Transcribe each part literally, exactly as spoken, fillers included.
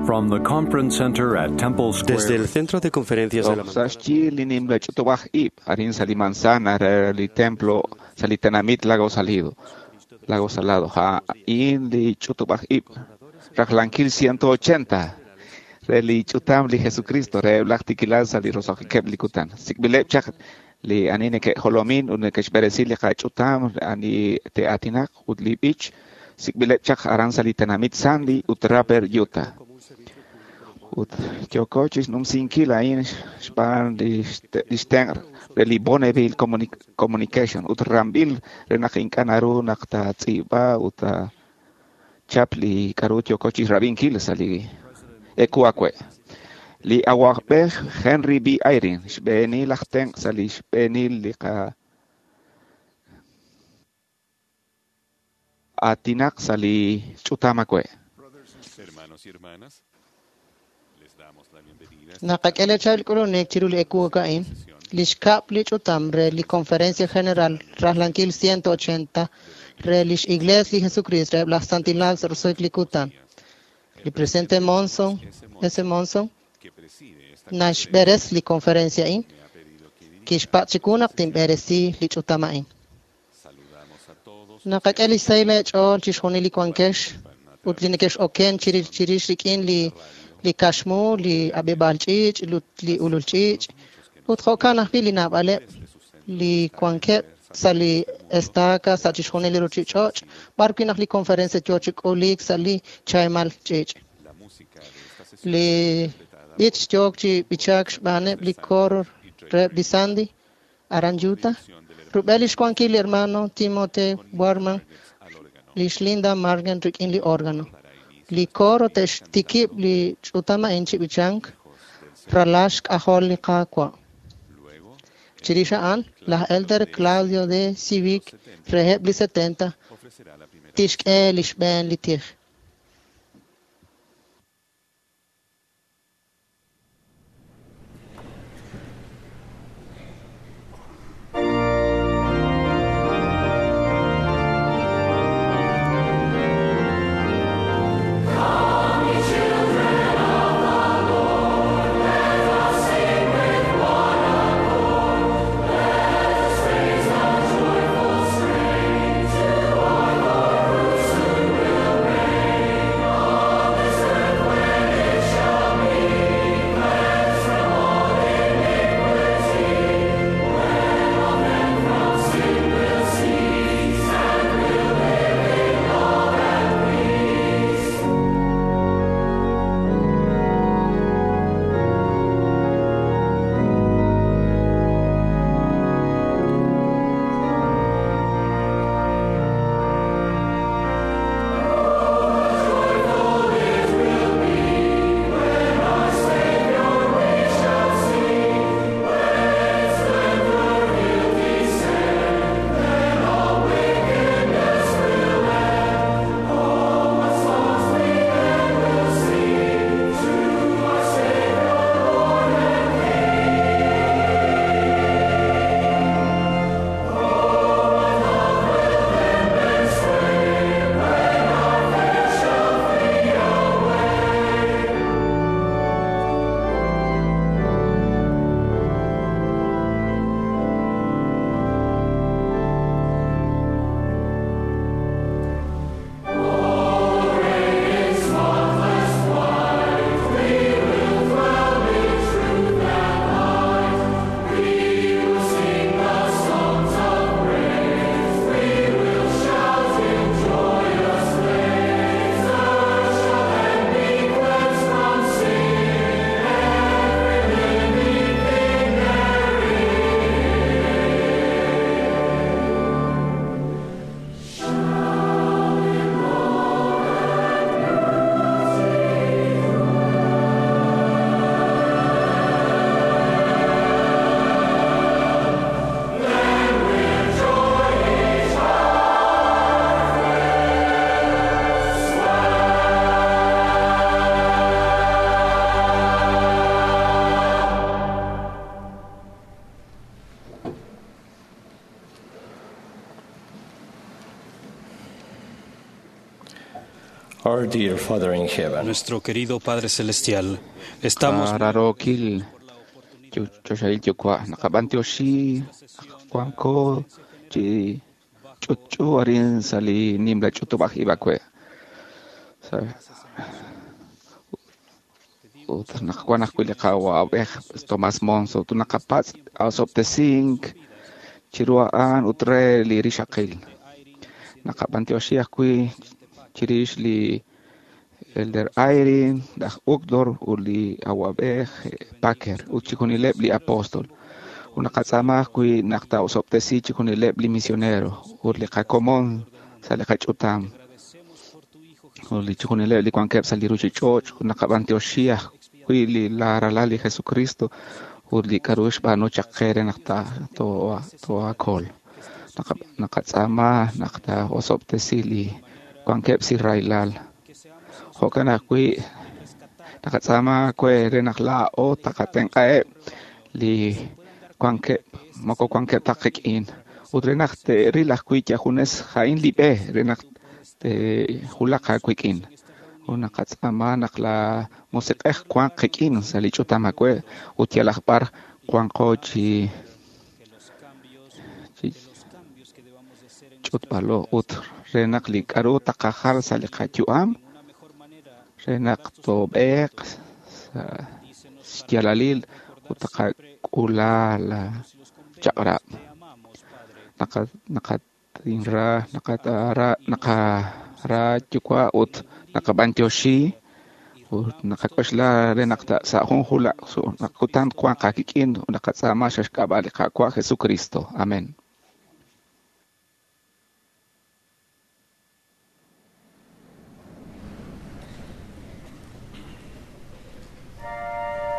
From the Conference Center at Temple Desde Square, el Centro de Conferencias de la Sa xyi li nimla ch'utub'aj ib' arin sa li manzana re li templo sa li tenamit Lago Salido Lago Salado ja'in li ch'utub'aj ib' rajlankil ciento ochenta re li ch'utam li Jesucristo re laj tikilal sa li roso'jikeb' li kutan sik'b'ileb' chaq li ani neke'jolomin ut neke'xb'eresi li qach'utam ani te'aatinaq ut li b'ich sik'b'ileb' chaq aran sa li tenamit Sandy ut Draper Utah ut yooko chixnumsinkil a'in xb'aan li xtenq' re li Bonneville Communication ut ramb'il re naq ink'a' naru naq taatz'iib'a ut chap li k'a'ru yooko chixrab'inkil sa' li eku awe'. Li awa'b'ej Henry B. Eyring xb'eenil aj tenq' sa' li xb'eenil li qa aatinaq sa' li ch'utam awe'. Hermanos y hermanas, les damos la bienvenida a esta Naqak'e lechal k'ulunik chiru li eku a'in, li xkab' li ch'utam re li Conferencia General Rajlankil ciento ochenta re lix Iglesia li Jesucristo re laj Santilal sa' roso'jik li kutan. Li presidente Monson, S. Monson, que preside esta naxb'eres li conferencia a'in, me ha pedido que dirija. kixpatz' chiwu naq tinb'eresi li ch'utam a'in. Saludamos a todos Naqak'e li xsahil eech'ool chixjunil li wankex ut li nekex'oken chirix chirix rik'in li li kaxmu, li ab'ib'aal ch'iich', ut li ulul ch'iich', ut jo'kan ajwi' li naab'aleb' li wankeb' sa' li estaca sa' chixjunil li ruchich'och', b'ar wi' naq li conferencia yoo chi k'uliik sa' li chaaymal ch'iich'. la música de esta sesión Li b'ich yook chi b'ichaak xb'aaneb' li coro reheb' li Sandy aran Utah. Rub'el lix wankil li hermano Timothy Warman, al órgano lix Linda Margan rik'in li órgano. Li coro te'xtikib' li ch'utam a'in chi b'ichank ralax k'ajol li Qaawa'. Luego Chirix a'an, laj Elder Claudio de Civic reheb' li setenta ofrecerá la primera tixk'e li xb'een li tij. Joyful strain to our Lord who soon will reign. Our dear Father in heaven, Nuestro querido Padre Celestial, estamos Rarokil choxahil yuwa' naqab'antioxi wanko chi ch'utch'u arin sa' li nimla ch'utub'aj ib' awe' ut naq wan ajwi' li qawa'b'ej Tomás Monson ut naqapatz' osob'tesink chiru a'an ut re li rixaqil naqab'antioxi ajwi' chirix li Elder Eyring, laj Uchtdorf ut li awa'b'ej Packer ut chixjunileb' li apóstol. Ut naqatz'aama ajwi' naq taa'osob'tesi chixjunileb' li misionero ut li qakomon sa' li qach'utam ut li chixjunileb' li wankeb' sa' li ruchich'och' ut naqab'antioxi ajwi' li la ralal li Jesucristo ut li k'a'ru xb'aanu chaq qe re naq ta too'akol. Naqatz'aama naq taa'osob'tesi li wankeb' sa' rahilal. Jo'kan ajwi' naqatz'aama we re naq laa'o taqatenq'aheb' li wankeb' moko wankeb' ta qik'in ut re naq te'ril ajwi' yajunes ja'in li b'e re naq te'wulaq aawik'in. Ut naqatz'aama naq la musiq'ej wanq qik'in sa' li ch'utam awe' ut yalaq b'ar wanqo chi chi ch'utb'alo ut re naq li k'a'ru taqajal sa' li qayu'am re naq toob'eeq sa' xyaalalil ut taqak'ula la chaq'rab'. Naqa naqatinra naqatara naqara yuwa' ut naqab'antioxi ut naqak'oxla re naq sa' jun jula naq kutan wanq aakik'in ut naqatz'aama sa' xk'ab'a' li Qaawa' Jesucristo. Amén. Thank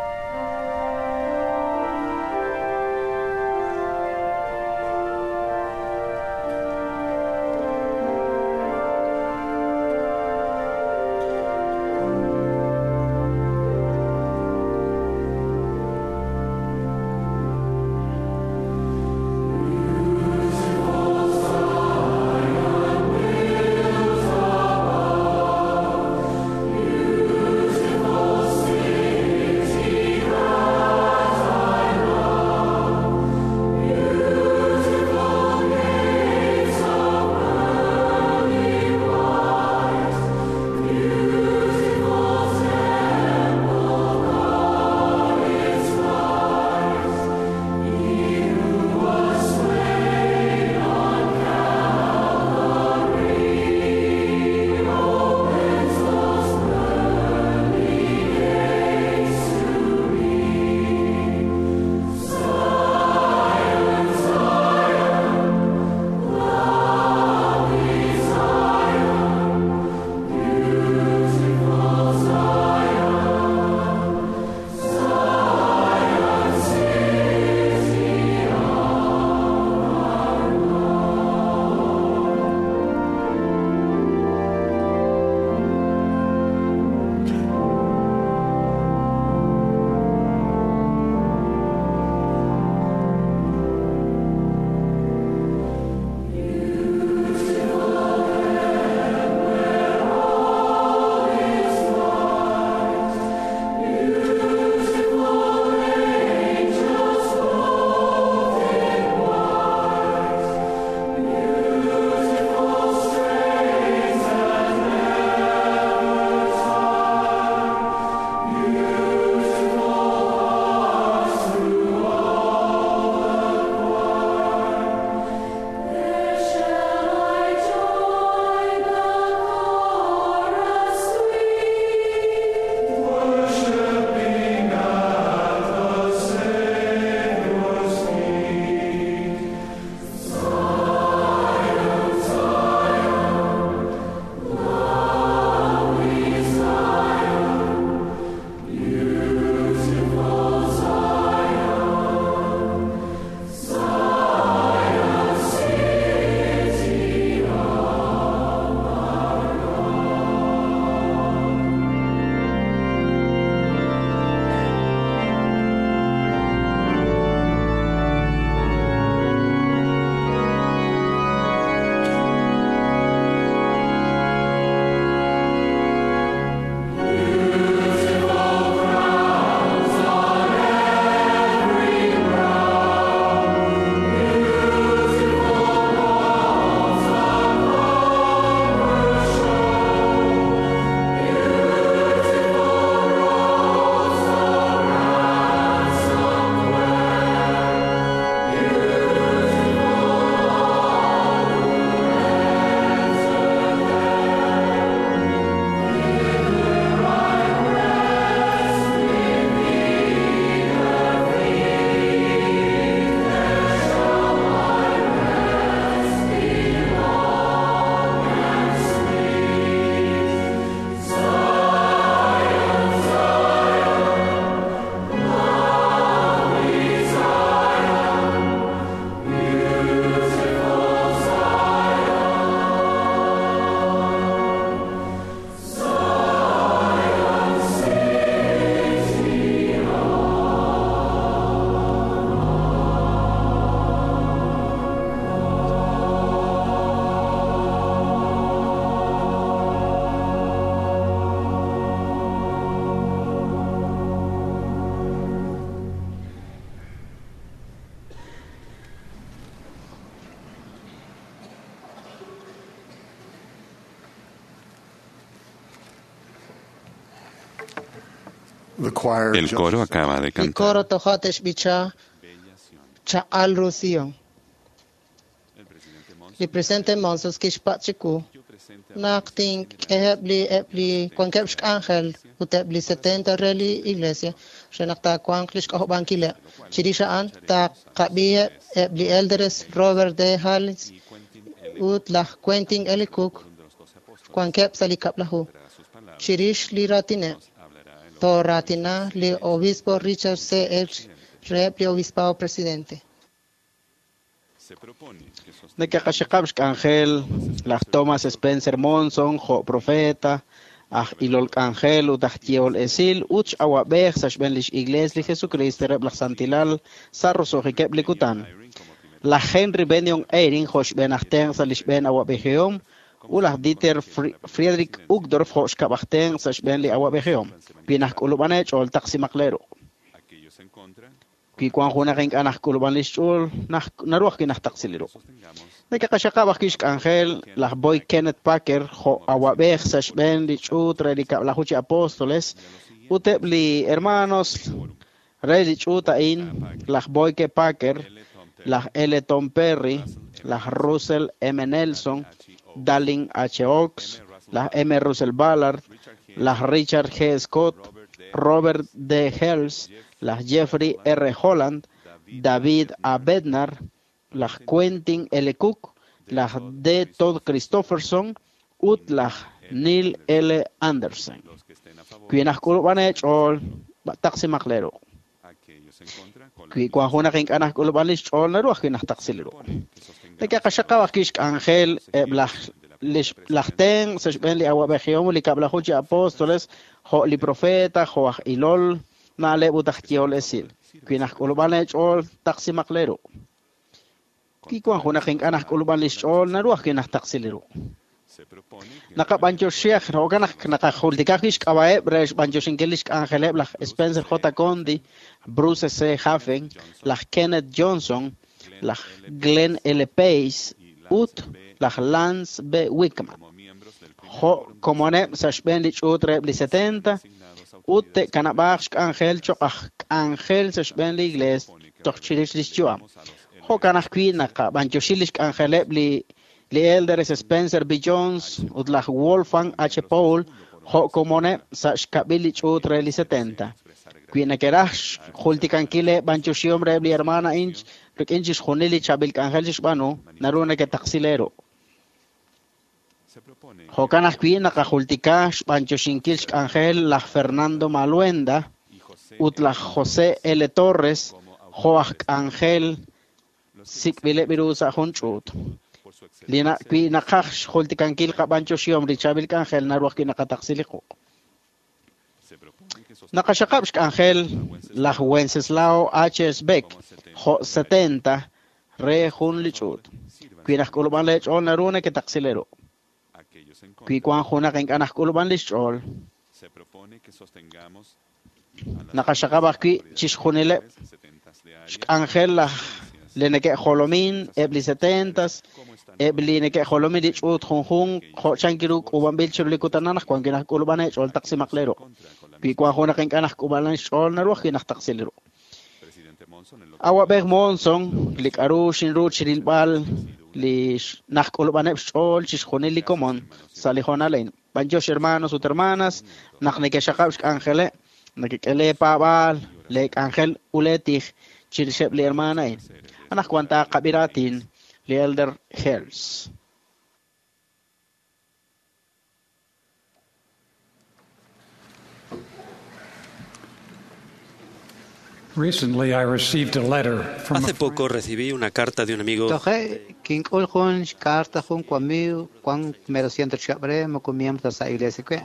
The choir El coro acaba de Li cantar. coro toja' te'xb'icha chaq'al ru Sion. Li presidente Monson kixpatz' chiwu naq tink'eheb' li eb' li wankeb' xk'anjel ut eb' li setenta re li iglesia re naq taawanq lix k'ojob'ankileb'. Chirix a'an taqab'iheb' eb' li elders Robert D. Hales ut laj Quentin L. Cook wankeb' sa' li kab'laju. Chirix li raatineb' tooraatina li obispo Richard C. H. reheb' li obispado presidente. Nekeqaxaqab' xk'anjel laj Thomas Spencer Monson jo' profeta, aj ilol k'anjel ut aj yehol esil ut x'awab'ej sa' xb'een lix Iglees li Jesucristo reheb' laj Santilal sa' roso'jikeb' li kutan. Laj Henry Benyon Eyring jo' xb'een aj tenq' sa' li xb'een awab'ejihom ut laj Dieter Fri- Friedrich Uchtdorf jo' xkab' aj tenq' sa' xb'een li awab'ejihom. Wi najk'ulub'an eech'ool taqsimaq lee ruq'. Wi wan junaq ink'a' najk'ulub'an lix ch'ool, naj- naru ajwi' najtaqsi li ruq'. Nekeqaxaqab' ajwi' xk'anjel laj Boy Kenneth Packer jo' awab'ej sa' xb'een li ch'uut re li kab'laju chi apóstoles ut eb' li hermanos re li ch'uut a'in, laj Boy K. Packer, laj L. Tom Perry, laj Russell M. Nelson, Dallin H. Oaks, laj M. Russell Ballard, laj Richard G. Scott, Robert D. Hales, laj Jeffrey R. Holland, David A. Bednar, laj Quentin L. Cook, laj D. Todd Christofferson ut laj Neil L. Anderson. Wi najk'ulub'an eech'ool, taqsimaq lee ruq'. Wi wan junaq ink'a' najk'ulub'an lix ch'ool, naru ajwi' najtaqsi li ruq'. Nekeqaxaqab' ajwi' xk'anjel eb' laj lix laj tenq' sa' xb'een li awab'ejihom ut li kab'laju chi apóstoles jo' li profeta, jo' aj ilol na'leb' ut aj yehol esil. Wi najk'ulub'an eech'ool, taqsimaq lee ruq'. Wi wan junaq ink'a' najk'ulub'an lix ch'ool, naru ajwi' najtaqsi li ruq'. Naqab'anyoxi jo'kan naq naqajultika ajwi' xk'ab'a'eb' re xb'anyoxinkil lix k'anjeleb' laj Spencer J. Condi, Bruce C. Hafen, laj Kenneth Johnson, laj Glenn L. Pace ut laj Lance B. Wickman. Jo' komoneb' sa' xb'een li ch'uut reheb' li setenta ut te'kanab'aaq xk'anjel cho'q aj k'anjel sa' xb'een li iglees toj chirix lix yu'am. Jo'kan ajwi' naqab'anyoxi lix k'anjeleb' li li elders Spencer B. Jones ut laj Wolfgang H. Paul jo' komoneb' sa' xkab'il li ch'uut re li setenta. Wi nekeraj xjultikankil b'anyoxihom reheb' li hermana a'in rik'in chixjunil li chaab'il k'anjel xe'xb'aanu, naru neketaqsi lee ruq'. Jo'kan ajwi' naqajultika xb'anyoxinkil xk'anjel laj Fernando Maluenda ut laj José L. Torres jo' aj k'anjel sik'b'ileb' ru sa' jun ch'uut. Li na wi naqaj xjultikankil qab'anyoxihom li chaab'il k'anjel naru ajwi' naqataqsi li quq'. Naqaxaqab' xk'anjel laj Wenceslao H. Beck jo' setenta re jun li ch'uut. Wi najk'ulub'an lee ch'ool naru neketaqsi lee ruq'. Wi wan junaq ink'a' najk'ulub'an lix ch'ool, naqaxaqab' ajwi' chixjunileb' xk'anjel laj li neke'jolomin eb' li setentas, eb' li neke'jolomin li ch'uut junjunq jo' chank ru k'uub'anb'il chiru li kutan anaqwan wi najk'ulub'an eech'ool taqsimaq lee ruq'. Wi wan junaq ink'a' najk'ulub'an xch'ool naru ajwi' najtaqsi li ruq'. Awab'ej Monson, li k'aru xinru chirilb'al li najk'ulub'aneb' xch'ool chixjunil li komon sa' li hoonal a'in. B'anyox hermanos ut hermanas, naq neke'xaqab' xk'anjeleb', nekek'e lee paab'aal, lee k'anjel ut lee tij chirixeb' li hermana a'in. Anaqwan taqab'i raatin li Elder Hales. Recently, I received a letter from Hace poco recibí una carta de un amigo Toje, kink'ul jun xkarta jun wamiiw wan mero ciento chihab' moko miembro ta sa' iglesia kwe.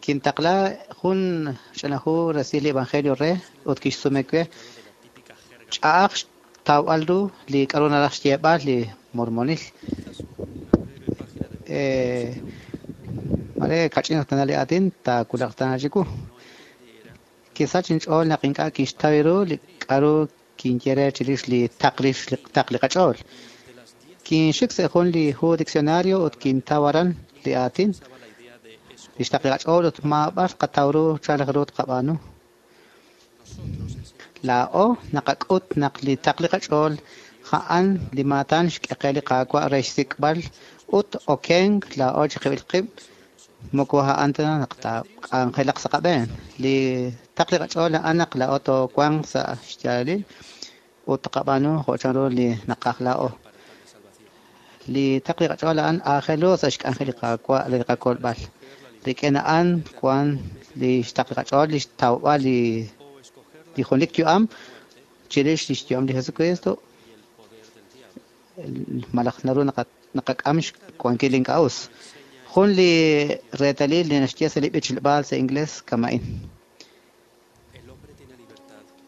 Kintaqla jun ch'ina hu resil li evangelio re ut kixsume kwe ch'a'aj xtawb'al ru li k'aru naraj xyeeb'al li mormonil. Eh, mare kach'in tana li aatin taawulaq tana chiwu. Kisach inch'ool naq ink'a' kixtaw ru li k'aru kinye re chirix li taqlix taq li qach'ool. Kinxik sa' jun li hu diccionario ut kintaw aran li aatin Li xtaql li qach'ool ut maab'ar qataw ru chan raj ru tqab'aanu. Laa'o naqak'ut naq li taql li qach'ool a'an li maatan xk'e qe li Qaawa' re xsik'b'al ut okenk laa'o chiqib'il qib' moko a'an ta naq taak'anjelaq sa' qab'een. Li taql li qach'ool a'an naq laa'o toowanq sa' xyaalalil ut tqab'aanu jo' chanru li naqaj laa'o. Li taql li qach'ool a'an aajel ru sa' xk'anjel li Qaawa' re li qakolb'al. Rik'in a'an wan li xtaql li qach'ool li xtawb'al li li junelik yu'am chirix li xyu'am li Jesucristo malaj naru naqak'am xwankil ink'a' us. Jun li reetalil li naxye sa' li b'ichleb'aal sa' inglés kama'in.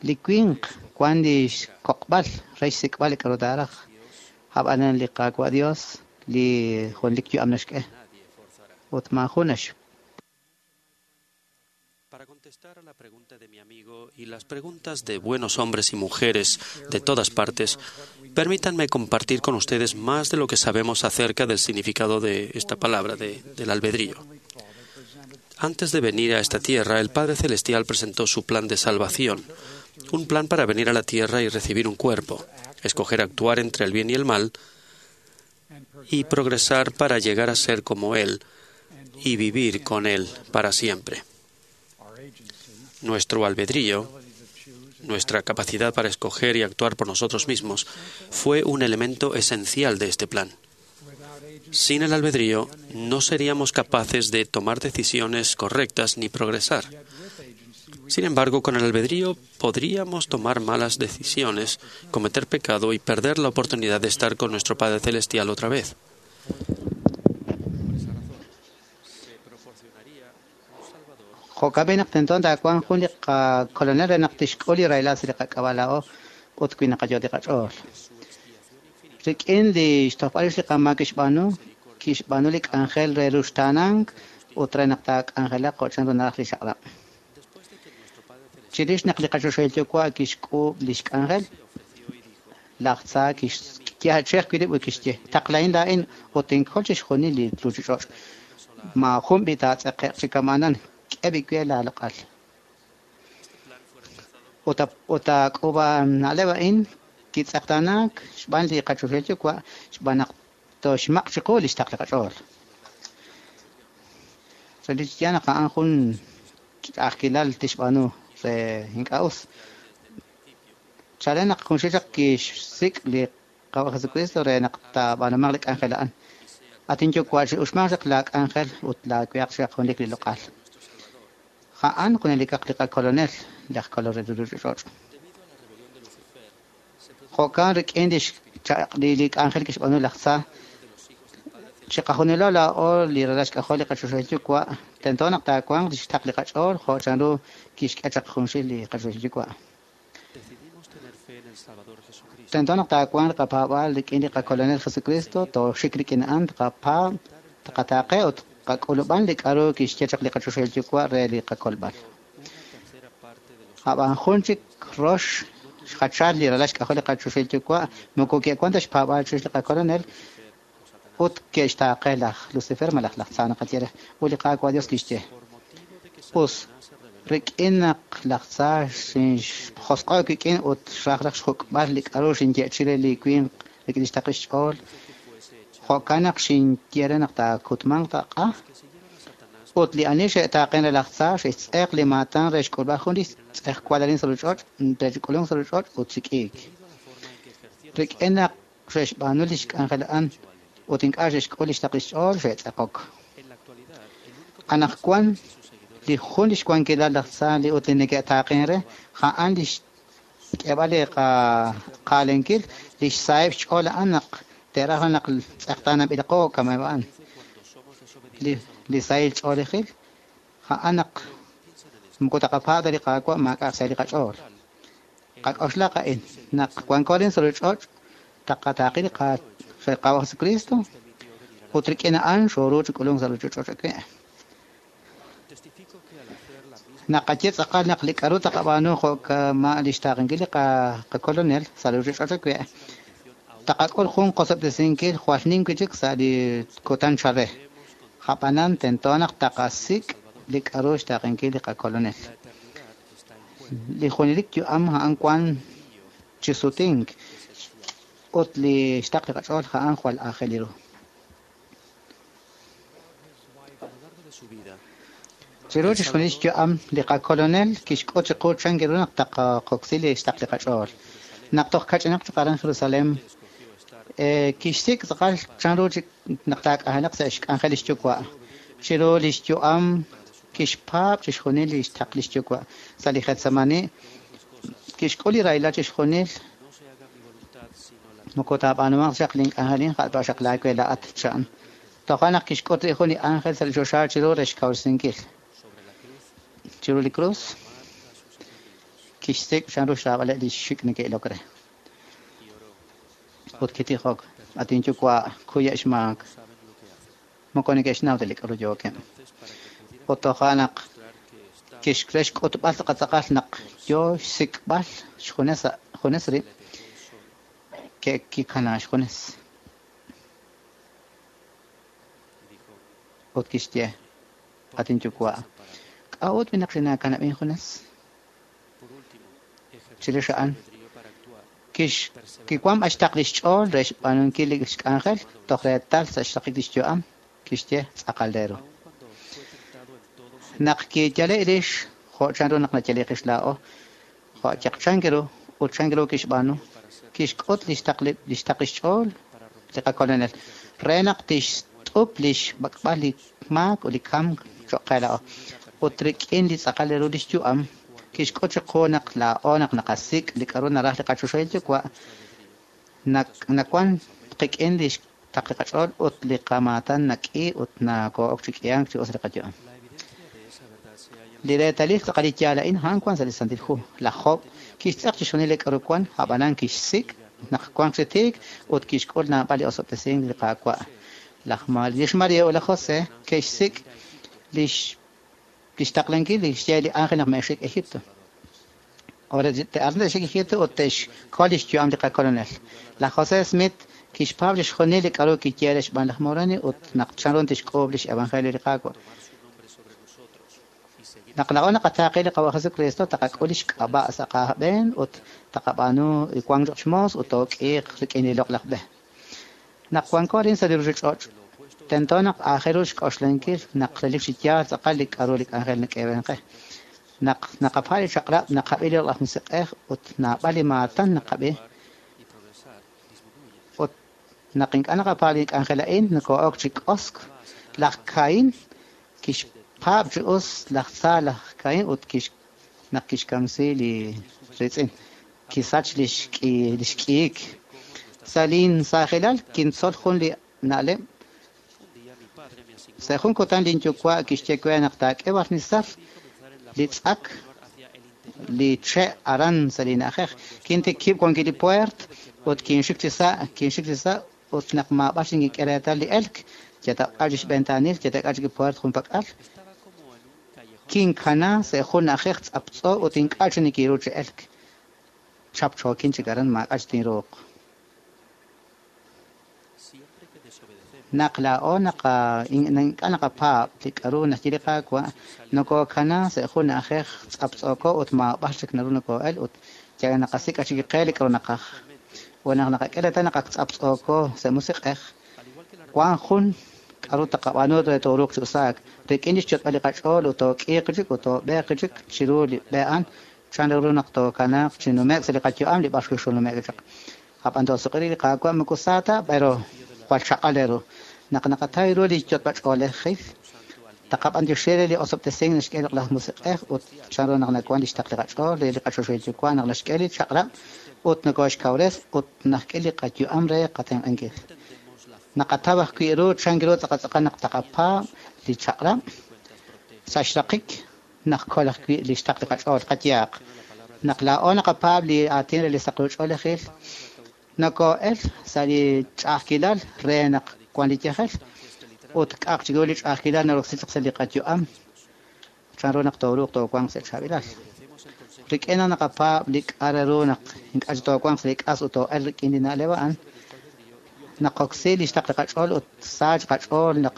Li winq wan li xkoq'b'al re xsik'b'al li k'aru taaraj. Ab'anan li Qaawa' Dios li junelik yu'am naxk'e. Ut maajun nax Para contestar a la pregunta de mi amigo y las preguntas de buenos hombres y mujeres de todas partes, permítanme compartir con ustedes más de lo que sabemos acerca del significado de esta palabra, de, del albedrío. Antes de venir a esta tierra, el Padre Celestial presentó su plan de salvación, un plan para venir a la tierra y recibir un cuerpo, escoger actuar entre el bien y el mal y progresar para llegar a ser como Él y vivir con Él para siempre. Nuestro albedrío, nuestra capacidad para escoger y actuar por nosotros mismos, fue un elemento esencial de este plan. Sin el albedrío, no seríamos capaces de tomar decisiones correctas ni progresar. Sin embargo, con el albedrío podríamos tomar malas decisiones, cometer pecado y perder la oportunidad de estar con nuestro Padre Celestial otra vez. Jo'kan naq tento taawanq jun li qakolonel re naq tixk'ul li rahilal sa' li qak'ab'a' laa'o ut wi naqayot li qach'ool. Rik'in li xtojb'al rix li qamaak kixb'aanu, kixb'aanu li k'anjel re ruxtaanank ut re naq taak'anjelaq jo' chanru naraj li xaq'rab'. Chirix naq li qachoxahil yuwa' kixk'uub' li xk'anjel, laj tza kixyaachej wi' rib' ut kixye, taqlahin laa'in ut tinkol chixjunil li ruuchich'och'. Maajun b'i taatz'eqe'q chi kama'anan. K'e b'i laaloq'al. Ut ut taak'uub'a na'leb' a'in kitz'eqtaanaak xb'aan li qachoxahil yuwa' xb'aan naq toxmaq' chiqu li xtaql li qach'ool. Relik chi yaal naq a'an jun ch'a'ajkilal tixb'aanu re ink'a' us. Chalen naq junxil chaq kixsik' li Qaawa' Jesucristo re naq taab'aanumaq li k'anjel a'an. At inyuwa' chi'uxmanq chaq la k'anjel ut laawehaq chaq junelik li loq'al. A'an junelikaq li qakolonel laj kolol re ruuchich'och'. Jo'kan rik'in li li li k'anjel kixb'aanu laj tza chiqajunilo laa'o li ralal xk'ajol li qachoxahil yuwa' tento naq taawanq li xtaql li qach'ool jo' chanru kixk'e chaq junxil li qachoxahil yuwa'. Tento naq taawanq li qapaab'aal rik'in li qakolonel Jesucristo tooxik rik'in a'an tqapaab' tqataaqe ut qak'ulub'an li k'aru kixye chaq li qachoxahil yuwa' re li qakolb'al. Ab'an jun chik rox xjachal li ralal xk'ajol li qachoxahil yuwa' moko ke'wan ta xpaab'aal chirix li qakolonel ut ke'xtaaqe laj Lucifer malaj laj tza naqaye re ut li Qaawa' Dios kixye. Us rik'in naq laj tza xinxjosq'o' wik'in ut xraj raj xjuk'b'al li k'aru xinye'chi re li winq rik'in li xtaql xch'ool jo'kan naq xinye re naq taakutmanq taq'a ut li ani xe'taaqen re laj tza xe'xtz'eq li maatan re xk'ulb'al jun li tz'ejwal arin sa' ruuchich'och' re xk'ulunk sa' ruuchich'och' ut xik'iik. Rik'in naq xe'xb'aanu li xk'anjel a'an ut ink'a' xe'xk'ul li xtaql xch'ool xe'tz'eqok. Anaqwan li jun li xwankilal laj tza li ut li neke'taaqen re a'an li xk'eeb'al li qaalenkil li xsaheb' xch'ool a'an naq te'raj naq tz'eqtaanab'ilaqo kama'eb' a'an. Li li sahil ch'oolejil a'an naq moko taqapaab' ta li Qaawa' maak'a' xsahil li qach'ool. Qak'oxlaq a'in naq wanko arin sa' ruuchich'och' taqataaqi li Qaawa' Jesucristo ut rik'in a'an xooru chi k'ulunk sa' ruuchich'och' awe'. Naqaye tz'aqal naq li k'aru taqab'aanu jo' kama' li xtaaqenkil li qakolonel sa' ruuchich'och' awe' taqak'ul jun qosob'tesinkil jwal nim wi' chik sa' li kutan chal re. A'b'anan tento naq taqasik' li k'a'ru xtaaqenkil li qakolonel. Li junelik yu'am a'an wan chi sutink ut li xtaql li qach'ool a'an jwal aajel ru. Chiru chixjunil xyu'am li qakolonel kixk'ut chiqu chan ru naq taqoksi li xtaql li qach'ool. Naq toj kach'inaq chaq aran Jerusalem, kixsik' tz'aqal chan ru naq taak'anjelaq sa' xk'anjel lix yuwa'. Chiru lix yu'am kixpaab' chixjunil li xtaql lix yuwa'. Sa' li Getsemani kixk'ul li rahilal chixjunil moko taab'aanumaq chaq link'anjelin ja'b'a xaq laawe laa'at chan. Toja' naq kixk'ut li jun li ángel sa' li choxa chiru re xkawresinkil. Chiru li krus kixsik' chan ru xraab'aleb' li xik' neke'ilok re. Ut kitijok, at inyuwa' kuye' xmaak. Moko neke'xnaw ta li k'a'ru yookeb'. Ut toja' naq kixre xk'utb'al tz'aqal naq yoo xsik'b'al xjunes junes rib' ke'kikana xjunes. Ut kixye, at inyuwa', k'a'ut naq xinaakanab'in junes? Chirix a'an kix kiwan b'axtaq lix ch'ool re xb'aanunkil li xk'anjel toj reetal sa' xraqik lix yu'am kixye tz'aqal re ru. Naq kiyale' rix jo' chan ru naq nayale' qix laa'o, jo' chaq chan ru ut chan ru kixb'aanu, kixk'ut lix taql lix taql xch'ool li qakolonel re naq tixt'up lix b'ak'b'al li maak ut li kamk cho'q qe laa'o. Ut rik'in li tz'aqal re ru lix yu'am kixk'ut chiqu naq laa'o naq naqasik' li k'a'ru naraj li qachoxahil yuwa' nawan qik'in li xtaql li qach'ool ut li qamaatan nak'i ut nakoo'ok chi k'ihank chi us li qayu'am. Li reetalil tz'aqal li yaal a'in a'an wan sa' li Santil Hu. Laj Job kixtz'aq chixjunil li k'a'ru wan, a'b'anan kixsik' naq wanq chi tiik ut kixk'ul naab'al li osob'tesink li Qaawa'. Laj lix Maria ut laj José ke'xsik' lix lix taqlankil li xye li ángel naq me'xik Egipto. Ahora te'arna te'xik Egipto ut te'xkol lix yu'am li qakolonel. Laj José Smith kixpaab' chixjunil li k'a'ru kiye re xb'aan laj Moroni ut naq chan ru tixk'uub' lix evangelio li Qaawa'. Naq laa'o naqataaqe li Qawa' Jesucristo taqak'ul lix k'ab'a' sa' qab'een ut taqab'aanu wank cho'q xmoos ut took'iiq rik'in li loq'laj b'e. Naq wanko arin sa' li ruuchich'och', tento naq aajel ru xk'oxlankil naq relik chi yaal tz'aqal li k'a'ru li k'anjel nak'eeb'en qe. Naq naqapaa li chaq'rab' naqab'i li loq'laj musiq'ej ut naab'al li maatan naqab'i. Ut naq ink'a' naqapaa li k'anjel a'in nakoo'ok chi k'osk. Laj Caín kixpaab' chi us laj tza laj Caín ut kix naq kixkamsi li riitz'in kisach lix k'i lix k'iik. Sa' linsaajilal kintzol jun li na'leb'. Sa' jun kutan linyuwa' kixye we naq taak'e barnizar li tz'ak li che' aran sa' li na'ajej. Kintikib' wankil li puert ut kinxik chi sa' kinxik chi sa' ut naq maab'ax xinkik'e reetal li elk yatak'al chi xb'entaanil yatak'al chi puert junpak'al. Kinkana sa' jun na'ajej tz'aptz'o ut ink'a' chi nikiru chi elk. Chapchookin chik aran maak'a' chi tinruuq. Naq laa'o naqa ink'a' naqapaab' li k'a'ru naxye li Qaawa' nokookana sa' jun na'ajej tz'aptz'ooko ut maab'ax chik naru nokoo'el ut yal naqasik' chik qe li k'a'ru naqaj. Ut naq naqak'e reetal naq ak tz'aptz'ooko sa' musiq'ej, wan jun k'a'ru taqab'aanu re tooruuq chi usaak rik'in lix yot'b'al li qach'ool ut took'iiq chik ut toob'eeq chik chiru li b'e a'an chan ru naq tookanaaq chi nume'k sa' li qayu'am li b'ar xnume'k chaq. A'b'an toosuq'iri li Qaawa' moko sa ta, pero jwal chaq'al re ru. Naq naqatay ru li yot'b'al ch'oolejil, taqab'antioxi re li osob'tesink naxk'e li laj musiq'ej ut chan ru naq nawan lix taql li qach'ool re li qachoxahil yuwa' naq naxk'e li chaq'rab' ut nokooxkawres ut naxk'e li qayu'am re qatenq'ankil. Naqataw ajwi' ru chan ru tz'aqal tz'aqal naq taqapaab' li chaq'rab' sa' xraqik naqkol ajwi' li xtaql li qach'ool qayaaq. Naq laa'o naqapaab' li aatin re li saqruch'oolejil, nokoo'el sa' li ch'a'ajkilal re naq wan li yajel ut k'aq chiru li ch'a'ajkilal naroksi chaq sa' li qayu'am chan ru naq tooruuq toowanq sa' chaab'ilal. Rik'in naq naqapaab' li k'a' re ru naq ink'a' chi toowanq sa' li k'as ut too'el rik'in li na'leb' a'an, naqoksi li xtaql li qach'ool ut saach qach'ool naq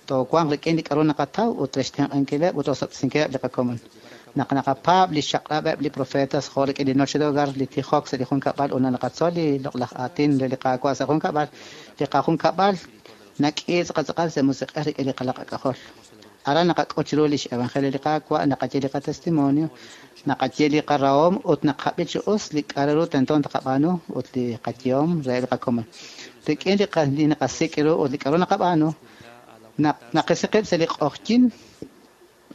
Toowanq rik'in li k'a'ru naqataw ut re xtenq'ankileb' ut rosob'tesinkileb' li qakomon. Naq naqapaab' li xchaq'rab'eb' li profetas jo' rik'in li noche de hogar, li tijok sa' li junkab'al ut naqatzol li loq'laj aatin re li Qaawa' sa' junkab'al, li qajunkab'al nak'i tz'aqal sa' musiq'ej rik'in li qalaq ak'ajol. Aran naqak'ut chiru lix evangelio li Qaawa', naqaye li qatestimonio, naqaye li qarahom ut naqab'i chi us li k'a'ru ru tento taqab'aanu ut li qayehom re li qakomon. Rik'in li li naqasik' ru ut li k'a'ru naqab'aanu, naqisiqib' sa' li q'ojyin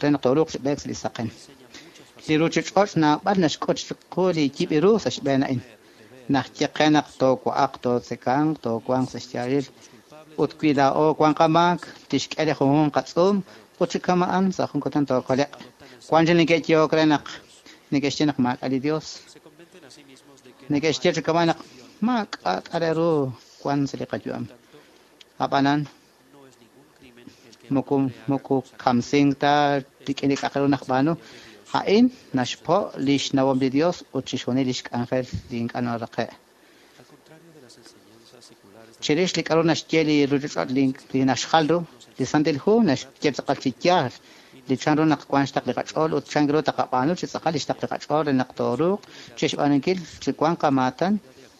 re naq tooruuq chi b'eek sa' li saqen. Li ruchich'och' naab'al naxk'ut chiqu li yib' ru sa' xb'een a'in. Naxye qe naq toowa'aq, tootzekanq, toowanq sa' xyaalil ut wi laa'o wan qamaak, tixk'e li junjunq qatz'uum ut chi kama'an sa' jun kutan tookoleq. Wan chi neke'yehok re naq neke'xye naq maak'a' li Dios. Neke'xye chi kama'an naq maak'a' k'a' ru wan sa' li qayu'am. Ab'anan moko moko kamsink ta rik'in li k'a'aq ru naqb'aanu. A'in naxpo' li xnawom li Dios ut chixjunil lix k'anjel li ink'a' naraqe'. Chirix li k'a'ru naxye li ruchich'och' li naxjal ru, li Santil Hu naxye tz'aqal chi yaal li chan ru naq wan xtaq li qach'ool ut chan ru taqab'aanu chi tz'aqal li xtaq li qach'ool re naq tooruuq chixb'aanunkil chi wan qamaatan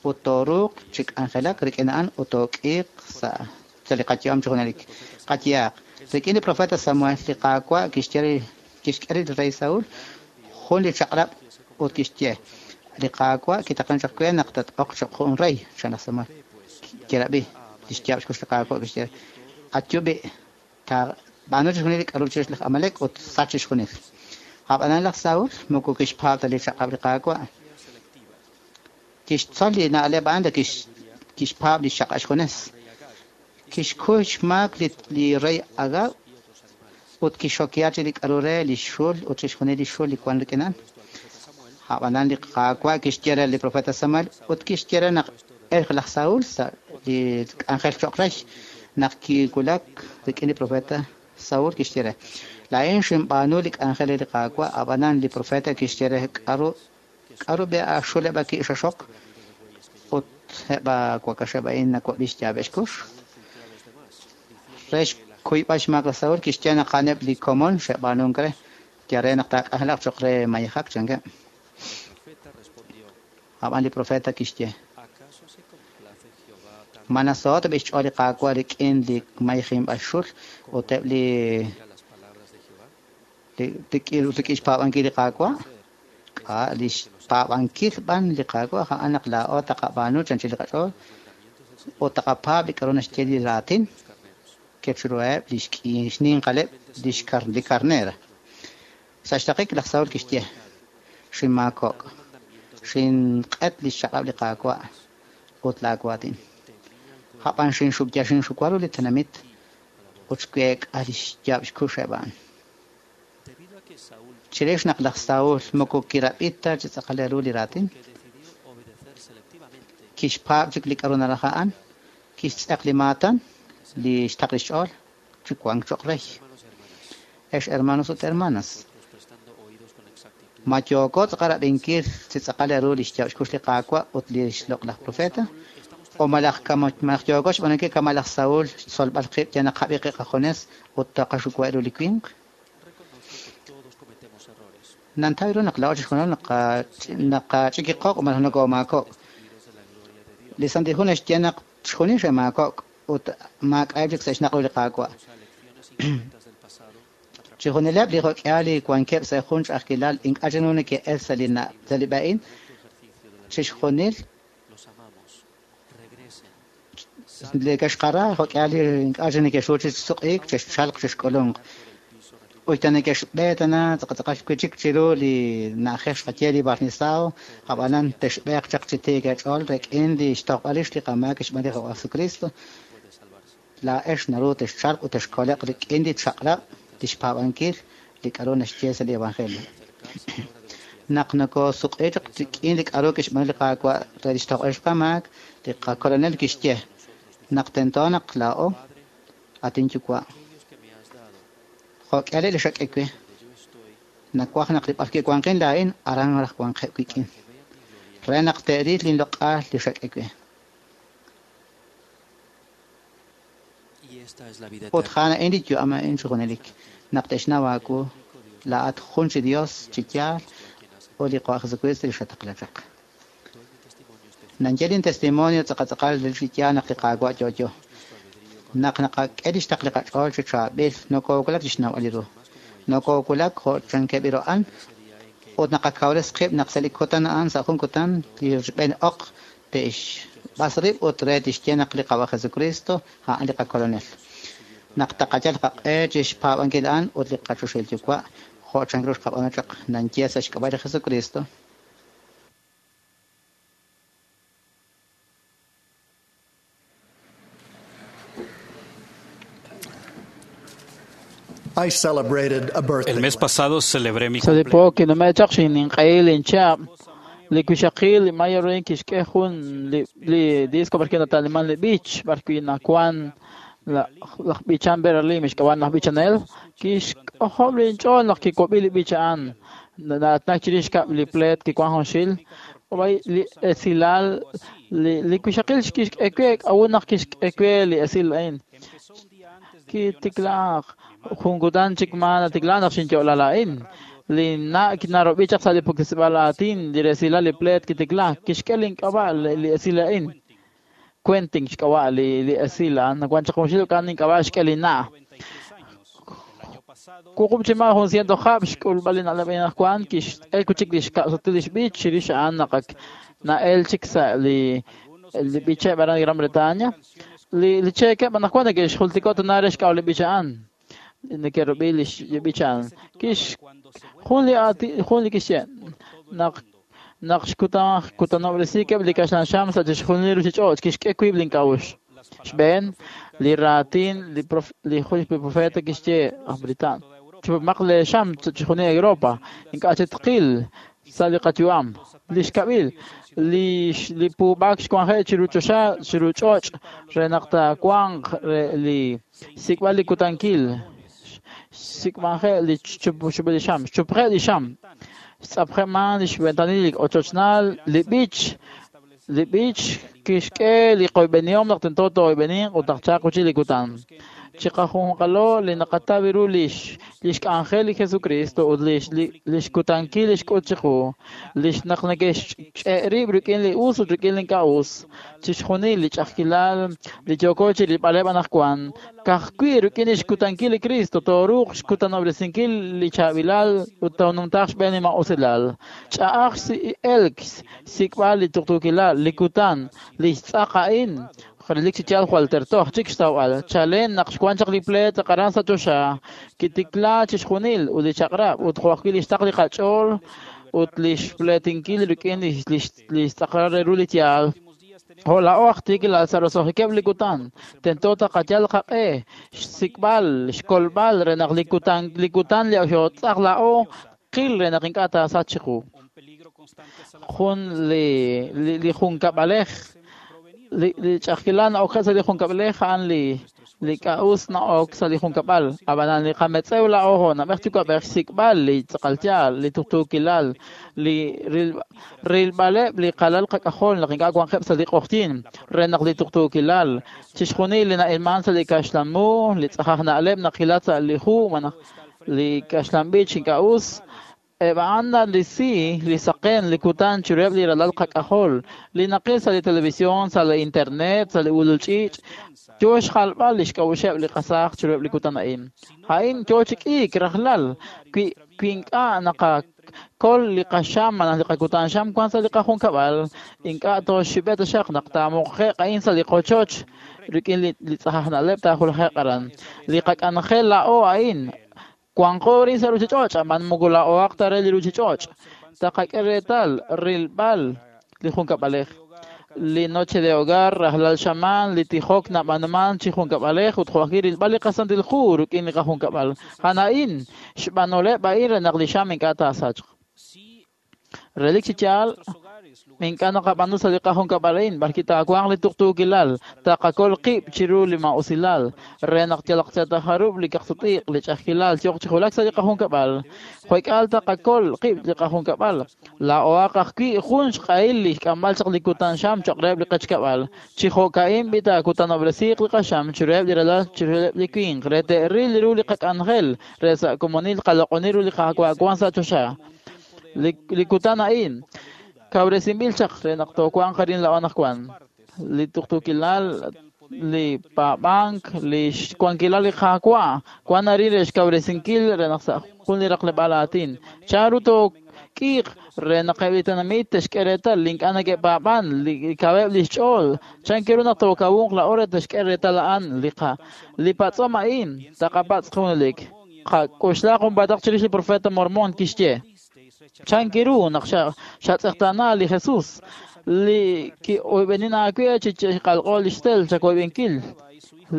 ut tooruuq chi k'anjelak rik'in a'an ut took'iiq sa' sa' li qayu'am chi junelik. Qayehaq, rik'in li profeta Samuel li Qaawa' kixye kixk'e li rey Saúl jun li chaq'rab' ut kixye li Qaawa' kitaqlan chaq we naq tat-oq choq' jun rey, chan laj Samuel. Kirab'i li xyaab' xkux li Qaawa' kixye atyub'i taab'aanu chixjunil li k'a'ru chirix laj Amalek ut sach chixjunil. Ab'anan laj Saúl moko kixpaab' ta li chaq'rab' li Qaawa'. Kixtzol li na'leb' a'an kixpaab' li xchaq'rab' xjunes. Kixkuy xmaak li li rey Agag ut kixokya chi li k'a'ru re li xul ut chixjunil li xul li wan rik'in a'an. Ab'anan li Qaawa' kixye re li profeta Samuel ut kixye re naq elq laj Saúl sa' li k'anjel cho'q rey. Naq kiwulak rik'in li profeta Saúl kixye re laa'in xinb'aanu li k'anjel re li Qaawa'. Ab'anan li profeta kixye re k'a'ru k'a'ru b'e axul eb' aki'xaxok ut eb' wakaxeb' a'in nawab'i xyaab'eb' xkux. Re xkuyb'al xmaak laj Saúl kixye naq a'aneb' li komon xe'b'aanunk re yal re naq taak'anjelaq cho'q re mayejak chankeb'. Ab'an li profeta kixye ma nasohot b'i xch'ool li Qaawa' rik'in li mayejinb'al xul ut eb' li rik'in rik'in xpaab'ankil li Qaawa'? K'a' li xpaab'ankil b'an li Qaawa' a'an naq laa'o taqab'aanu chanchil li qach'ool ut taqapaab' li k'a'ru naxye li raatin kechiruheb' li xninqaleb' li xkar li karnera. Sa' xtaqik laj Saúl kixye xinmaakok' xinq'et li xchaq'rab' li Qaawa' ut laawaatin. Ab'an xinxub'ya xinxuwa ru li tenamit ut xweek'a li xyaab' xkux eb' a'an. Chirix naq laj Saúl moko kirab'i ta chi tz'aqal ru li raatin, kixpaab' chik li k'a'ru naraj a'an, kixtz'eq li maatan li xtaq li xch'ool chi wank cho'q rey. Ex hermanos ut hermanas, ma yooko tz'aqal rab'inkil chi tz'aqal ru li xyaab' xkux li Qaawa' ut li xloq'laj profeta, o malaj malaj yooko xb'aanunkil kama' laj Saúl xtzolb'al qib' yal naqab'i qib' qajunes ut taqaxuwa ru li winq? Nantaw ru naq laa'o chixjunil naqach'ikiqoq' malaj nokoomaakok'. Li Santil Hu naxye naq chixjunil xe'maakok' ut maak'a'eb' chik sa' xnaq' ru li Qaawa'. Chixjunileb' li jok'ihal li wankeb' sa' jun ch'a'ajkilal ink'a' chik neke'el sa' li sa' li b'e a'in, chixjunil li ke'xqara jok'ihal li ink'a' chik neke'xru chi suq'iik, chexchalq chixk'ulunq. Ut ta neke'xb'e tana tz'aqal wi' chik chiru li na'ajej xqaye li barnisao, ab'anan texb'eeq chaq chi tiik eech'ool rik'in li xtojb'al rix li qamaak xb'aan li Jesucristo. Laa'ex naru texchalq ut texkoleq rik'in li chaq'rab' li xpaab'ankil li k'a'ru naxye sa' li evangelio. Naq nokoosuq'i chaq rik'in li k'a'ru kixb'aanu li Qaawa' re li xtojb'al rix qamaak, li qakolonel kixye naq tento naq laa'o at inyuwa' jo'k'ihal li xak'e we nawaj naq li b'arwi' wanqin laa'in aran raj wanqeb' wik'in re naq te'ril linloq'al li xak'e we. Ut a'an li yu'am a'in chi junelik naq te'xnaw aawu laa'at jun chi Dios chi yaal ut li Qaawa' Jesucristo li xataqla chaq. Nanye lin testimonio tz'aqal li yaal naq li Qaawa' yo'yo. Naq naqak'e lix taql li qach'ool chi chaab'il nokowulak chi xnawb'al ru. Nokowulak jo' chankeb' a'an ut naqakawres qib' naq sa' li kutan a'an sa' jun kutan li xb'een oq te'xb'as rib' ut re tixye naq li Qaawa' Jesucristo a'an li qakolonel. Naq taqayal qaq'e chi xpaab'ankil a'an ut li qachoxahil Yuwa' jo' chank ru xqab'aanu chaq nanye sa' xk'ab'a' li Jesucristo. I celebrated a birthday. El mes pasado celebré mi Sa' li po kinume'chaq xinninq'ehil inchab' li wixaqil li Maya Rin kixk'e jun li li disco b'arwi' nata'liman li b'ich b'arwi' nawan laj b'ichan Beverly mixk'ab'an laj b'ichanel kixk'ojob' linch'ool naq kiwab'i li b'ich a'an na'atnak chirix kab' li pleet kiwan junxil ob'ay li esilal li li wixaqil kixk'e we k'a'ut naq kixk'e we li esil a'in kitiklaaq jun kutan chik ma natikla naq xinyo'la la'in li na' kinarob'i chaq sa' li puktesib'al aatin li resilal li pleet kitikla kixk'e link'ab'a' li esil a'in Quentin xk'ab'a' li li esil a'an nawan chaq junxil k'an link'ab'a' xk'e li na' wuqub' chi ma' jun ciento hab' xk'ulb'al li na'leb' anaqwan kix'el chik li xkab'satil li xb'ich chirix a'an naq ak na'el chik sa' li li b'icheb' aran Gran Bretaña li li cheekeb' anaqwan neke'xjultiko' tana re xk'ab'a' li b'ich a'an neke'rub'i li b'ich a'an kix jun li aati jun li kixye naq naq xkutan kutanob'resikeb' li kaxlan xam sa' chixjunil ruchich'och' kixk'e wiib' link'a'uxl xb'een li raatin li prof li jun profeta kixye aj Britan chupmaq le xam sa' chixjunil Europa ink'a' chetqil sa' li qayu'am li xkab'il li li puub'aak xwanje' chiru choxa chiru ch'och' re naq taawanq re li sik'b'al li kutankil xsik'b'anje' li chupxub'il li xam xchupje' li xam xtz'apje'man li xventanil li ochochnal li b'ich li b'ich kixk'e li qoyb'enihom naq tento tooyb'eninq ut naq chaq uchi li kutan chiqajunqalo li naqataw ru lix lix k'anjel li Jesucristo ut lix lix kutankil li xk'ut chiqu lix naq neke'xch'e' rib' rik'in li us ut rik'in li ink'a' us chixjunil li ch'a'ajkilal li yooko chi rilb'aleb' anaqwan ka'ajwi' rik'in lix kutankil li Cristo tooruuq xkutanob'resinkil li chaab'ilal ut toonumtaaq xb'een li ma'usilal ch'a'aj elk xsik'b'al li tuqtuukilal li kutan li xtz'aq a'in relik chi yaal jwal tertoj chik xtawb'al chalen naq xwan chaq li pleet aran sa' choxa kitikla chixjunil ut li chaq'rab' ut jo' ajwi' li xtaql li qach'ool ut li xpleetinkil rik'in li li xtz'aqal re ru li yaal jo' laa'o aj tiikilal sa' roso'jikeb' li kutan tento taqayal qaq'e xsik'b'al xkolb'al re naq li kutan li kutan li xootz'aq laa'o qil re naq ink'a' taasach chiqu jun li li junkab'alej li li ch'a'ajkilal na'ok sa' li junkab'alej a'an li li k'a'us na'ok sa' li junkab'al ab'anan li qametz'ew la'o jo' nab'ej yuwa'b'ej xsik'b'al li tz'aqal yaal li tuqtuukilal li rilb'aleb' li qalal qak'ajol naq ink'a' wanqeb' sa' li q'oqyin re naq li tuqtuukilal chixjunil li na'ilman sa' li kaxlan mu li tz'ajaj na'leb' naqilat sa' li hu malaj li kaxlan b'ich ink'a' us eb' a'an li si li saqen li kutan chiruheb' li ralal qak'ajol li naqil sa' li televisión sa' li internet sa' li ulul ch'iich' yo xjalb'al li xk'a'uxeb' li qasaaj chiruheb' li kutan a'in a'in yo chi k'iik rajlal wi wi ink'a' naqakol li qaxam malaj li qakutan xam wan sa' li qajunkab'al ink'a' tooxib'e taxaq naq taamuqje'q a'in sa' li qochoch rik'in li li tz'ajaj na'leb' taajulje'q aran li qak'anjel la'o a'in wanqo rin sa' ruchich'och' ab'an moko la'ohaq ta re li ruchich'och' taqak'e reetal rilb'al li junkab'alej li noche de hogar rajlal xamaan li tijok nab'anuman chi junkab'alej ut jo' ajwi' rilb'al li qasantil hu rik'in li qajunkab'al a'an a'in xb'anoleb' a'in re naq li xam ink'a' taasachq relik chi yaal Ink'a' naqab'aanu sa' li qajunkab'al a'in, b'arki taawanq li tuqtuukilal, taqakol qib' chiru li ma'usilal, re naq yalaq tajarub' li kaqsutiq, li ch'ajkilal yooq chi julak sa' li qajunkab'al. Jo'k'al taqakol qib' li qajunkab'al. Laa'oaq ajwi' jun xq'ahil li xk'amb'al chaq li kutan xam cho'q reheb' li qechkab'al. Chi jo'ka'in b'i taakutanob'resiiq li qaxam chiruheb' li ralal chiruheb' li winq, re te'ril ru li qak'anjel, re sa' komonil qaloq'oni ru li Qaawa' wan sa' choxa. Li, li kutan a'in kawresinb'il chaq re naq toowanq arin laa'o anaqwan. Li tuqtuukilal, li paab'ank, li xwankilal li Qaawa' wan arin re xkawresinkil re naq sa' jun li raqleb'aal aatin. Chanru took'iiq re naq eb' li tenamit te'xk'e reetal li ink'a' neke'paab'an, li kaweb' li xch'ool. Chan ru naq tookawunq laa'o re te'xk'e reetal a'an li qa li patz'om a'in taqapatz' junelik. Qak'oxla junpaataq chirix li profeta Mormon kixye. Chankiru naq xatz'eqtaana li Jesus li ki'oyb'enin aawe chi qalq'o li xtel chakoyb'enkil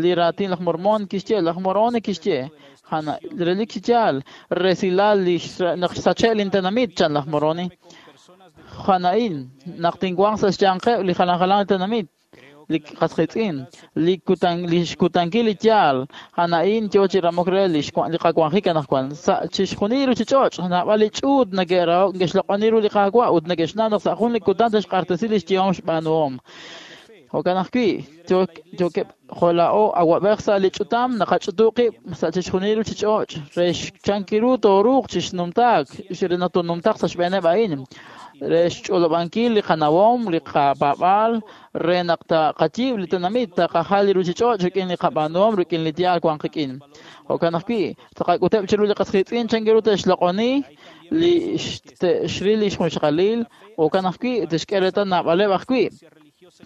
li raatin laj Mormon kixye laj Moroni kixye jana relik chi yaal resilal li naq xsache' lintenamit chan laj Moroni jana'in naq tinwanq sa' xyanqeb' li jalan jalan li tenamit li qasqitz'in li kutan li xkutankil li yaal ana'in yo chi ramok re li li qawanjik anaqwan sa' chixjunil ruchich'och' naab'al li ch'uut neke'rahok neke'xloq'oni ru li Qaawa' ut neke'xnaw naq sa' jun li kutan te'xq'axtesi li xyehom xb'aanuhom. Jo'kan ajwi' yookeb' jo' laa'o awab'ej sa' li ch'utam naqach'utu qib' sa' chixjunil ruchich'och' re xchankiru tooruuq chixnumtaak re naq toonumtaaq sa' xb'eeneb' a'in re xch'olob'ankil li qanawom li qapaab'aal re naq taqayiib' li tenamit taqajal li ruchich'och' rik'in li qab'aanuhom rik'in li yaal wan qik'in. Jo'kan ajwi' taqak'uteb' chiru li qasqiitz'in chankiru te'xloq'oni li xril li xjunxaqalil jo'kan ajwi' te'xk'e reetal naab'aleb' ajwi'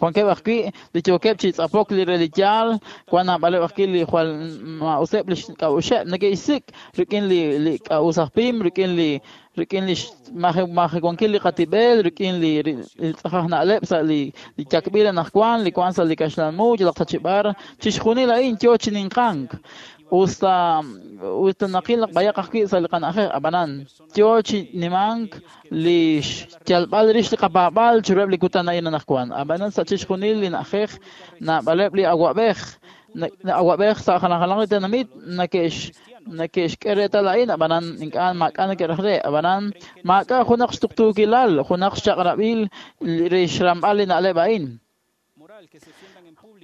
wankeb' ajwi' li yookeb' chi tz'apok li re li yaal wan naab'aleb' ajwi' li jwal ma'useb' li xk'a'uxeb' neke'xsik' rik'in li li k'a'us aj pim rik'in li rik'in li majewankil li qatib'el rik'in li li tz'ajaj na'leb' sa' li li yakb'il anaqwan li wan sa' li kaxlan mu yalaq tachib'ar chixjunil a'in yo chi ninqank usta usta naqil naq b'ayaq ajwi' sa' li qana'ajej ab'anan yo chi nimank li xyalb'al rix li qapaab'al chiruheb' li kutan a'in anaqwan ab'anan sa' chixjunil li na'ajej naab'aleb' li awab'ej awab'ej sa' jalan jalan li tenamit neke'x neke'xk'e reetal a'in ab'anan ink'a' maak'a' neke'raj re ab'anan maak'a' junaq xtuqtuukilal junaq xchaq'rab'il re xramb'al li na'leb' a'in.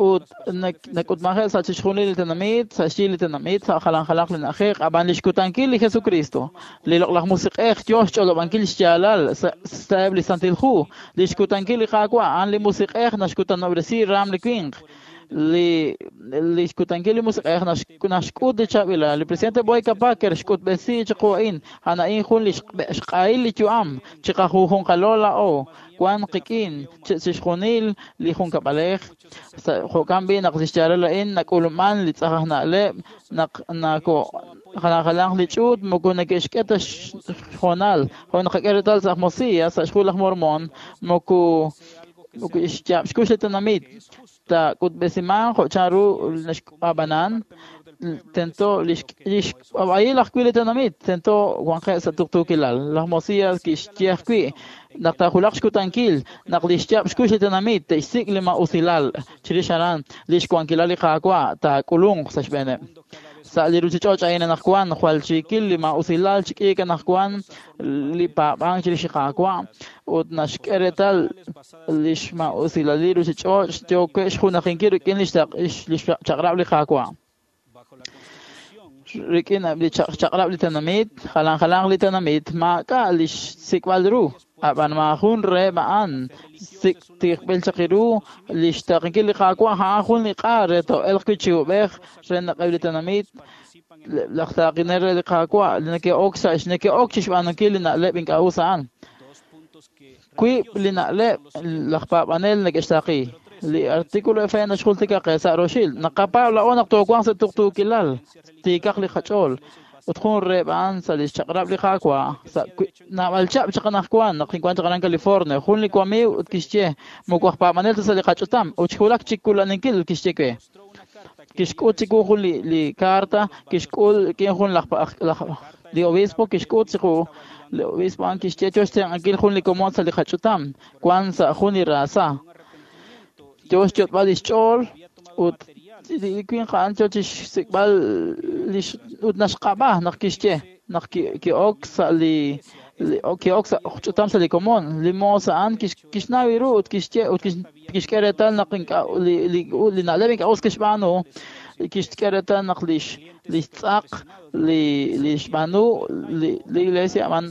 Ut nak'utmaje' sa' chixjunil li tenamit sa' xyi li tenamit sa' jalan jalanq li na'ajej ab'an li xkutankil li Jesucristo li loq'laj musiq'ej yo xch'olob'ankil xyaalal sa'eb' li Santil Hu li xkutankil li Qaawa' a'an li musiq'ej naxkutanob'resi raam li winq li li xkutankil li musiq'ej naxk'ut li chaab'ilal li presidente Boyka Packer xk'utb'esi chiqu a'in a'an a'in jun li xq'ahil li yu'am chiqajunjunqalo laa'o wan qik'in chixjunil li junkab'alej jo'kan b'i naq li xyaalal a'in nak'ulman li tz'ajaj na'leb' naq nako jalan jalanq li ch'uut moko neke'xk'e ta xhoonal jo' naqak'e reetal sa' Mosias sa' xhu laj Mormon moko moko xyaab' xkux li tenamit taak'utb'esiman jo' chanru naxq'ab'anan tento li xk'ab'a'il ajwi' li tenamit tento wanqeb' sa' tuqtuukilal laj Mosias kixye ajwi' naq taajulaq xkutankil naq li xyaab' xkux li tenamit te'xsik' li ma'usilal chirix aran li xwankilal li Qaawa' taak'ulunq sa' xb'eeneb' sa' li ruchich'och' a'in anaqwan jwal chiikil li ma'usilal chik'iik anaqwan li paab'ank chirix li Qaawa' ut naxk'e reetal li xma'usilal li ruchich'och' yookeb' xjunajinkil rik'in li xchaq'rab' li Qaawa' rik'in li chaq'rab' li tenamit jalan jalanq li tenamit maak'a' li xsik'b'al ru ab'an maajun reheb' a'an sik' tiqb'il chaq ru li xtaqinkil li Qaawa' a'an jun li q'a re to'elq wi' chi ub'ej re naq eb' li tenamit laj taaqinel re li Qaawa' li neke'ok sa' neke'ok chi xb'aanunkil li na'leb' ink'a' us a'an wiib' li na'leb' laj paab'anel neke'xtaaqi li artículo F naxjultika qe sa' roxil naqapaab' laa'o naq toowanq sa' tuqtuukilal tiikaq li qach'ool ut jun reheb' a'an sa' li xchaq'rab' li Qaawa' sa' naab'al chab' chaq anaqwan naq kinwan chaq aran California jun li wamiiw ut kixye moko aj paab'anel ta sa' li qach'utam ut xwulak chi kulaninkil kixye we kixk'ut chiwu jun li li carta kixk'ul rik'in jun laj laj Li obispo kixk'ut chiqu, li obispo a'an kixye yo xtenq'ankil jun li komon sa' li qach'utam, wan sa' jun li raasa. Yo xyot'b'al lix ch'ool ut li winq a'an yo chixsik'b'al lix ut naxq'ab'a naq kixye naq ki'ok sa' li ki'ok sa' ch'utam sa' li komon. Li moos a'an kixnaw ru ut kixye ut kixk'e reetal naq ink'a' li li na'leb' ink'a' us kixb'aanu, kixk'e reetal naq lix lix tz'aq li li xb'aanu li iglesia a'an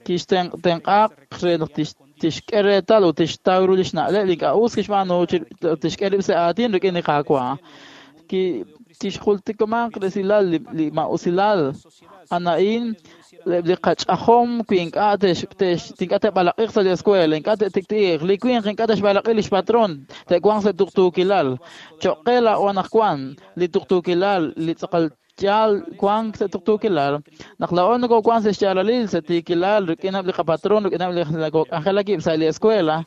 kixtenq'aq re naq tixk'e reetal ut tixtaw ru lix na'leb' li ink'a' us kixb'aanu tixk'e rib' sa' aatin rik'in li Qaawa'. Kixjultikamanq resilal li ma'usilal ana'in li qach'ajom wi ink'a' ink'a' te'b'alaq'iq sa' li escuela, ink'a' te'tikti'iq, li winq ink'a' te'xb'alaq'i lix patron, te'wanq sa' tuqtuukilal. Cho'q qe laa'o anaqwan li tuqtuukilal, li tz'aqal yaal wank sa' tuqtuukilal. Naq laa'o nokowank sa' xyaalalil, sa' tiikilal, rik'ineb' li qapatron, rik'ineb' li nakok'anjelak sa' li escuela,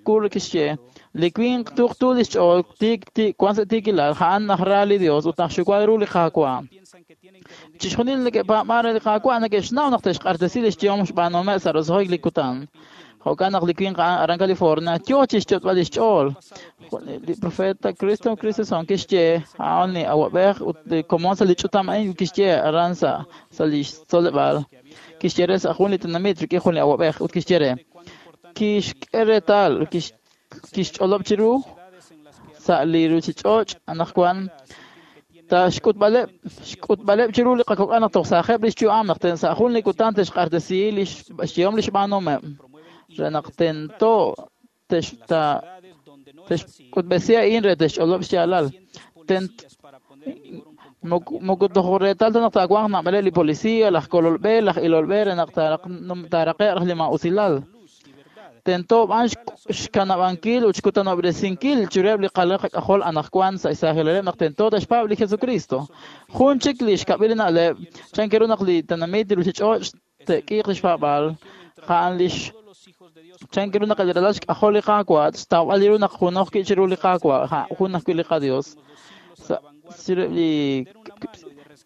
kur kixye, li winq tuqtu lix ch'ool tiik tiik wank sa' tiikilal, a'an najra li Dios ut najxuwa ru li Qaawa'. Chixjunil neke'paab'an re li Qaawa' neke'xnaw naq te'xq'axtesi lix yehom xb'aanuhomeb' sa' roso'jik li kutan. Jo'kan naq li winq a'an aran California yo chixyot'b'al lix ch'ool. Li profeta Cristo Christensen kixye a'an li awab'ej ut li komon sa' li ch'utam a'in kixye aran sa' sa' lix tzoleb'aal. Kixye re sa' jun li tenamit rik'in jun li awab'ej ut kixye re kixk'e reetal kixch'olob' chiru sa' li ruchich'och' anaqwan ta xk'utb'aleb' xk'utb'aleb' chiru li qakok'al naq toj saajeb' lix yu'am naq ten sa' jun li kutan te'xq'axtesi lix xyehom lix b'aanuhomeb' re naq tento texk'utb'esi a'in re texch'olob' xyaalal. Moko toj reetal ta naq taawanq naab'aleb' li policía, laj kololb'e, laj ilolb'e re naq taaraqe'q li ma'usilal. Tento b'an xkanab'ankil ut xkutanob'resinkil chiruheb' li qalal qak'ajol anaqwan sa' xsaajilaleb' naq tento te'xpaab' li Jesucristo. Jun chik li xkab'il li na'leb' chan ru naq li tenamit li ruchich'och' te'k'iiq lix paab'aal, a'an lix chan ru naq li ralal xk'ajol li Qaawa' xtawb'al ru naq junoj wi' chiru li Qaawa' jun ajwi' li qaDios. Chiruheb' li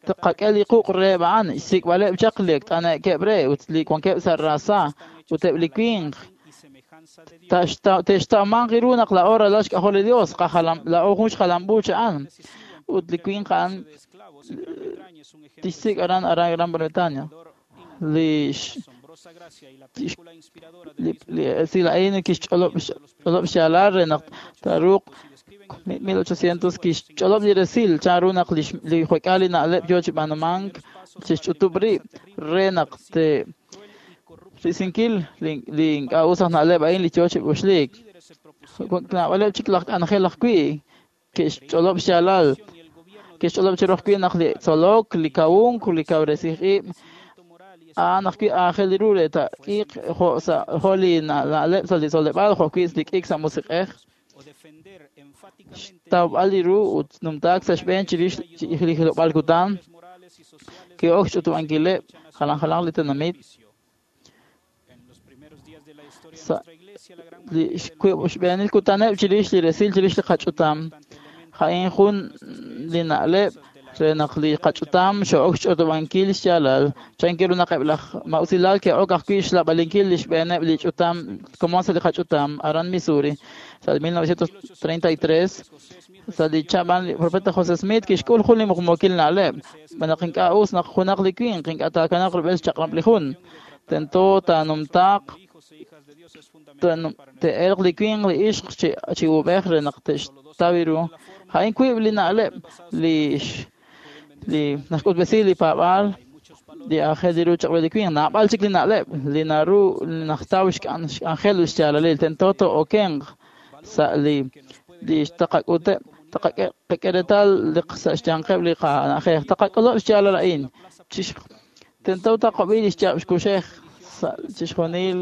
tqak'e li quq' reheb' a'an xsik'b'aleb' chaq li t'ane'keb' re ut li wankeb' sa' raasa ut eb' li winq te'xtawmanq ru naq laa'o ralal xk'ajol li Dios, laa'o jun xjalam'uuch a'an ut li winq a'an tixsik' aran aran Gran Bretaña. Li li esil a'in kixch'olob' xyaalal re naq taaruuq mil ochocientos kixch'olob' li resil chan ru naq li jwek'al li na'leb' yo chi b'aanumank chixch'utub' rib' re naq te risinkil li ink'a' us aj na'leb' a'in li yo chi uxliik. Naab'aleb' chik laj k'anjel ajwi' ke'xch'olob' xyaalal, ke'xch'olob' chiru ajwi' naq li tzolok, li kawunk, li kawresij ib' a'an ajwi' aajel ru re taak'iiq jo' sa' jo' li na'leb' sa' li tzoleb'aal jo' ajwi' li k'iik sa' musiq'ej. Xtawb'al li ru ut numtaak sa' xb'een chirix li hilob'aal kutan ki'ok xch'utub'ankileb' jalan jalanq li tenamit. Sa' li xb'eenil kutaneb' chirix li resil chirix li qach'utam, a'in jun li na'leb' re naq li qach'utam xo'ok xch'utub'ankil xyaalal. Chan ru naq eb' laj ma'usilal ke'ok ajwi' xlab'alinkil li xb'eeneb' li ch'utam komon sa' li qach'utam aran Missouri sa' mil novecientos treinta y tres sa' li chab'an li profeta José Smith kixk'ul jun li muqmuukil na'leb' naq ink'a' us naq junaq li winq ink'a' taakanaq rub'el xchaq'rab' li jun tento taanumtaaq te'elq li winq li ixq chi ub'ej re naq te'xtaw ru. A'in wiib' li na'leb' li li naxk'utb'esi li paab'aal li aajel ru chaq'rab' li winq. Naab'al chik li na'leb' li naru najtaw xk'anjel ut xyaalalil tento to'okenq sa' li li taqak'uteb' taqak'e reetal li sa' xyanqeb' li qana'ajej taqak'olob' xyaalal a'in. Tento taqab'i li xyaab' xkuxej sa' chixjunil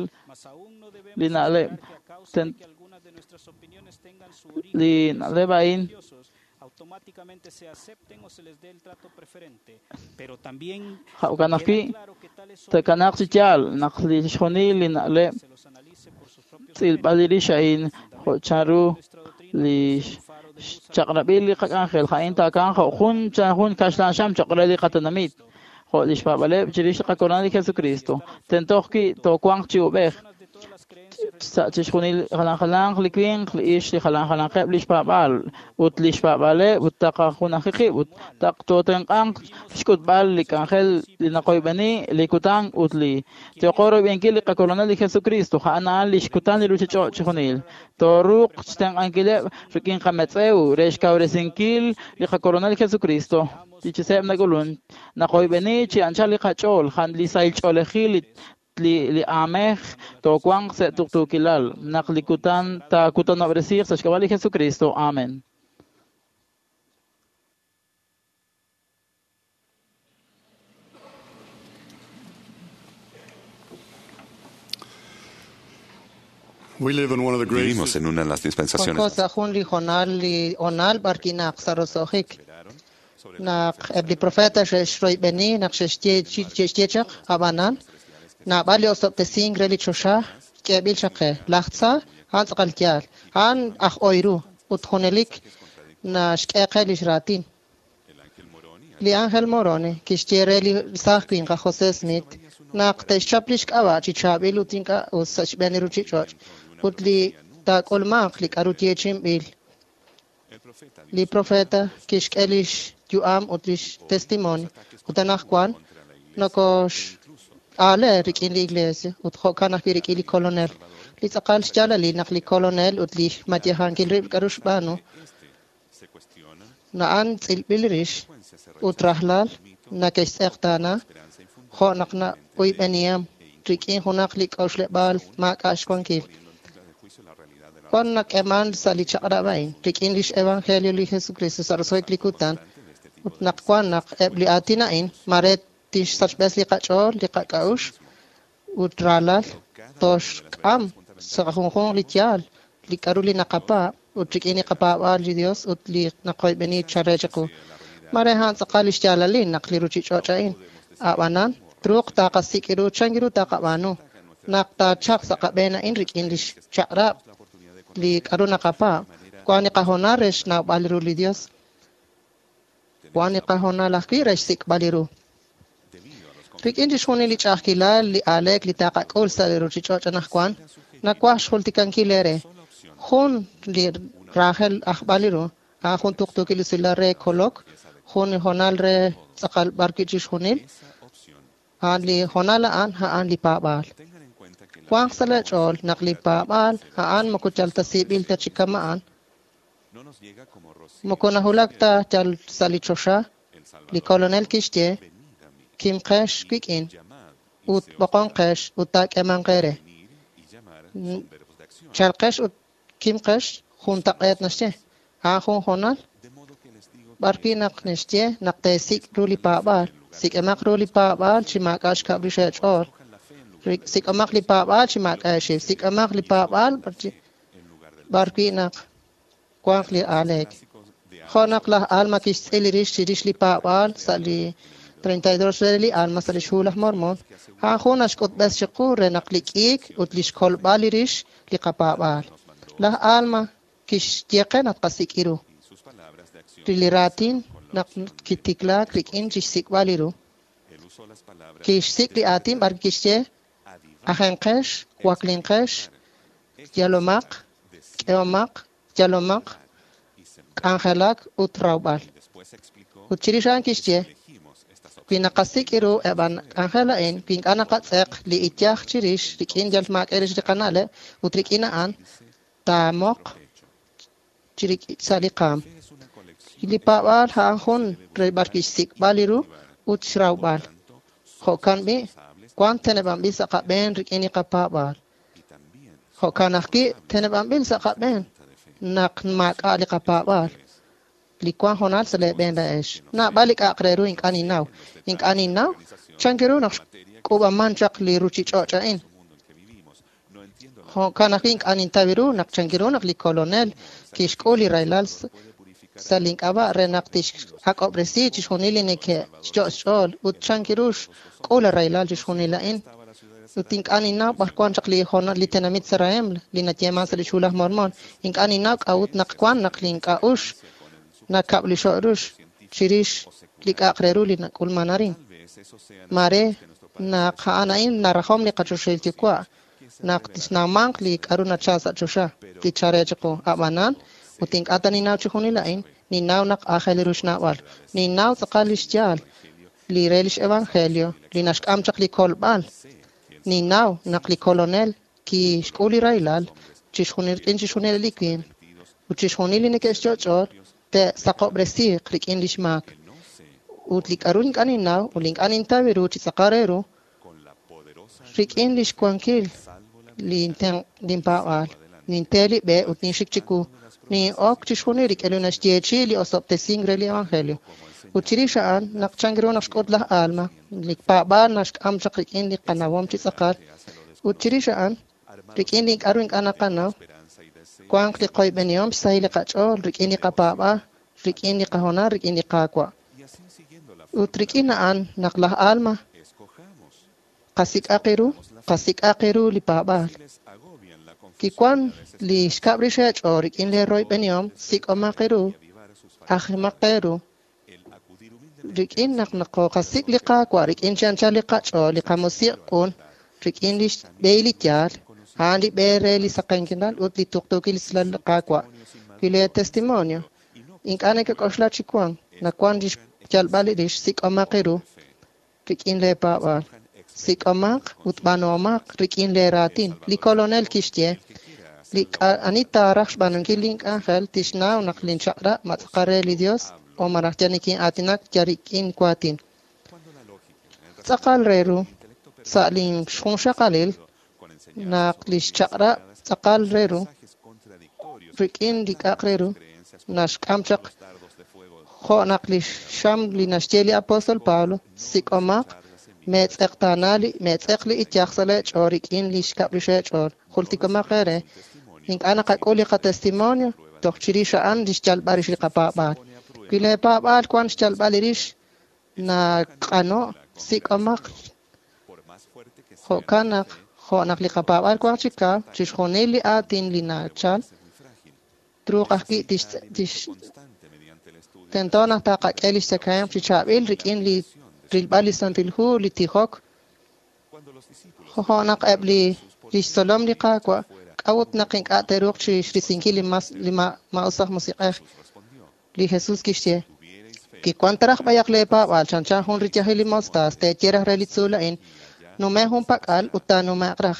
li na'leb' li na'leb' a'in automáticamente se acepten o se les dé el trato preferente, pero también jo'kan ajwi' takanaq chi yaal naq li chixjunil li na'leb' tz'ilb'al rix a'in jo' chanru li xchaq'rab'il li qak'anjel a'in taakanq jo' jun jun kaxlan xam cho'q re li qatenamit. Jo' lix paab'aaleb' chirix li qaKolonel li Jesucristo. Tento ajwi' toowanq chi ub'ej sa' chixjunil jalan jalanq li winq, li ix, li jalan jalanqeb' lix paab'aal ut lix paab'aaleb' ut taqajunaji qib' ut taq tootenq'anq xk'utb'al li k'anjel li naqoyb'eni, li kutan ut li yooqo royb'enkil li qaKolonel li Jesucristo, a'an a'an lix kutan li ruchich'och' chixjunil. Tooruuq xtenq'ankileb' rik'in qametz'ew re xkawresinkil li qaKolonel Jesucristo. Li chiseb' nak'ulun naqoyb'eni chi anchal li qach'ool, jan li sahil ch'oolejil li li li aamej toowanq sa' tuqtuukilal naq li kutan taakutanob'resiiq sa' xk'ab'a' li Jesucristo. Amen. We live in one of the greatest Vivimos en una de las dispensaciones Wanko sa' jun li hoonal li hoonal b'ar kinaq sa' roso'jik. Naq eb' li profeta xe'xroyb'eni naq xe'xye xe'xye chaq ab'anan naab'al li osob'tesink re li choxa k'eeb'il chaq qe. Laj tza a'an tz'aqal yaal, a'an aj oy ru ut junelik naxk'e qe lix raatin. Li Ángel Moroni kixye re li saaj winq aj José Smith naq te'xchap lix k'ab'a' chi chaab'il ut ink'a' us sa' xb'een li ruchich'och' ut li taak'ulmanq li k'a'ru yeechi'inb'il. Li profeta kixk'e lix yu'am ut lix testimonio ut anaqwan nokox-aale rik'in li iglesia ut jo'kan ajwi' rik'in li Kolonel. Li tz'aqal xyaalalil naq li Kolonel ut li xmatyajankil rib' k'a'ru xb'aanu na'an tz'ilb'il rix ut rajlal nake'xtz'eqtaana jo' naq na'uyb'eniham rik'in junaq li k'a'uxleb'aal maak'a' xwankil. Wan nak'eeman sa' li chaq'rab' a'in rik'in lix evangelio li Jesucristo sa' roso'jik li kutan ut naq wan naq eb' li aatin a'in mare tixsachb'es li qach'ool, li qak'a'uxl ut raalal toxk'am sa' junjunq li yaal li k'a'ru li naqapaab' ut rik'in li qapaab'aal li Dios ut li naqoyb'eni chare chiqu. Mare a'an tz'aqal lix yaalalil naq li ruchich'och' a'in ab'anan truuq taqasik' ru chan ru taqab'aanu naq taachaq sa' qab'een a'in rik'in lix chaq'rab' li k'a'ru naqapaab'. Wan li qahoonal re xnawb'al ru li Dios, wan li qahoonal ajwi' re xsik'b'al li ru. Rik'in chixjunil li ch'a'ajkilal li aaleek li taqak'ul sa' li ruchich'och' anaqwan, nawaj xjultikankil eere jun li raajel ajb'al li ru, a'an jun tuqtuukil usilal re kolok, jun li hoonal re tz'aqal b'ar wi' chixjunil, a'an li hoonal a'an a'an li paab'aal. Wanq sa' la ch'ool naq li paab'aal a'an moko yal ta siib'il ta chi kama'an, moko nahulak ta yal sa' li choxa, li Kolonel kixye kimqex wik'in ut b'oqonqex ut taak'eemanq eere. Chalqex ut kimqex juntaq'eet naxye, a'an jun hoonal b'ar wi' naq naxye naq teesik' ru li paab'aal, sik'emaq ru li paab'aal chi maak'a' xkab' rix eech'ool, sik'omaq li paab'aal chi maak'a' eexiw, sik'omaq li paab'aal b'ar wi' naq wanq li aaleek. Jo' naq laj Alma kixtz'il rix chirix li paab'aal sa' li treinta y dos re li Alma sa' lix hu laj Mormon, a'an jun naxk'utb'es chiqu re naq li k'iik ut lix kolb'al li rix li qapaab'aal. Laj Alma kixye qe naq qasik' ru. Li raatin naq kitiklaak rik'in chixsik'b'al li ru. Kixsik' li aatin b'ar kixye ajenqex, waklinqex, yalomaq, k'ehomaq, yalomaq, k'anjelak ut rawb'al. Ut chirix a'an kixye wi naqasik' ru eb' k'anjel a'in, wi ink'a' naqatz'eq li iyaj chirix rik'in yal maak'e rix li qana'leb' ut rik'in a'an taamoq sa' li qaam. Li paab'aal a'an jun re b'ar kixsik'b'al li ru ut xrawb'al. Jo'kan b'i' wan teneb'anb'il sa' qab'een rik'in li qapaab'aal. Jo'kan ajwi' teneb'anb'il sa' qab'een naq maak'a' li qapaab'aal. Li wan hoonal sa' leeb'een laa'ex. Naab'al li k'a'aq re ru ink'a' ninnaw. Ink'a' ninnaw chan ru naq xk'uub'aman chaq li ruchich'och' a'in. Jo'kan ajwi' ink'a' nintaw ru naq chan ru naq li Kolonel kixk'ul li rahilal sa' link'ab'a' re naq tixak'ob'resi chixjunil li neke'xyo' xch'ool ut chan ru xk'ul rahilal chixjunil a'in. Ut ink'a' ninnaw b'ar wan chaq li hoonal li tenamit Sarahem li nayeeman sa' lix hu laj Mormon. Ink'a' ninnaw k'a'ut naq wan naq li ink'a'ux nakab' li xo'rux chirix li k'a'aq re ru li nak'ulman arin. Mare naq a'an a'in narajom li qachoxahil Yuwa' naq tixnawmanq li k'a'ru nachal sa' choxa li chare chiqu. Ab'anan ut ink'a' ta ninnaw chixjunil a'in, ninnaw naq aajel ru xnawb'al. Ninnaw tz'aqal lix yaal li re lix evangelio li naxk'am chaq li kolb'al. Ninnaw naq li Kolonel kixk'ul li rahilal chixjunil rik'in chixjunil li winq ut chixjunil li neke'xchoch'ool te'saqob'resiiq rik'in lix maak. Ut li k'a'ru ink'a' ninnaw ut li ink'a' nintaw ru chi tz'aqal re ru rik'in lix wankil linpaab'aal ninte li b'e ut ninxik chiwu nin'ok chixjunil rik'in li naxyeechi'i li osob'tesink re li evangelio. Ut chirix a'an naq chan ru naq xk'ut laj Alma li paab'aal naxk'am chaq rik'in li qanawom chi tz'aqal. Ut chirix a'an rik'in li k'a'ru ink'a' naqanaw wanq li qoyb'enihom xsahil li qach'ool rik'in li qapaab'aal rik'in li qahoonal rik'in li Qaawa'. Ut rik'in a'an naq laj Alma qasik'aq ru qasik'aq ru li paab'aal. Kiwan li xkab' rix eech'ool rik'in li royb'enihom sik'omaq ru ajimaq ru rik'in naq naqoqasik' li Qaawa' rik'in chi anchal li qach'ool li qamusiq' q'un rik'in li xb'ehil li yaal a'an li b'e re li saqenkilal ut li tuqtuukil li Qaawa'. Wi lee testimonio ink'a' nekek'oxla chi wank nawan lix yalb'al li rix sik'omaq ru rik'in lee paab'aal. Sik'omaq ut b'aanuhomaq rik'in lee raatin. Li Kolonel kixye li ani taaraj xb'aanunkil link'anjel tixnaw naq linchaq'rab' ma tz'aqal re li Dios o malaj yal nikin'aatinak yal rik'in waatin. Tz'aqal re ru sa' linxjunxaqalil naq lix chaq'rab' tz'aqal re ru rik'in li k'a'aq re ru naxk'am chaq jo' naq li xam li naxye li apóstol Pablo sik'omaq meetz'eqtaana li meetz'eq li iyaj sa' leech'ool rik'in li xkab' rix eech'ool. Jultikomaq eere ink'a' naqak'ul li qatestimonio toj chirix a'an li xyalb'al rix li qapaab'aal. Wi leepaab'aal wan xyalb'al li rix naq'ano' sik'omaq jo'kan naq jo' naq li qapaab'aal wanq chi kaw chixjunil li aatin li nachal truuq ajwi' tix tix tento naq taqak'e lix tzakahemq chi chaab'il rik'in li rilb'al li Santil Hu li tijok jo' naq eb' li lix tzolom li Qaawa' k'a'ut naq ink'a' te'ruuq chi xrisinkil li mas li maa'us aj musiq'ej. Li Jesús kixye kiwan taraj b'ayaq leepaab'aal chanchan jun riyajil li mostaas teeye raj re li tzuul a'in nume jun pak'al ut taanume'q raj.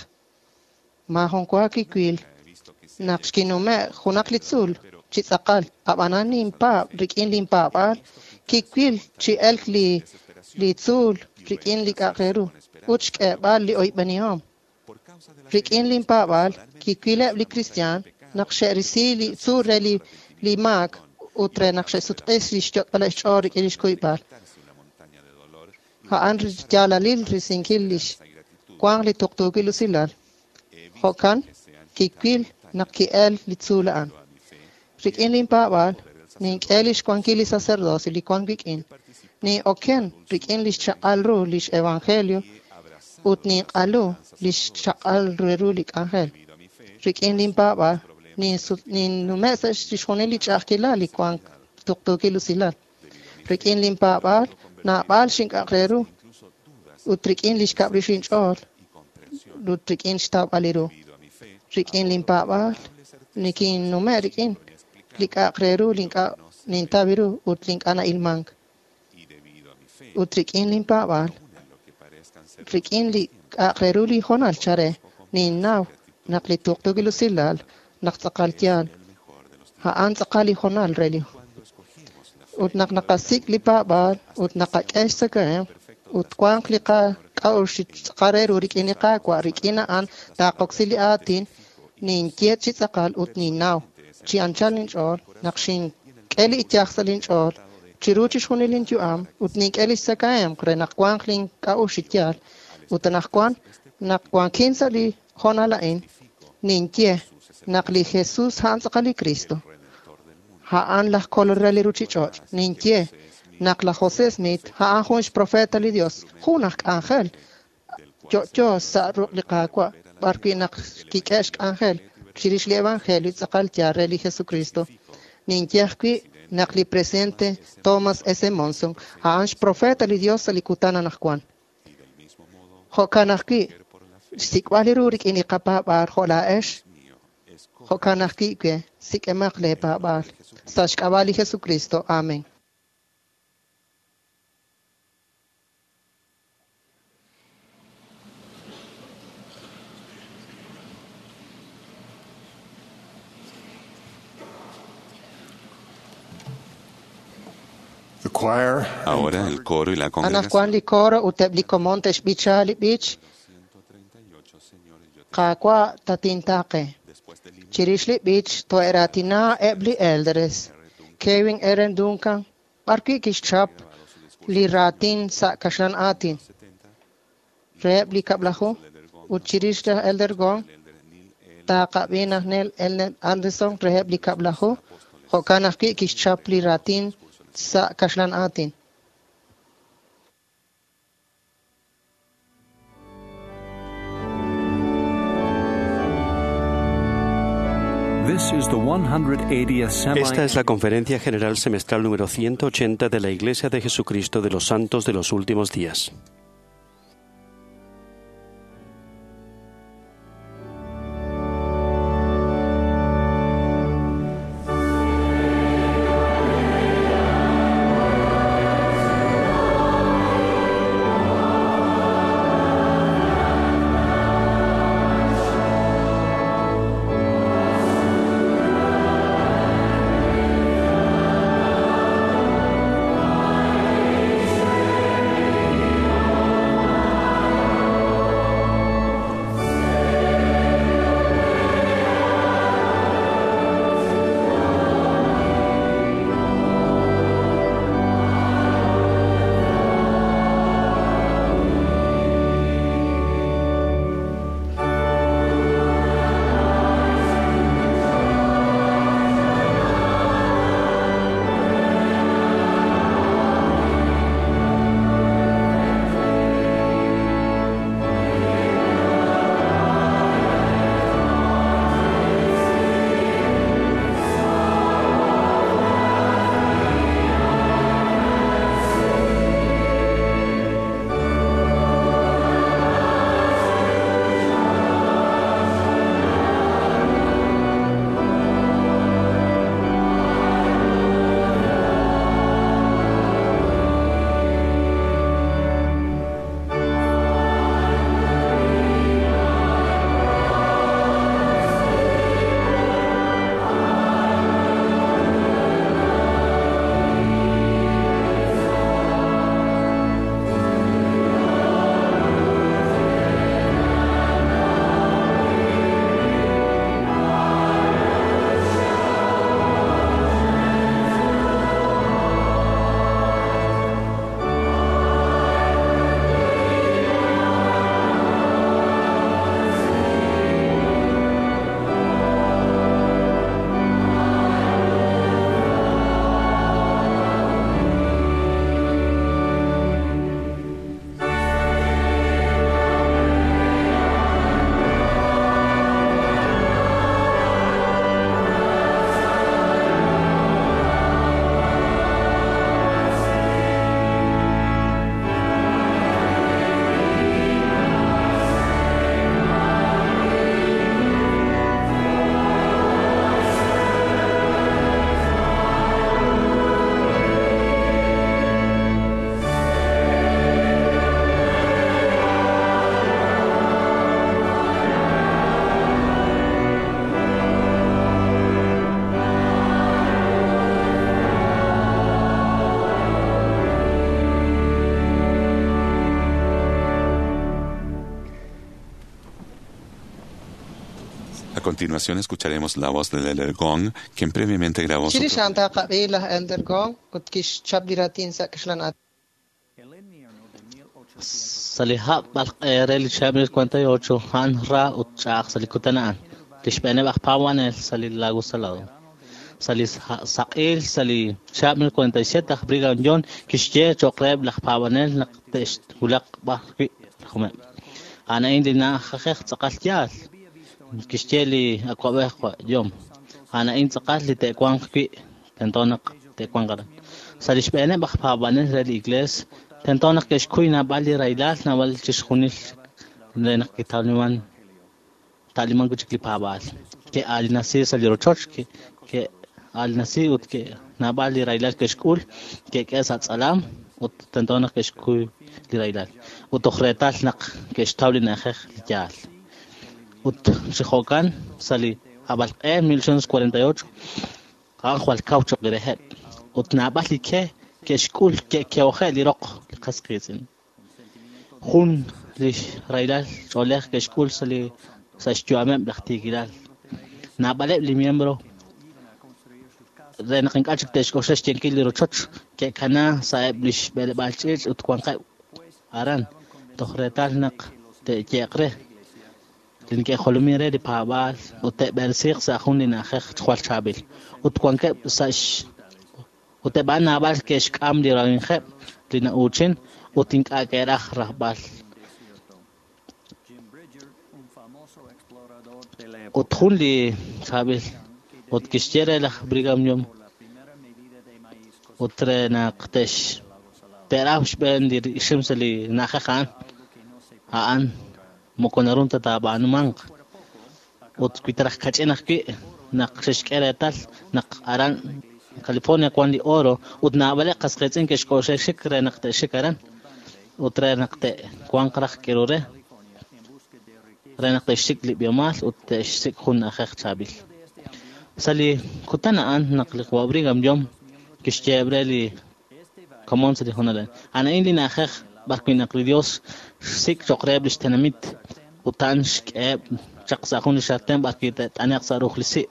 Maajun wa kiwil naq xkinume' junaq li tzuul chi tz'aqal ab'anan ninpaab' rik'in linpaab'aal kiwil chi elk li li tzuul rik'in li k'a'aq re ru ut xk'eeb'al li oyb'enihom. Rik'in linpaab'aal kiwileb' li kristiaan naq xe'risi li tzuul re li li maak ut re naq xe'sutq'is li xyot'b'al xch'ool rik'in li xkuyb'al. A'an yaalalil risinkil lix wanq li tuqtuukil usilal. Jo'kan kiwil naq ki'el li tzuul a'an. Rik'in linpaab'aal nink'e lix wankil li sacerdocio li wank wik'in. Nin'oken rik'in lix chaq'al ru lix evangelio ut ninq'alu lix chaq'al ru li k'anjel. Rik'in linpaab'aal ninnume' sa' chixjunil li ch'a'ajkilal li wank tuqtuukil usilal. Rik'in linpaab'aal naab'al xink'a'aq re ru ut rik'in lix kab' rix inch'ool ut rik'in xtawb'al li ru. Rik'in linpaab'aal nikinnume' rik'in li k'a'aq re ru li ink'a' nintaw ru ut li ink'a' na'ilmank. Ut rik'in linpaab'aal rik'in li k'a'aq re ru li hoonal chare ninnaw naq li tuqtuukil usilal naq tz'aqal yaal a'an tz'aqal li hoonal re li ut naq naqasik' li paab'aal ut naqak'e xtzakahemq ut wanq li qak'a'uxl tz'aqal re ru rik'in li Qaawa' rik'in a'an taaqoksi li aatin ninye chi tz'aqal ut ninnaw chi anchal inch'ool naq xink'e li iyaj sa' linch'ool chiru chixjunil linyu'am ut nink'e lix tzakahemq re naq wanq link'a'uxl chi yaal. Ut anaqwan naq wankin sa' li hoonal a'in ninye naq li Jesús a'an tz'aqal li Cristo a'an laj Kolol re li ruchich'och'. Ninye naq laj José Smith a'an jun xprofeta li Dios jun aj k'anjel yo'yo sa' ruq' li Qaawa' b'arwi' naq kik'e xk'anjel chirix li evangelio tz'aqal yaal re li Jesucristo. Ninye ajwi' Naq li presidente Thomas S. Monson a'an xprofeta li Dios sa' li kutan anaqwan. Jo'kan ajwi' xsik'b'al li ru rik'in li qapaab'aal jo' laa'ex, jo'kan ajwi' we sik'emaq lee paab'aal. Sa' xk'ab'a' li Jesucristo. Amen. The choir Ahora el coro y la Anaqwan congregación. li coro ut eb' li komon te'xb'icha li b'ich Qaawa' tatintaqe. Chirix li b'ich to'eraatina eb' li elders. Kevin Aaron Duncan b'arwi' kixchap li raatin sa' kaxlan aatin reheb' li kab'laju ut chirix laj Elder Gong taaqab'i naj Neil Elder Anderson reheb' li kab'laju jo'kan ajwi' kixchap li raatin sa' kaxlan aatin. This is the one hundred eightieth semi. Esta es la Conferencia General Semestral número ciento ochenta de la Iglesia de Jesucristo de los Santos de los Últimos Días. A continuación escucharemos la voz del Elder Gong, quien previamente grabó su Chirix a'an taaqab'i laj Elder Gong ut kixchap li raatin sa' kaxlan aatin. Sa' li hab' b'alq'e re li chihab' mil cuarenta y ocho a'an ra ut ch'a'aj sa' li kutan a'an. Li xb'eeneb' aj paab'anel sa' li Lago Salado. Sa' li saq'il sa' li chihab' mil cuarenta y siete aj Brigham Young kixye cho'q reheb' laj paab'anel naq te'xwulaq b'arwi' rajomeb'. A'an a'in li na'ajej tz'aqal yaal. Kixye li awa'b'ej Young. A'an a'in tz'aqal li te'wanq wi' tento naq te'wanq aran. Sa' li xb'eeneb' aj paab'anel re li Iglees, tento naq ke'xkuy naab'al li rahilal, naab'al chixjunil re naq kitawliman ta'liman wi' chik li paab'aal. Ke'aalinasi sa' li rochoch, ke'aalinasi ut naab'al li rahilal ke'xk'ul, ke'k'e sa' tz'alam ut tento naq ke'xkuy li rahilal. Ut toj reetal naq ke'xtaw li na'ajej li yaal. Ut chi jo'kan sa' li hab'alq'e mil ochocientos cuarenta y ocho a'an jwal kaw choq' li reheb'. Ut naab'al li ke ke'xk'ul ke'ke'oje' li roq li qas qiitz'in. Jun li rahilal ch'oolej ke'xk'ul sa' li sa' xyu'ameb' laj tiikilal. Naab'aleb' li miembro re naq ink'a' chik te'xk'oxla xyenkil li rochoch ke'kana sa'eb' li xb'eleb'aal ch'iich' ut wanqeb' aran toj reetal naq te'ye'q re li neke'jolomin re li paab'aal ut te'b'eresiiq sa' jun li na'ajej jwal chaab'il. Ut wankeb' sa' x ut eb' a'an naab'al ke'xk'am li rawimqeb' li na'uuchin ut ink'a' ke'raj rajb'al. Ut jun li chaab'il ut kixye re laj Brigham Young ut re naq te'x te'raw xb'een li ixim sa' li na'ajej a'an a'an moko naru ta taab'aanumanq. Ut wi taraj kach'in ajwi' naq xe'xk'e reetal naq aran California wan li oro ut naab'aleb' qas qiitz'in ke'xk'oxla xik re naq te'xik aran ut re naq te'wanq raj k'iru re re naq te'xsik' li b'ihomal ut te'xsik' jun na'ajej chaab'il. Sa' li kutan a'an naq li qawa' Brigham Young kixyeeb' re li komon sa' li hoonal a'in. A'an a'in li na'ajej b'ar wi' naq li Dios xsik' choq' reheb' lix tenamit ut a'an xk'eheb' chaq sa' jun li xarten b'ar wi' te't'ane'q sa' ruj li si'.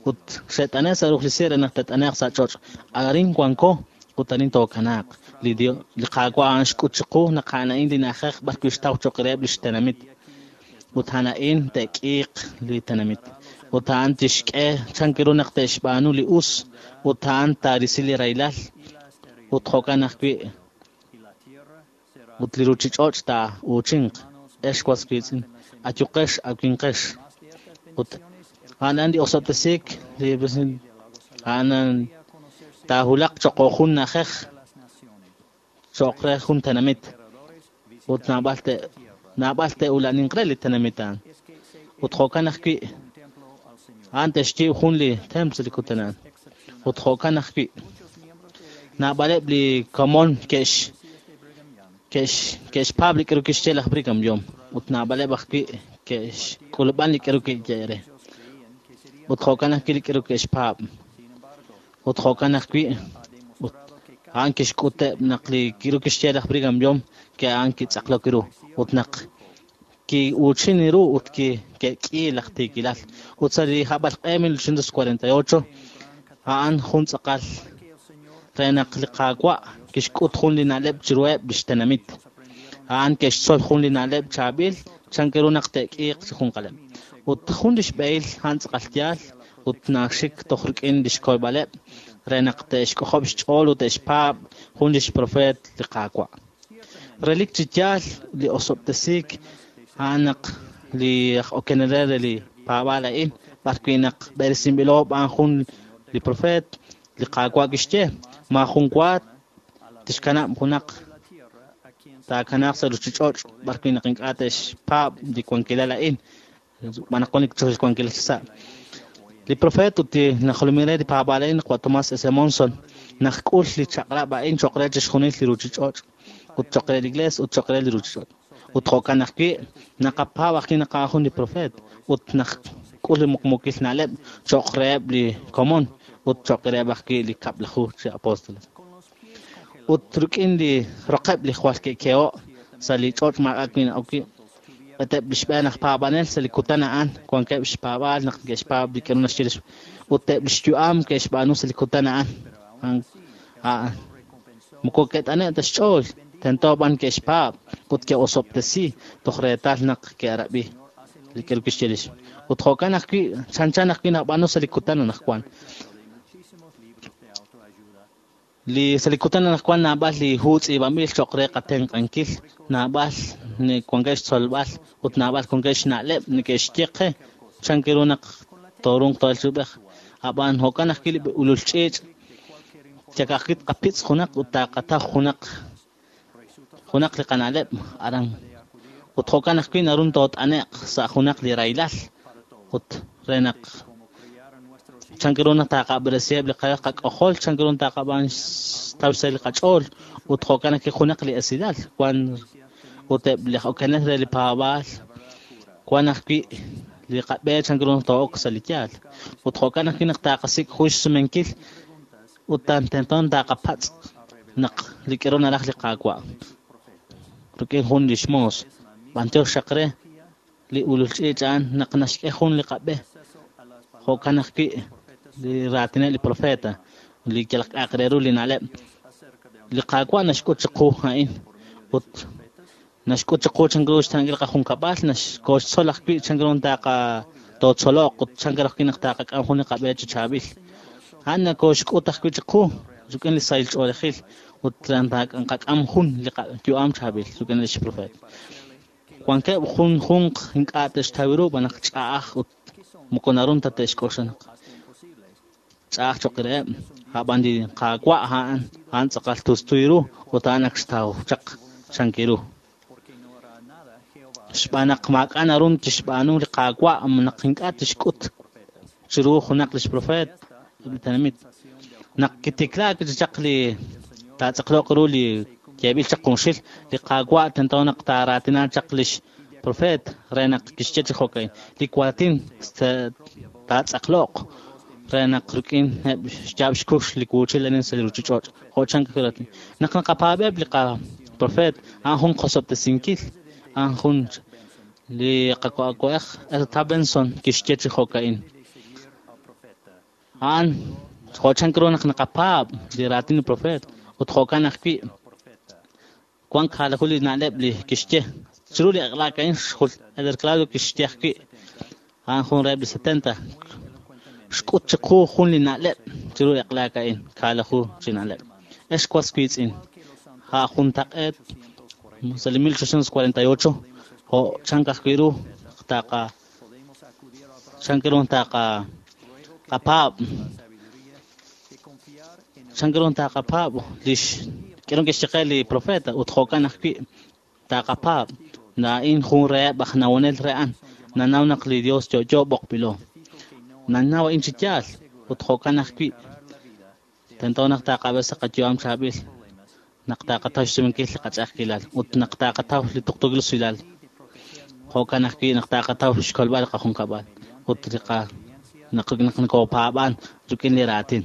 Ut xe't'ane' sa' ruj li si' re naq te't'ane'q sa' ch'och'. Arin wanko ut arin tookanaaq. Li Dios li Qaawa' a'an xk'ut chiqu naq a'an a'in li na'ajej b'ar wi' xtaw choq' reheb' lix tenamit. Ut a'an a'in te'k'iiq li tenamit. Ut a'an tixk'e chan ru naq te'xb'aanu li us ut a'an taarisi li rahilal ut jo'kan ajwi' ut li ruchich'och' taa'uuchinq. Ex was wiitz'in, ayuqex awinqex. Ut a'an a'an li osob'tesiik li a'an taahulaq choq' jun na'ajej choq' re jun tenamit ut naab'al te naab'al te'ulaninq re li tenamit a'an. Ut jo'kan ajwi' a'an te'xyiib' jun li templo sa' li kutan a'an. Ut jo'kan ajwi' naab'aleb' li komon ke'x ke'x ke'xpaab' li k'aru kixye laj Brigham Young ut naab'aleb' ajwi' ke'xk'ulub'an li k'aru ki'ye re. Ut jo'kan ajwi' li k'aru ke'xpaab'. Ut jo'kan ajwi' ut a'an kixk'uteb' naq li k'aru kixye laj Brigham Young ke a'an kitz'aqlok ru ut naq ki'uuchin ru ut ke'k'i laj tiikilal. Ut sa' li hab'alq'e mil ochocientos cuarenta y ocho a'an jun tz'aqal re naq li Qaawa' kixk'ut jun li na'leb' chiruheb' lix tenamit. A'an ke'xtzol jun li na'leb' chaab'il chan ru naq te'k'iiq chi junqaleb'. Ut jun lix b'ehil a'an tz'aqal yaal ut naxik toj rik'in lix kolb'aleb' re naq te'xk'ojob' xch'ool ut te'xpaab' jun lix profeet li Qaawa'. Relik chi yaal li osob'tesiik a'an naq li aj okenel re li paab'aal a'in b'ar wi' naq b'eresinb'ilo b'aan jun li profeet li Qaawa' kixye maajun wa tixkanab' junaq taakanaaq sa' ruchich'och' b'ar wi' naq ink'a' te'xpaab' li wankilal a'in b'an naq wan li wankilal chi sa'. Li profeet ut li najolomin re li paab'aal a'in qawa' Thomas S. Monson naq k'ul li chaq'rab' a'in choq' re chixjunil li ruchich'och' ut choq' re li Iglees ut choq' re li ruchich'och'. Ut jo'kan ajwi' naqapaab' ajwi' naq a'an jun li profeet ut naq k'ul li muqmuukil na'leb' choq' reheb' li komon ut choq' reheb' ajwi' li kab'laju chi apóstoles. Ut rik'in li roqeb' li jwal ke'ke'o' sa' li ch'och' maak'a' wi' na'ok wi' eb' li xb'een aj paab'anel sa' li kutan a'an wankeb' xpaab'aal naq ke'xpaab' li k'aru naxye ut eb' li xyu'am ke'xb'aanu sa' li kutan a'an. A'an moko ke't'ane' ta xch'ool tento b'an ke'xpaab' ut ke'osob'tesi toj reetal naq ke'rab'i li k'aru kixye lix. Ut jo'kan ajwi' chanchan ajwi' nab'aanu sa' li kutan anaqwan. Li sa' li kutan anaqwan naab'al li hu tz'iib'anb'il cho'q re qatenq'ankil, naab'al wankeb' xtzolb'al ut naab'al wankeb' xna'leb' neke'xye qe chan ru naq toorunq to'el chi ub'ej. Ab'an jo'kan ajwi' li ulul ch'iich' Chakajkit qapitz junaq ut taqataw junaq junaq li qana'leb' aran ut jo'kan ajwi' narun toot'ane'q sa' junaq li raylal ut re naq chank ru naq taqab'eresiheb' li qak'ojol chank ru taqab'an xtaw xsahil li qach'ool ut jo'kan ajwi' junaq li esilal wan ut eb' li okenel re li paab'aal wan ajwi' li qab'e chank ru to'ok sa' li yaal ut jo'kan ajwi' naq taqasik' jun xsumenkil ut tento taqapatz' naq li k'eru naraj li Qaawa' rik'in jun li xmoos b'antiox xaq re li ulul ch'iich' a'an naq naxk'e jun li qab'e jo'kan ajwi' li raatineb' li profeta li yalaq k'a'aq re ru li na'leb' li Qaawa' naxk'ut chiqu a'in ut naxk'ut chiqu chank ru xta'ankil qajunkab'al naxkoxtzol ajwi' chank ru taqa tootzoloq ut chank ru ajwi' naq taqak'am jun li qab'e chi chaab'il a'an nakoxk'ut ajwi' chiqu rik'in li sahil ch'oolejil ut qak'am jun li yu'am chaab'il rik'in li xprofet wankeb' jun junq ink'a' te'xtaw ru b'anaq ch'a'aj ut moko narun ta te'xk'oxla ch'a'aj cho'q reheb' a'b'an li Qaawa' a'an a'an tz'aqal tustuy ru ut a'an ak xtaw chaq chank ru xb'aan naq maak'a' narun tixb'aanu li Qaawa' naq ink'a' tixk'ut chiru junaq li xprofet li tenamit naq kitiklaak chaq li taatz'aqloq ru li yeeb'il chaq junxil li Qaawa' tento naq taaraatina chaq lix profet re naq kixye chi jo'ka'in li waatin taatz'aqloq re naq rik'in eb' xyaab' xkux li wuuchil arin sa' li ruuchich'och' jo' chank raatin naq naqapaab'eb' li qaprofet a'an jun qosob'tesinkil a'an jun li qak'a'uxl Elder Benson kixye chi jo'ka'in a'an jo' chank ru naq naqapaab' li raatin li profet ut jo'kan ajwi' wan kaalaju li na'leb' li kixye chiru li aq'laak a'in xjul Elder Claudio kixye ajwi' a'an jun reheb' li setenta xk'ut chiqu jun li na'leb' chiru li aq'laak a'in kaalaju chi na'leb' ex was wiitz'in ja' juntaq'eet sa' li mil ochocientos cuarenta y ocho jo' chank ajwi' ru taqa chank ru taqa qapaab' chank ru taqapaab' lix k'eron kixye li profeta ut jo'kan ajwi' taqapaab' na'in jun reheb' aj nawonel re a'an nanaw naq li Dios yo'yo b'oqb'ilo nanaw a'in chi yaal ut jo'kan ajwi' tento naq taqab'e sa' qayu'am chaab'il naq taqataw xsumenkil li qach'a'ajkilal ut naq taqataw li tuqtuukil usilal jo'kan ajwi' naq taqataw xkolb'al li qajunkab'al ut li qa naq naq nkopaab'an rik'in li raatin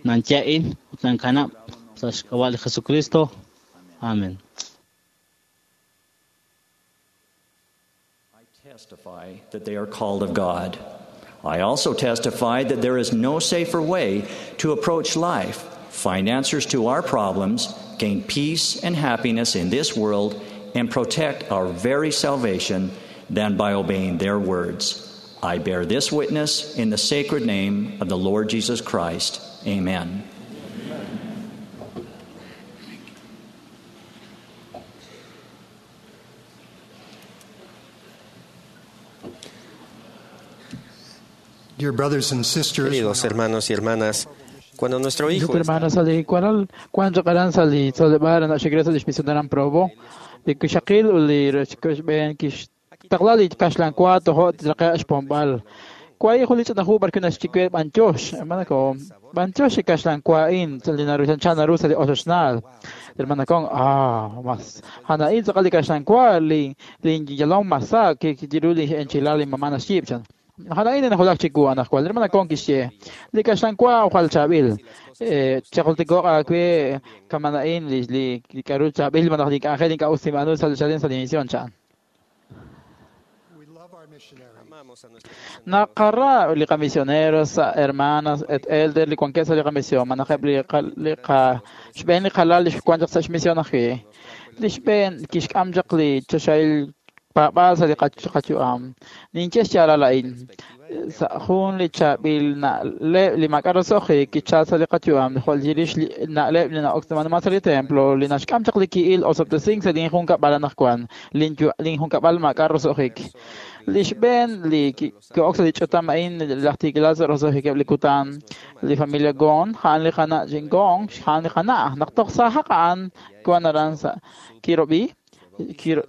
nanye a'in ut nankanab' sa' xk'ab'a' li Jesucristo. Amen. I testify that they are called of God. I also testify that there is no safer way to approach life, find answers to our problems, gain peace and happiness in this world, and protect our very salvation than by obeying their words. I bear this witness in the sacred name of the Lord Jesus Christ. Amen. Dear brothers and sisters, Queridos hermanos y hermanas, cuando nuestro hijo hermanos ali cuál cuando qaran sali tsolebara na xigresa lix misionaran probo li kixaqil u li rechkuxben kix taqla li kaxlan cuatro jo traqa xpombal kwai juli ch'anaju barku naxchikwe b'antiox hermana ko b'antiox kaxlan cuain li naru chanchana rusa li oxoxnal hermana con ah mas hanain tz'aqal li kaxlan cua li li yalom masa que jiru li enchilada li mamana xibchan Hanain na hulak chiku anak kwal hermana con kixye li kaxlan cua ujal chabil eh chaqultikoq akwe kamanain li li li karu chabil manaj li k'anjel ink'a' usimanu sal chalen sa misión chan Naqarra li qamisioneros, hermanas, et elder li cuanquesa li qamisión, manajeb li li qa xb'een li qalal li xwanchaq sa' xmisión ajwi'. Li xb'een kixk'am chaq li choxahil paab'aal sa' li qayu'am. Ninye xyaalal a'in. Sa' jun li chaab'il na'leb' li maak'a' roso'jik kichal sa' li qayu'am, jo' chirix li na'leb' li na'oksiman sa' li templo, li naxk'am chaq li ki'il osob'tesink sa' linjunkab'al anaqwan, linjunkab'al maak'a' roso'jik. Li xb'een li ki'ok sa' li ch'utam a'in laj tiikilal sa' roso'jikeb' li kutan, li familia Gong, a'an li qana' Gong, a'an li qana'. Naq toj saajaq a'an wan aran sa' Kirob'i,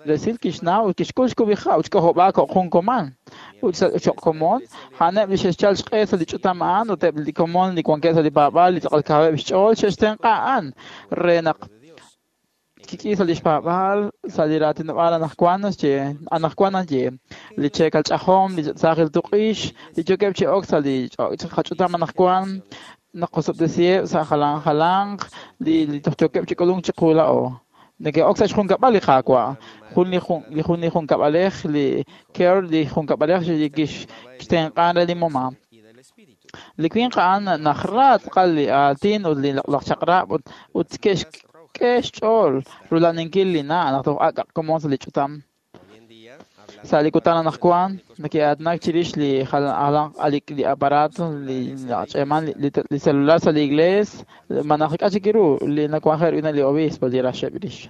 resil kixnaw ut kixk'ul xkub'ija' ut xk'ojob'aak jo' jun komon. Ut sa' cho'q komon, a'aneb' li xe'xchal xq'e sa' li ch'utam a'an ut eb' li komon li wankeb' sa' li paab'aal li tz'aqal kaweb' xch'ool xe'xtenq'a a'an re naq kik'i sa' li xpaab'aal sa' li raatinob'aal anaqwan naxye anaqwan naxye li cheekal ch'ajom, li saajil tuq'ix, li yookeb' chi ok sa' li qach'utam anaqwan naqosob'tesiheb' sa' jalan jalanq li li toj yookeb' chi k'ulunk chiqu laa'o. Neke'ok sa' xjunkab'al li Qaawa', jun li jun li jun li junkab'alej li Kerr li junkab'alej li kixtenq'an re li mama. Li winq a'an najra tz'aqal li aatin ut li loq'laj chaq'rab' ut ut ke'xk'e xch'ool rulaninkil li na' naq toj ak' komon sa' li ch'utam. Sa' li kutan anaqwan neke'aatinak chirix li jalan li aparato li nach'eman li celular sa' li iglees malaj k'a' chik ru li nawanje' rik'in li obispo li raxeb' rix.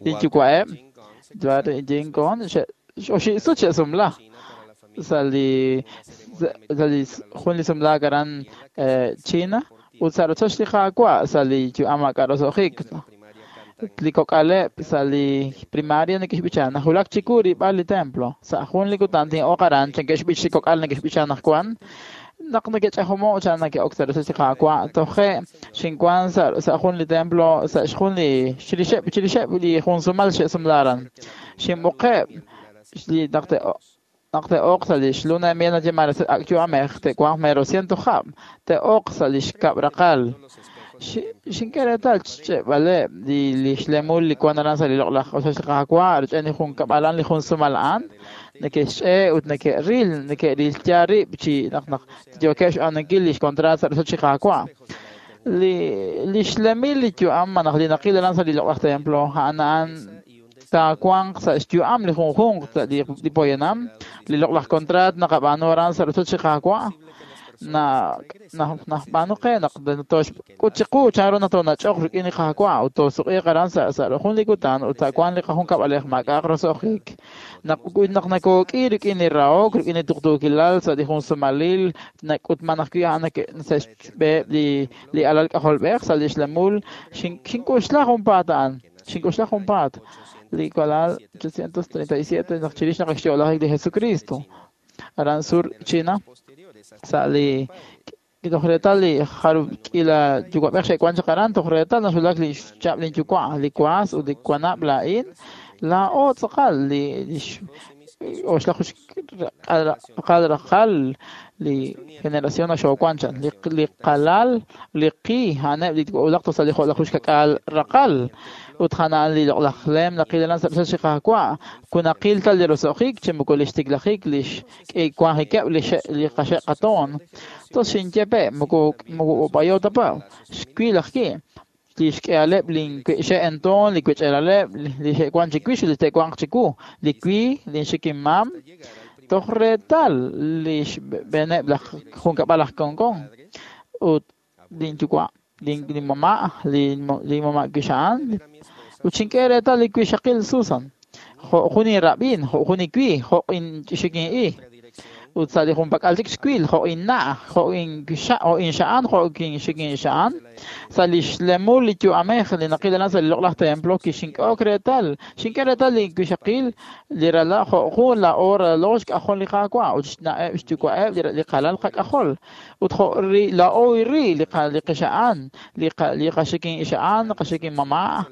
Linyuwa'eb' Jin Gong oxib' sut xe'sumla sa' li sa' li jun li sumlaak aran China ut sa' rochoch li Qaawa' sa' li yu'am maak'a' roso'jik. Li kok'aleb' sa' li primaria neke'xb'icha najulak chiku rilb'al li templo. Sa' jun li kutan tin'oq aran neke'xb'ich li kok'al neke'xb'icha anaqwan naq neke'ch'ajomo' chan neke'ok sa' rochoch li Qaawa' toje' xinwan sa' sa' jun li templo sa' jun li chirixeb' chirixeb' li jun sumal xe'sumla aran. Xinb'oqeb' li naq te'oq te'oq sa' li xluna de miel nayeeman ak' yu'amej te'wanq mero ciento hab' te'oq sa' li xkab' raqal. Xink'e reetal xch'e'b'aleb' li li xlemul li wan aran sa' li loq'laj ochoch li Qaawa' rik'in li junkab'alan li jun sumal a'an neke'xch'e' ut neke'ril neke'ril yaal rib' chi naq naq yookeb' xb'aanunkil li xkontraat sa' rochoch li Qaawa'. Li li xlemil li yu'am malaj li naqil aran sa' li loq'laj templo a'an a'an taawanq sa' xyu'am li junjunq sa' li li poyanam li loq'laj kontraat naqab'aanu aran sa' rochoch li Qaawa' na najb'aanu qe naq toxk'ut chiqu chanru naq toonach'oq rik'in li Qaawa' ut toosuq'iiq aran sa' sa' jun li kutan ut sa' wan li qajunkab'alej maak'a'aq roso'jik. Naq naq nakook'i rik'in li rahok rik'in li tuqtuukilal sa' li jun sumalil nak'utman ajwi' a'an sa' xb'eheb' li li alal k'ajolb'ej sa' li xlemul xink'uxla junpaat a'an xink'uxla junpaat li walal ochocientos treinta y siete naq chirix naq xyo'lajik li Jesucristo aran sur China sa' li toj reetal li jarub' k'iila yuwa'b'ej xe'wan chaq aran toj reetal naxulak li xchab' linyuwa' li waas ut li wanab' laa'in laa'o tz'aqal li oxlaju raqal raqal li generación naxoowan chan li li qalal li qi a'aneb' li wulaq toj sa' li jo'laju xkak'aal raqal ut jana'an li loq'laj lem naqil aran sa' rochoch li Qaawa' kunaqil ta li roso'jik chi moko li xtiklajik li xk'ewanjikeb' li li qaxe' qatoon tos xinye pe' moko moko b'ayo ta pa xwil ajwi' li xk'ehaleb' linxe'entoon li wech'elaleb' li xe'wan chiwix ut li te'wanq chiwu li wi linxikinmam toj reetal li xb'eeneb' laj junkab'al aj Gong ut linyuwa' linmama' li mama' wixa'an ut xink'e reetal li wixaqil Susan jo' jun inrab'in jo' jun iwi jo' inxikin'i ut sa' li junpak'al chik xwil jo' inna' jo' inxa' jo' inxa'an jo' inxikinxa'an sa' li xlemul li yu'amej li naqil aran sa' li loq'laj templo kixink'ok reetal xink'e reetal li wixaqil li rala' jo' jun la'o ralal xk'ajol li Qaawa' ut xna'eb' xyuwa'eb' li qalal qak'ajol ut jo' ri la'o ri li li qixa'an li li qaxikinxa'an qaxikinmama'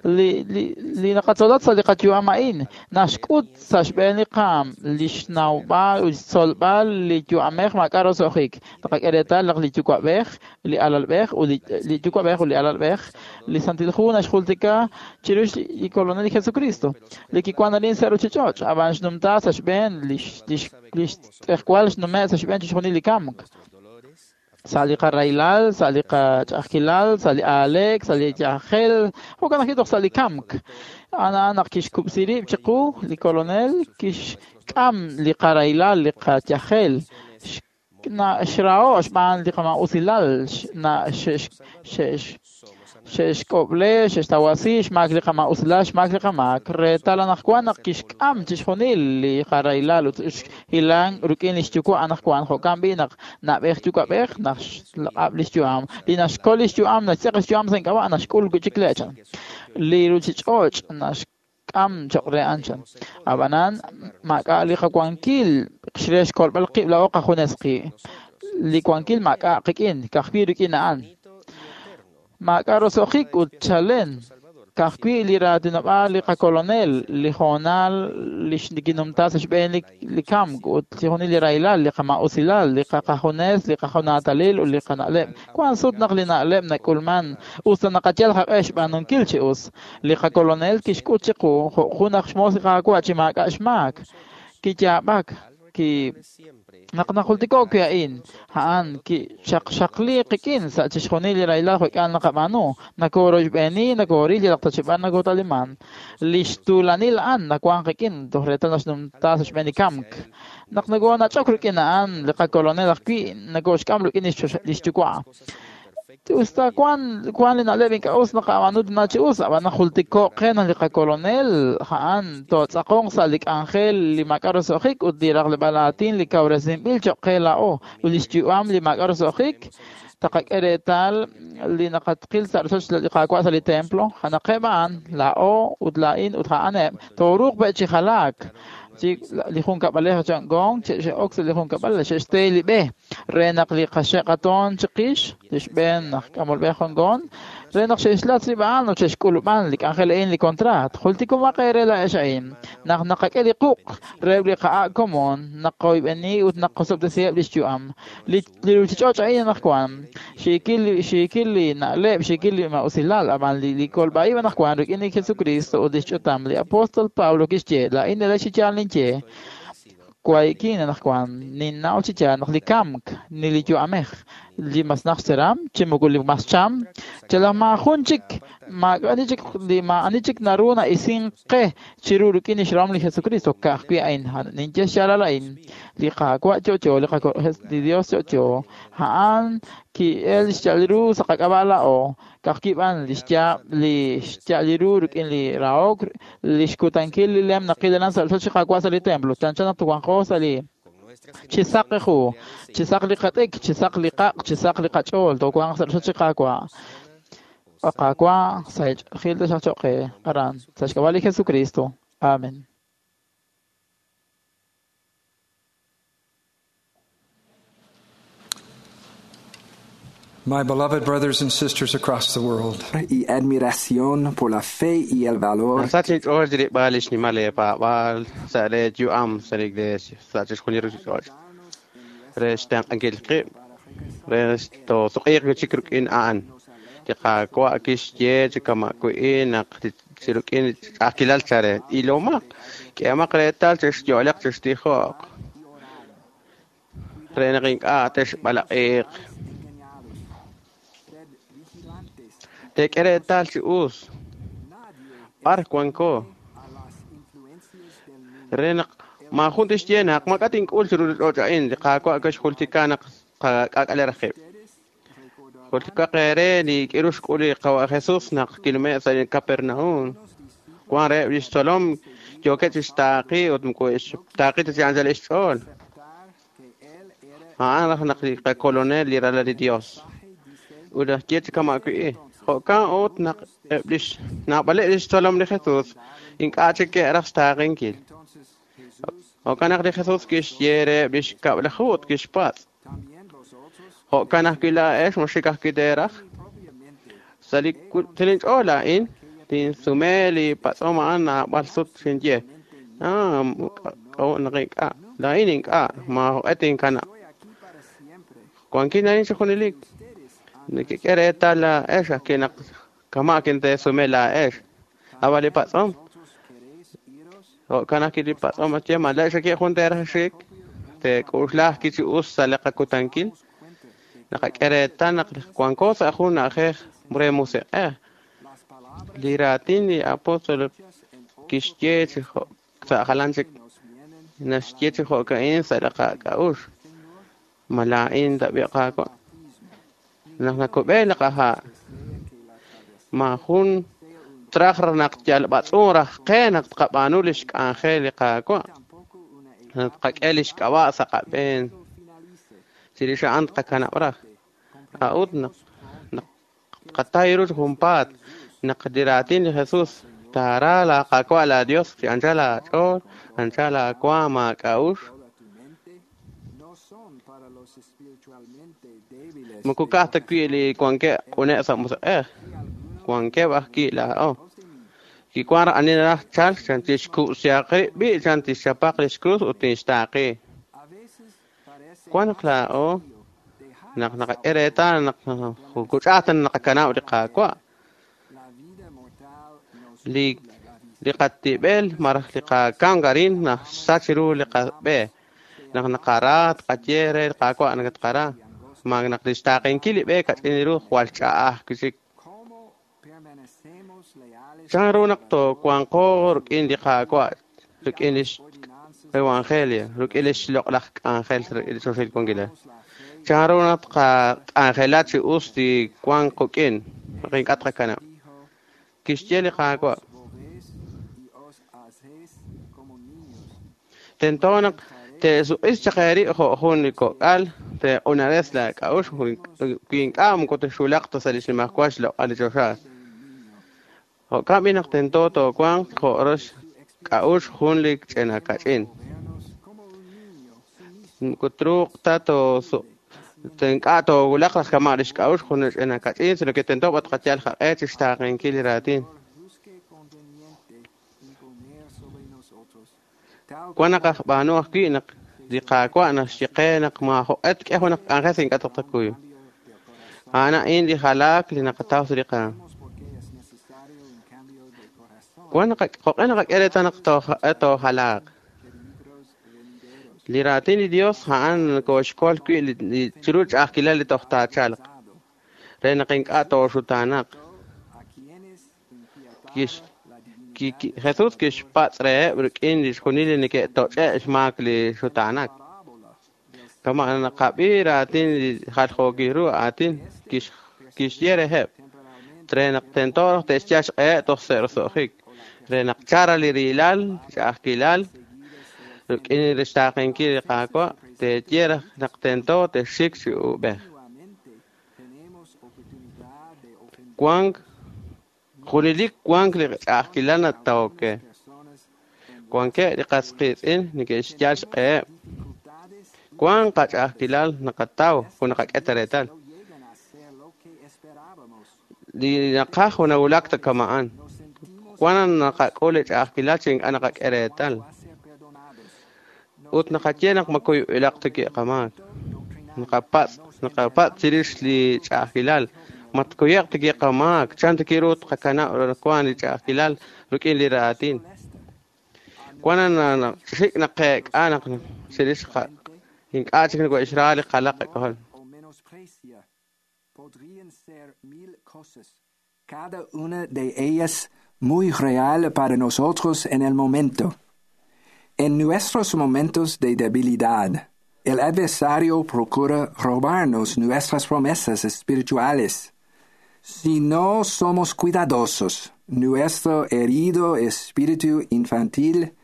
li li li naqatzolat sa' li qayu'am a'in naxk'ut sa' xb'een li qaam li xnawb'al ut xtzolb'al li yu'amej maak'a' roso'jik naqak'e reetal naq li yuwa'b'ej li alalb'ej ut li yuwa'b'ej ut li alalb'ej li Santil Hu naxjultika chirix li Kolonel Jesucristo li kiwan arin sa' ruchich'och' ab'an xnumta sa' xb'een li li xtz'ejwal xnume' sa' xb'een chixjunil li kamk. Sa' li qarahilal, sa' li qach'a'ajkilal, sa' li aaleek, sa' li yajel, jo'kan ajwi' toj sa' li kamk. A'an naq kixkub'si rib' chiqu li Kolonel, kixk'am li qarahilal, li qayajel, xraho' xb'aan li qama'usilal, xe'xk'ob'le, xe'xtawasi xmaak li qama'usilal, xmaak li qamaak. Reetal anaqwan naq kixk'am chixjunil li qarahilal ut xhilan rik'in li xyuwa' anaqwan, jo'kan b'i' naq na'b'ej yuwa'b'ej naq xlaq'ab' li xyu'am. Li naxkol li xyu'am, naxtz'eq li xyu'am sa' ink'ab'a' naxk'ul wi' chik le' chan. Li ruuchich'och' naxk'am cho'q re a'an chan. Ab'anan maak'a' li qawankil re xkolb'al qib' laa'o qajunes qib'. Li wankil maak'a' qik'in, ka'ajwi' rik'in a'an. Maak'a' roso'jik ut chalen, ka'ajwi' li raatinob'aal li qakolonel, li hoonal li xkinumta sa' xb'een li kamk ut chixjunil li rahilal, li qama'usilal, li qajunes, li qajunatalil ut li qana'leb'. Wank sut naq li na'leb' nak'ulman us ta naqayal qaq'e xb'aanunkil chi us. Li qakolonel kixk'ut chiqu jo' jun aj xmoos li Qaawa' chi maak'a' xmaak. Kiyaab'ak, ki naq najultiko'k wi' a'in, a'an kichaqxaqli qik'in sa' chixjunil li rahilal jo'k'al naqab'aanu, nakoroxb'eeni, nakoril yalaq ta chib'an nakotaliman. Li xtuulanil a'an nawank qik'in toj reetal naxnumta sa' xb'een li kamk. Naq nakonach'ok rik'in a'an li qakolonel ajwi' nakoxk'am rik'in li xyuwa'. Usta wan wan li na'leb' ink'a' us naqab'aanu tana chi us, ab'an najultiko'k qe naq li qakolonel a'an tootz'aqonq sa' li k'anjel li maak'a' roso'jik ut li raqleb'aal aatin li kawresinb'il cho'q qe laa'o ut li xyu'am li maak'a' roso'jik taqak'e reetal li naqatqil sa' rochoch li Qaawa' sa' li templo, janaqeb' a'an laa'o ut laa'in ut a'aneb' tooruuq be' chi jalaak. Li junkab'alej Gong xe'ok sa' li junkab'al xe'xte li b'e re naq li qaxe'qatoon chiqix li xb'een aj k'amolb'e Gong re naq xe'xlatz rib' a'an ut xe'xk'ulub'an li k'anjel a'in li contrat. Jultikomaq eere laa'ex a'in naq naqak'e li quq' reheb' li qa'a' komon naqoyb'eni ut naqosob'tesiheb' li xyu'am. Li ruuchich'och' a'in anaqwan xiikil xiikil li na'leb', xiikil li ma'usilal, ab'an li kolb'a'ib' anaqwan rik'in li Jesucristo ut li xch'utam li apóstol Pablo kixye laa'in nele chi yaal ninye waikin anaqwan ninnaw chi yaal naq li kamk ni li yu'amej li mas naq xteram chi moko li mas cham chalaj maajun chik maak'ani chik li maa'ani chik naru na'isin qe chiru rik'in li xrahom li Jesucristo ka'ajwi' a'in ninye xyaalal a'in li Qaawa' yo'yo li li Dios yo'yo a'an ki'el xyal ru sa' qak'ab'a' laa'o ka'ajwi' b'an li xyaab' li xyal ru rik'in li rahok li xkutankil li lem naqil aran sa' rochoch li Qaawa' sa' li templo chanchan naq wanqo sa' li chisaq ju, chisaq li qat'ik, chisaq li qaq', chisaq li qach'ool, toowanq sa' rochoch li Qaawa'. Qaawa' sa' xch'ool taxaq cho'q qe aran sa' xk'ab'a' li Jesucristo. Amen. My beloved brothers and sisters across the world. Y admiración por la fe y el valor. Sa' chixch'ool rib'al li xnimal eepaab'aal sa' le yu'am sa' li iglesia sa' chixjunil ruuchich'och' re xtenq'ankil qib' re toosuq'iiq wi' chik rik'in a'an. Li Qaawa' kixye chi kama' wi' naq chi rik'in ch'a'ajkilal chare ilomaq k'ehomaq reetal chixyo'leq chixtijo'q re naq ink'a' texb'alaq'iiq. Teek'e reetal chi us b'ar wanko re naq maajun tixye naq maak'a' tink'ul chiru li ch'och' a'in li Qaawa' kixjultika naq qak'aak'ale raj qib'. Jultikaq eere li k'iru xk'ul li Qawa' Jesus naq kinume' sa' li Capernaum. Wan reheb' li xtzolom yookeb' chixtaaqi ut moko xtaaqi ta chi anchal xch'ool. A'an raj naq li qakolonel li ralal li Dios. Ut laj ye chi kama' wi' jo'kan ut naq eb' li naab'aleb' li xtzolom li Jesus ink'a' chik ke'raj xtaaqenkil. Jo'kan naq li Jesus kixye reheb' li xkab'laju ut kixpatz'. Jo'kan ajwi' laa'ex moxik ajwi' teeraj. Sa' li linch'ool a'in tinsume li patz'om a'an naab'al sut xinye. Ah, k'a'ut naq ink'a' laa'in ink'a' maajoq'e tinkanab'. Wankin a'in chi junelik. Nekek'e reetal laa'ex ajwi' naq kama' kinteesume laa'ex. Ab'an li patz'om jo'kan ajwi' li patz'om ye ma laa'ex ajwi' jun teeraj xik teek'uxla ajwi' chi us sa' li qakutankil. Naqak'e reetal naq wanko sa' jun na'ajej re musiq'ej. Li raatin li apóstol kixye chi jo' sa' jalan chik naxye chi jo'ka'in sa' li qak'a'uxl. Ma laa'in tab'i Qaawa'. Naq nakub'e li qaha' maajun traj naq yal b'atz'un raj qe naq tqab'aanu lix k'anjel li Qaawa'. Naq tqak'e lix k'ab'a' sa' qab'een. Chirix a'an tqakanab' raj. A'ut naq naq tqatay ru chi junpaat naq li raatin li Jesús taara laa Qaawa' laa Dios chi anchal aach'ool, anchal aawaam aak'a'uxl. Moko ka'aj ta wi' li wankeb' q'uneb' sa' musiq'ej, wankeb' ajwi' laa'o. Kiwan raj ani naraj chalk chan tixkub'sihaq rib' b'i' chan tixchapaq lix krus ut tinxtaaqi. Wan naq laa'o naq naqak'e reetal naq kuch'aj ta naqakanab' li Qaawa'. Li li qatib'el maraj li qakamk arin naxsach ru li qab'e. Naq naqara tqaye re li Qaawa' naq tqara. Ma naq lix taaqenkil li b'e kach'in ru jwal ch'a'aj chik. Chan ru naq toowanqo rik'in li Qaawa', rik'in lix evangelio, rik'in lix loq'laj k'anjel li choxil wankilal. Chan ru naq tqak'anjela chi us li wank quk'in, naq ink'a' tqakanab'. Kixye li Qaawa'. Tento naq te'suq'is chaq eerib' jo' jun li kok'al, te'q'unares laak'a'uxl wi ink'a' moko texwulaq ta sa' li xnimajwal xloq'al li choxa. Jo'kan b'i naq tento toowanq jo' rox k'a'uxl jun li ch'ina kach'in. Moko truuq ta toosu' ink'a' toowulaq raj kama' lix k'a'uxl jun li ch'ina kach'in, sino que tento b'a tqayal qaq'e chi xtaaqenkil li raatin. Wan naq ajb'aanu ajwi' naq li Qaawa' naxye qe naq maajo'q'e tk'e junaq k'anjel sa' ink'a' taqakuy. A'an a'in li jalaak li naqataw sa' li qaam. Wan naq jo'q'e naqak'e reetal naq toojalaaq. Li raatin li Dios a'an kooxkol wi' li chiru ch'a'ajkilal li toj taachalq re naq ink'a' tooxutaanaq. Kix Jesús kixpatz' reheb' rik'in li xjunil li neke'toch'e' xmaak li xutaanak. Kama' naqab'i raatin li jaljookil ru aatin kixye reheb' re naq tento te'xyal xq'eheb' toj sa' roso'jik re naq chara li rilal ch'a'ajkilal rik'in li xtaaqenkil li Qaawa' te'ye raj naq tento te'xik chi uub'ej. Wank junelik wank li ch'a'ajkilal natawok. Wankeb' li qas qiitz'in neke'xyal xq'eheb'. Wank qach'a'ajkilal naqataw jun naqak'e ta reetal. Li naqaj junawulak ta kama'an. Wan naqak'ul li ch'a'ajkilal chi ink'a' naqak'e reetal. Ut naqaye naq makuyu'ilaq ta kiqamaak. Naqapatz' naqapatz' chirix li ch'a'ajkilal. Matkuyeq ta kiqamaak, chan ta kiru tqakanab' wan li ch'a'ajkilal rik'in li raatin. Wan xik naqeek'a naq chirix ink'a' chik nako'xra li qalaq qak'ojol. Cada una de ellas muy real para nosotros en el momento. En nuestros momentos de debilidad, el adversario procura robarnos nuestras promesas espirituales. Si no somos cuidadosos, nuestro herido espíritu infantil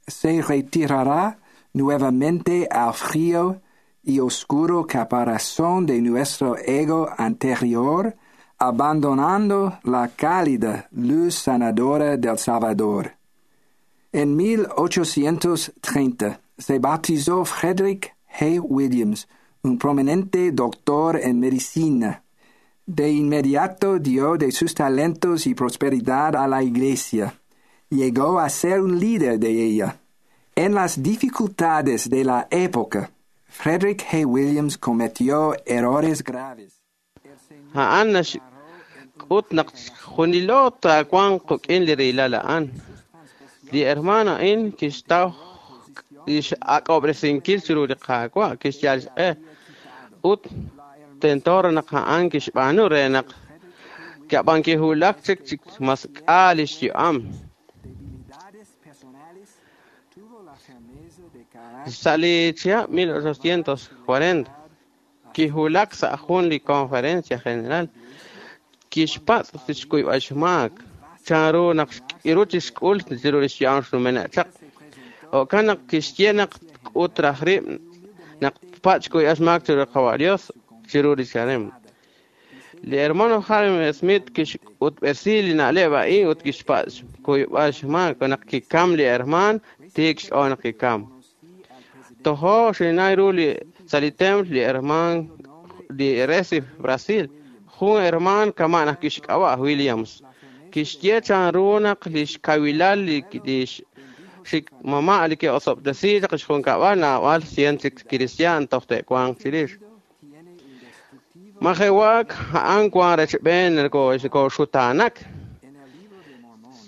se retirará nuevamente al frío y oscuro caparazón de nuestro ego anterior, abandonando la cálida luz sanadora del Salvador. En mil ochocientos treinta se bautizó Frederick Hay Williams, un prominente doctor en medicina. De inmediato dio de sus talentos y prosperidad a la iglesia. Llegó a ser un líder de ella. En las dificultades de la época, Frederick Hay Williams cometió errores graves. A'an naxk'ut naq junilo taawanq quk'in li rilal a'an. Li hermano a'in kixtaw lix ak'ob'resinkil chiru li Qaawa' kixyal xq'e ut Tento naq a'an kixb'aanu re naq kab'an kihulak chik chik mas k'a lix yu'am. Sa' li chihab' mil ochocientos cuarenta kihulak sa' jun li conferencia general kixpatz' tixkuyb'al xmaak chanru naq xk'iru chixk'ul chiru lix yu'am xnumenaq chaq. Jo'kan naq kixye naq k'ut raj rib' naq patz' xkuyb'al xmaak chiru li Qawa' Dios chiru li xarem. Li hermano Hyrum Smith kixk'utb'esi li na'leb' a'in ut kixpatz' xkuyb'al xmaak naq kikam li herman tiik xch'ool naq kikam. Tojo xinay ru li sa' li templo li herman li Recife, Brasil, jun herman kama' naq kixk'ab'a' Williams. Kixye chanru naq lix kawilal li lix xikmama' li ke'osob'tesi chaq xjunkab'al naab'al cien chik cristian toj te'wanq chirix. Majewak a'an wan rechb'een koxutaanak.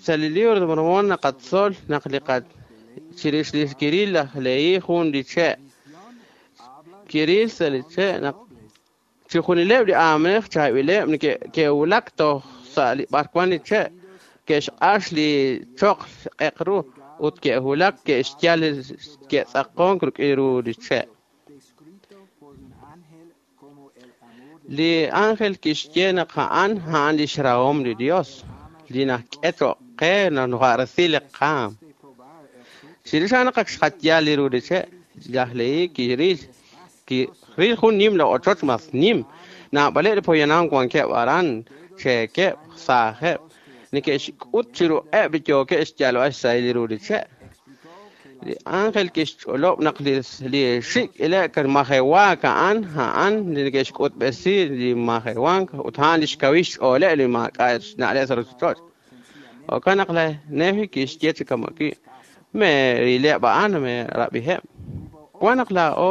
Sa' li libro de Mormón naqatzol naq li qa chirix li kiril laj Lehi jun li che'. Kiril sa' li che' naq chijunileb' li aamej chaab'ileb' ke'wulak toj sa' li b'arwan li che' ke'xq'ax li choql q'eq ru ut ke'wulak ke'xyal ke'tz'aqonk rik'in ru li che'. Li ángel kixye naq a'an a'an lix rahom li Dios li nak'e choq' qe naqaresi li qaam. Chirix a'an naq xqatyal li ru li che' laj Lehi kiril kiril jun nim la ochoch mas nim naab'aleb' li poyanam wankeb' aran cheekeb' saajeb' neke'xk'ut chiruheb' li yookeb' xyalb'al xsahil li ru li che'. Li ángel kixch'olob' naq li li xik' ilek majewaak a'an a'an li neke'xk'utb'esi li majewank ut a'an li xkawil xch'ooleb' li maak'a' xna'leb' sa' ruchich'och'. Jo'kan naq laj Nefi kixye chi kama'ki' meerileb' a'an meerab'iheb'. Wan naq laa'o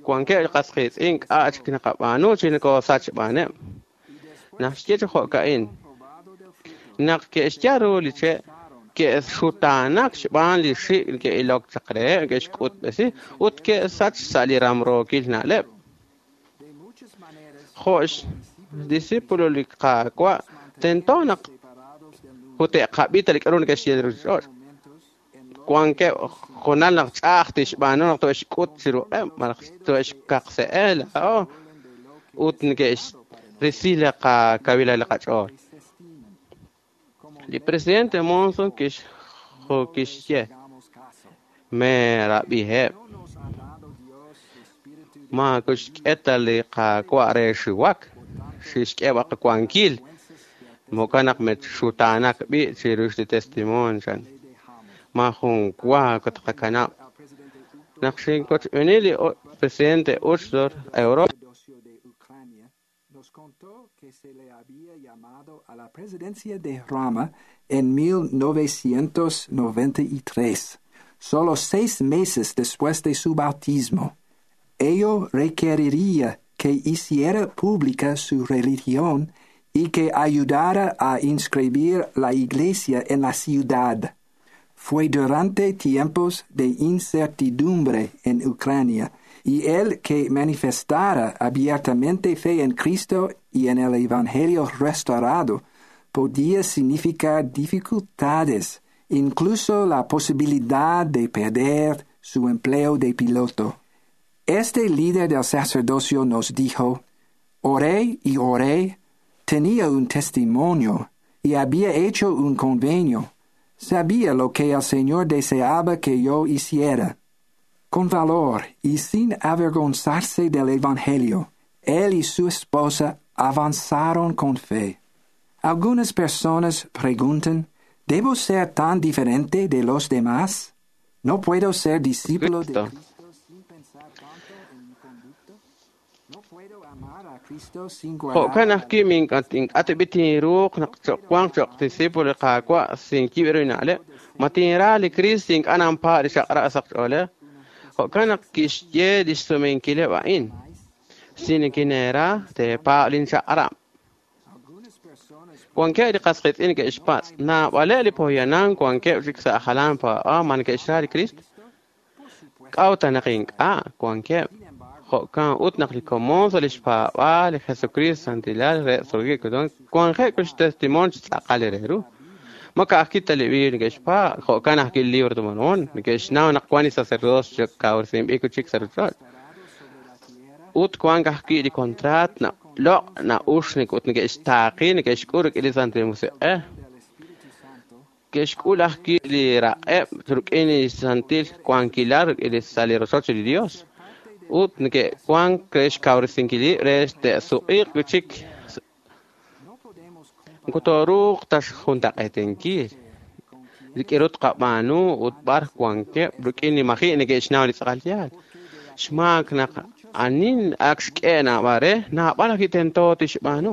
wankeb' li qas qiitz'in k'a' chik naqab'aanu chi nokosach xb'aaneb'. Naq xye chi jo'ka'in naq ke'xyal ru li che' ke'xutaanak xb'aan li xik' ke'ilok chaq reheb' ke'xk'utb'esi ut ke'sach sa' li ramrookil na'leb'. Jo' xdiscípulo li Qaawa' tento naq ut te'qab'i ta li k'aru neke'xye li ruchich'och'. Wankeb' junal naq ch'a'aj tixb'aanu naq to'xk'ut chiruheb' malaj to'xkaqse'e laa'o ut neke'xrisi li qakawilal li qach'ool. Li presidente Monson kixye meerab'iheb' maakuxk'e ta li Qaawa' re xiwak xixk'e qawankil jo'kan naq mexutaanak b'i' chirix li testimonio chan. Majun wa kotqakanab' naq xinkochb'eeni li presidente Uchtdorf Europa. Nos contó que se le había llamado a la presidencia de Rama en mil novecientos noventa y tres, solo seis meses después de su bautismo. Ello requeriría que hiciera pública su religión y que ayudara a inscribir la iglesia en la ciudad. Fue durante tiempos de incertidumbre en Ucrania, y el que manifestara abiertamente fe en Cristo y en el Evangelio restaurado podía significar dificultades, incluso la posibilidad de perder su empleo de piloto. Este líder del sacerdocio nos dijo, oré y oré, tenía un testimonio y había hecho un convenio. Sabía lo que el Señor deseaba que yo hiciera. Con valor y sin avergonzarse del Evangelio, él y su esposa avanzaron con fe. Algunas personas preguntan, ¿debo ser tan diferente de los demás? ¿No puedo ser discípulo de Cristo sin pensar tanto en mi conducta? ¿No puedo amar a Cristo sin guardar? Jo'kan ajwi' ink'a' tinruuq naq wanq cho'q discípulo li Qaawa' sin kiib' ru na'leb'. Ma tinra li Cristo ink'a' nanpa' li xaqra' sa' qch'oolej. Jo'kan naq kixye lix sumenkileb' a'in. Si nikineera teepa' linchaq'rab'. Wankeb' li qas qiitz'in ke'xpatz' naab'aleb' li poyanam wankeb' chik sa' jalan paab'aal ma neke'xra li Cristo. K'a'ut naq ink'a' wankeb' Jo'kan ut naq li komon sa' lix paab'aal li Jesucristo santilal re tzolgik wanje'k xtestimonio chi tz'aqal re ru. Ma ka'ajwi' ta li Biblia neke'xpaab', jo'kan ajwi' li Libro de Mormón, neke'xnaw naq wan li sacerdocio kawresinb'il chik sa' ruchich'och'. Ut wank ajwi' li contrat na loq' na'ux ut neke'xtaaqi neke'xk'ul rik'in li Santil Musiq'ej. Ke'xk'ul ajwi' li raq'eb' rik'in li santil wankilal rik'in li sa' li rochoch li Dios. Ut neke'wank re xkawresinkil rib' re te'suq'iiq chik Nkutoruuq taxjuntaq'eetinkil rik'in ru tqab'aanu ut b'ar wankeb' rik'in li maji' neke'xnaw li tz'aqal yaal. Xmaak naq anin ak xk'e naab'al re, naab'al ajwi' tento tixb'aanu.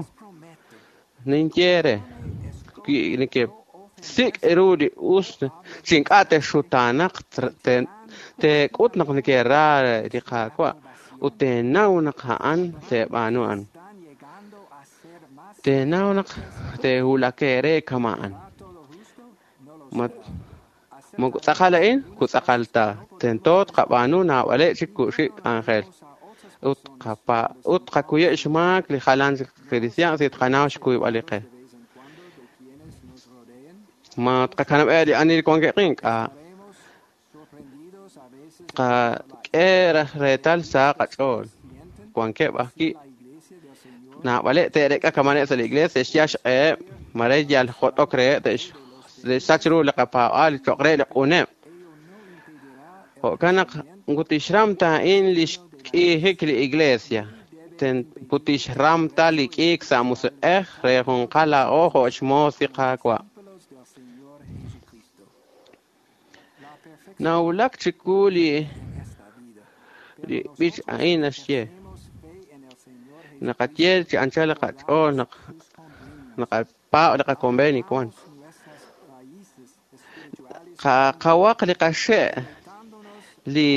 Ninye re, wi nekesik' ru li us chi ink'a' texxutaanaq teek'ut naq nekera li Qaawa' ut teenaw naq a'an teeb'aanu a'an. Teenaw naq teewulak eere kama'an. Moko tz'aqal a'in, ku tz'aqal ta. Tento tqab'aanu naab'aleb' chik ku'xib' k'anjel. Ut qapa ut qakuye' xmaak li jalan chik cristian si tqanaw xkuyb'al li qe. Ma tqakanab'e li ani li wankeb' ink'a'. Tqak'e reetal sa' qach'ool. Wankeb' ajwi' naab'aleb' te'reek'a kamaneb' sa' li iglesia te'xyal xq'eheb' mare yal jot'ok reheb' te'xsach ru li qapaab'aal cho'q re li q'uneb'. Jo'kan naq nkutixram ta a'in li xk'iijik li iglesia. Kutixram ta li k'iik sa' musiq'ej re junqal laa'o jo' xmoos li Qaawa'. Nawulak chiwu li li b'ich a'in naxye. Naqaye chi anchal li qach'ool naq naqapaab' li qaconvenio wan. Qawaq li qaxe' li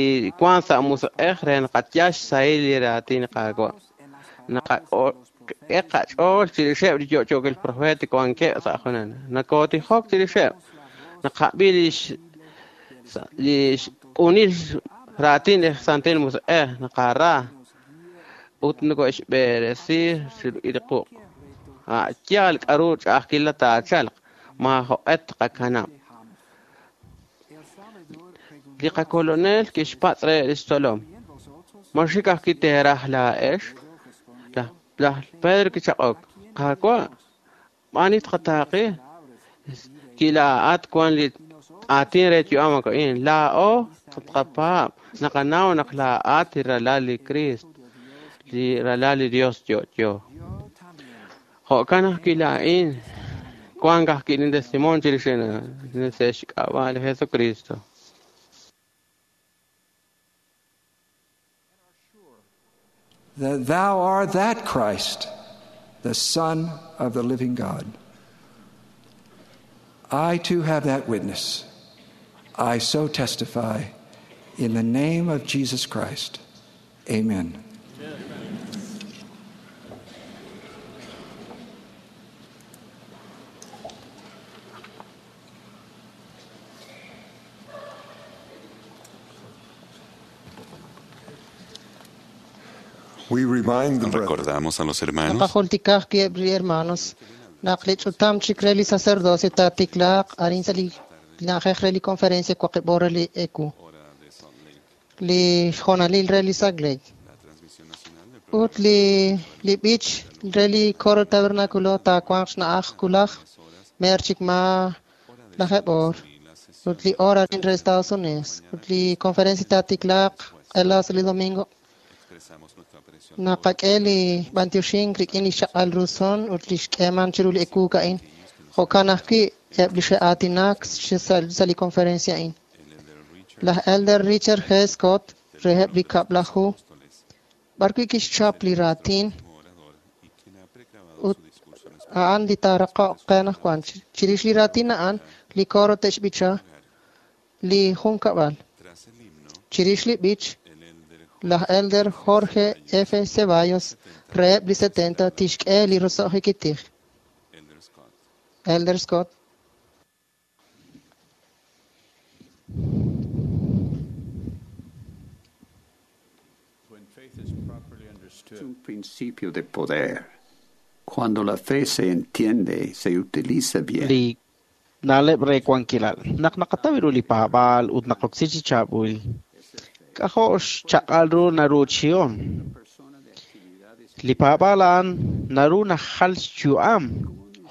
wan sa' musiq'ej re naqatyal xsahil li raatin li Qaawa'. Naqak'e qach'ool chirixeb' li yo'yookil profeet wankeb' sa' junen. Nakotijok chirixeb'. Naqab'i lix li xq'unil raatin li Santil Musiq'ej naqara ut noko'xb'eresi li quq'. A' yaal k'a'ru ch'a'ajkil taachalq, maajoq'e tqakanab'. Li qakolonel kixpatz' re lix tzolom. Ma xik ajwi' teeraj laa'ex? Laj Pedro kichaq'ok. Qaawa', b'ani tqataaqi? Kilaa'at wan li aatin re yu'am a'in. Laa'o tqapaab' naqanaw naq laa'at li ralal li Cristo, li ralal li Dios yo'yo. Jo'kan ajwi' laa'in wank ajwi' lin testimonio chirix sa' xk'ab'a' li Jesucristo. That thou art that Christ, the Son of the living God. I too have that witness. I so testify in the name of Jesus Christ. Amen. We remind the brethren Recordamos a los hermanos Naqajultikaj kieb' li hermanos naq li ch'utam chik re li sacerdocio taatiklaaq arin sa' li na'ajej re li conferencia waqib' re li E Q li xjonalil re li Salt Lake ut li li b'ich re li coro tabernáculo taawanq xna'aj kulaj mer chik ma lajeb' oor ut li hora re Estados Unidos ut li conferencia taatiklaaq q'ela sa' li domingo. Naqak'e li b'antioxink rik'in li xchaq'al ru son ut li xk'eeman chiru li ekuuk a'in. Jo'kan ajwi' eb' li xe'aatinak sa' li conferencia a'in. Laj Elder Richard G. Scott reheb' li kab'laju b'arwi' kixchap li raatin ut a'an li taaraqoq qe anaqwan. Chirix li raatin a'an, li coro te'xb'icha li junkab'al. Chirix li b'ich, laj Elder Jorge F. Ceballos reheb' li setenta tixk'e li roso'jik tij. Elder Scott. Un principio de poder. Cuando la fe se entiende, se utiliza bien. Li na'leb' re wankilal. Naq naqataw ru li paab'aal ut naqoksi chi chaab'il, k'ajo' xchaq'al ru naruuchihom. Li paab'aal a'an naru najal xyu'am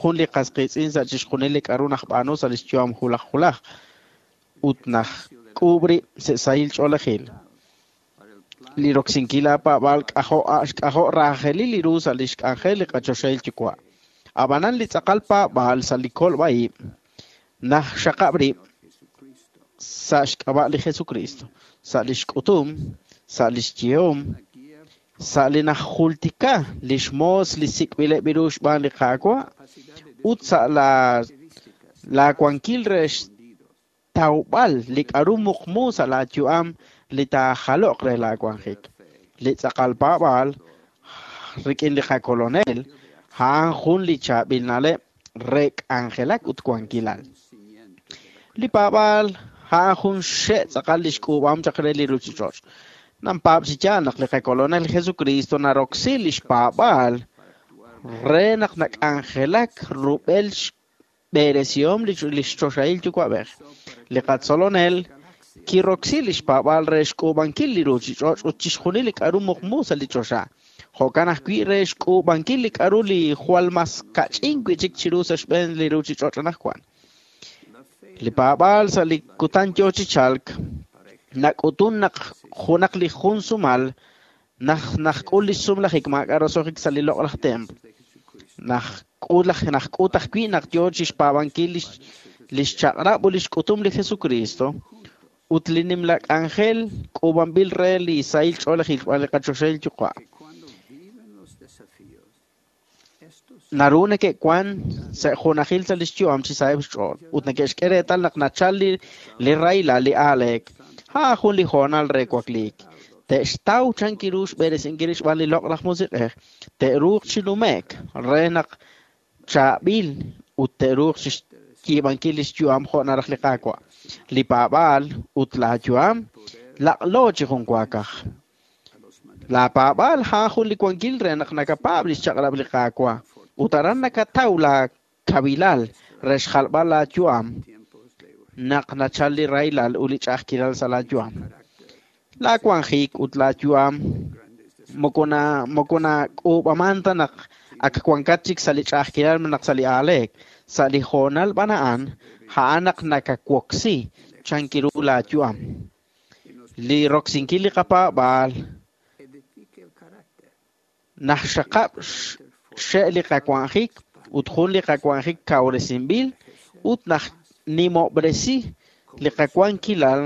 jun li qas qiitz'in sa' chixjunil li k'a'ru najb'aanu sa' lix yu'am julaj julaj ut najk'uub' rib' sa' sahil ch'oolejil. Li roksinkil laapaab'aal k'ajo' k'ajo' raajelil li ru sa' lix k'anjel li qachoxahil yuwa'. Ab'anan li tz'aqal paab'aal sa' li kolb'a'ib' najxaqab' rib' sa' xk'ab'a' li Jesucristo, sa' lix k'utum, sa' lix yehom, sa' li najultika lix moos li sik'b'ileb' ru xb'aan li Qaawa' ut sa' la laawankil re xtawb'al li k'a'ru muqmu sa' laayu'am li taajaloq re laawanjik. Li tz'aqal paab'aal rik'in li qakolonel a'an jun li chaab'il na'leb' re k'anjelak ut wankilal. Li paab'aal a'an jun xe' tz'aqal li xk'uub'am chaq re li ruchich'och'. Nampaab' chi yaal naq li qakolonel Jesucristo naroksi lix paab'aal re naq nak'anjelak rub'el xb'eresihom li xchoxahil yuwa'b'ej. Li qatzolonel kiroksi lix paab'aal re xk'uub'ankil li ruchich'och' ut chixjunil li k'a'ru muqmu sa' li choxa. Jo'kan ajwi' re xk'uub'ankil li k'a'ru li jwal mas kach'in wi'chik chiru sa' xb'een li ruchich'och' anaqwan. Li paab'aal sa' li kutan yoo chi chalk nak'utun naq junaq li jun sumal naj najk'ul li sumlajik maak'a' roso'jik sa' li loq'laj templo. Najk'ul najk'ut ajwi' naq yoo chixpaab'ankil lix lix chaq'rab' ut lix k'utum li Jesucristo ut li nimla k'anjel k'uub'anb'il re li sahil ch'oolejil xb'aan li qachoxahil yuwa'. Naru neke'wan sa' junajil sa' lix yu'am chi saheb' xch'ool ut neke'xk'e reetal naq nachal li li rahilal li aaleek. A'an jun li hoonal re wakliik. Te'xtaw chankiru xb'eresinkil xb'aan li loq'laj musiq'ej, te'ruuq chi nume'k re naq chaab'il ut te'ruuq chi xyiib'ankil lix yu'am jo' naraj li Qaawa'. Li paab'aal ut laayu'am laq'lo chi jun waakaj. Laapaab'aal a'an jun li wankil re naq nakapaab' lix chaq'rab' li Qaawa' ut aran nakataw laakabilal re xjalb'al laayu'am naq nachal li rahilal ut li ch'a'ajkilal sa' laayu'am. Laawanjik ut laayu'am moko na moko nak'uub'aman ta naq ak wankat chik sa' li ch'a'ajkilal naq sa' li aaleek. Sa' li hoonal b'an a'an, a'an naq nakawoksi chankiru laayu'am. Li roksinkil li qapaab'aal najxaqab' xe' li qawanjik ut jun li qawanjik kawresinb'il ut najnimob'resi li qawankilal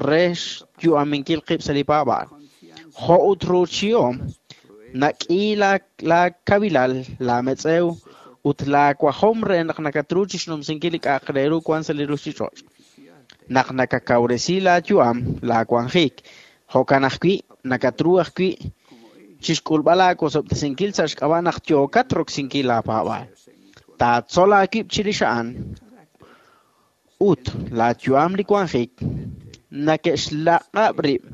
re xyu'aminkil qib' sa' li paab'aal. Jo' ut ruuchihom nak'i laakabilal laametz'ew ut laawajom re naq nakatru chixnumsinkil li k'a'aq re ru wan sa' li ruchich'och'. Naq nakakawresi laayu'am laawanjik, jo'kan ajwi' nakatru ajwi' chixk'ulb'al aawosob'tesinkil sa' xk'ab'a' naq yookat roksinkil laapaab'aal. Taatzol aawib' chirix a'an ut laayu'am li wanjik neke'xlaq'ab' rib'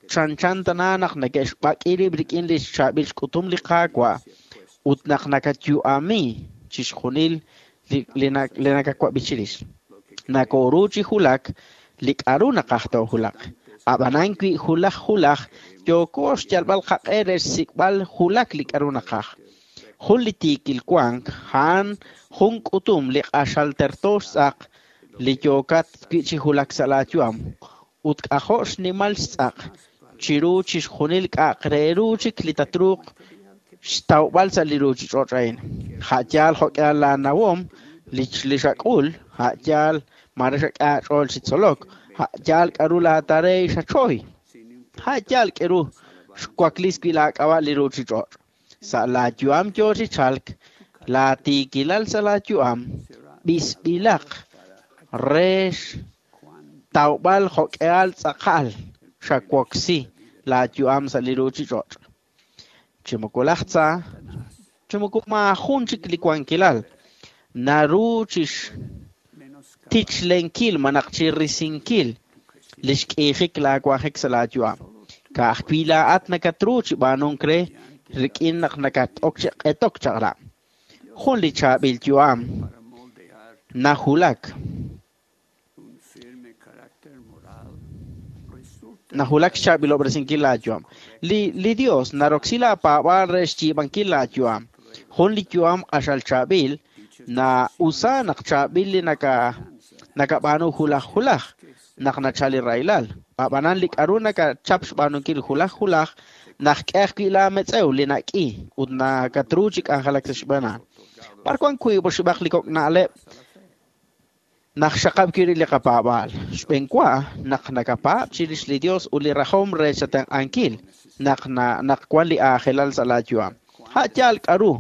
chanchan tana naq neke'xb'ak'i rib' rik'in li xchaab'il xk'utum li Qaawa' ut naq nakayu'ami chixjunil li li nakawab'i chirix. Nakoru chi julak li k'a'ru naqaj toojulaq. Ab'anan wi julaj julaj yooko xyalb'al qaq'e re xsik'b'al julak li k'a'ru naqaj. Jun li tiikil wank a'an jun k'utum li q'axal terto xtz'aq li yookat wi' chi julak sa' laayu'am ut k'ajo' xnimal xtz'aq chiru chixjunil k'a'aq re ru chik li tatruuq xtawb'al sa' li ruchich'och' a'in. A' yaal jo'k'ihal laanawom li li xak'ul, a' yaal mare xak'e aach'ool chi tzolok, a' yaal k'a'ru laatarey xachoy, a' yaal k'eru xwaklis wi' laak'ab'a' li ruchich'och'. Sa' laayu'am yoo chi chalk, laatiikilal sa' laayu'am b'isb'ilaq re xtawb'al jo'k'ihal tz'aqal xawoksi laayu'am sa' li ruchich'och'. Chi moko laj tza, chi moko maajun chik li wankilal naru chixtichlenkil malaj chirisinkil li xk'iijik laawajik sa' laayu'am. Ka'ajwi' laa'at nakatru chi b'aanunk re rik'in naq nakat'ok chi q'etok chaq'rab'. Jun li chaab'il yu'am najulak. Najulak xchaab'ilob'resinkil laayu'am. Li, li Dios naroksi laapaab'aal re xyiib'ankil laayu'am. Jun li yu'am q'axal chaab'il na usa naq chaab'il li naka nakab'aanu hulaj hulaj naq nachal li rahilal. Ab'anan li k'aru nakachap xb'aanunkil hulaj hulaj naq k'e ajwi' laametz'ew li nak'i ut nakatru chi k'anjelak sa' xb'eenan. B'ar wan wiib' oxib'aq li kok' na'leb' naq xaqab' wi' li qapaab'aal. Xb'enwa naq nakapaab' chirix li Dios ut li rajom re xatenq'ankil naq na, naq wan li aajelal sa' laayu'am. Ha' yaal k'aru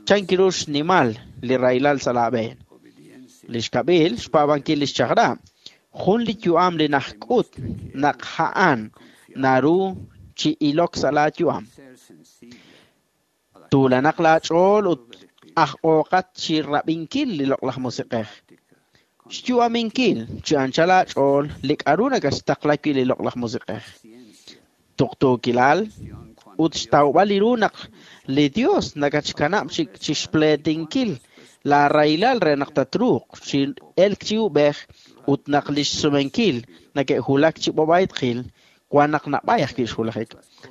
chankiru xnimal li rahilal sa' laab'een. Li xkab'il xpaab'ankil li xchaq'rab'. Jun li yu'am li najk'ut naq ha'an naru chi ilok sa' laayu'am. Tuulanaq laach'ool ut aj ooqat chi rab'inkil li loq'laj musiq'ej. Xyu'aminkil chi anchal aach'ool li k'aru nakaxtaqla wi' li loq'laj musiq'ej. Tuqtuukilal ut xtawb'al li ru naq li Dios nakatxkanab' chi chi xpleetinkil la rahilal re naq tatruuq chi elk chi ub'ej ut naq li xsumenkil nake'julak chi b'ob'aytqil wan naq nab'ay ajwi' xjulajik.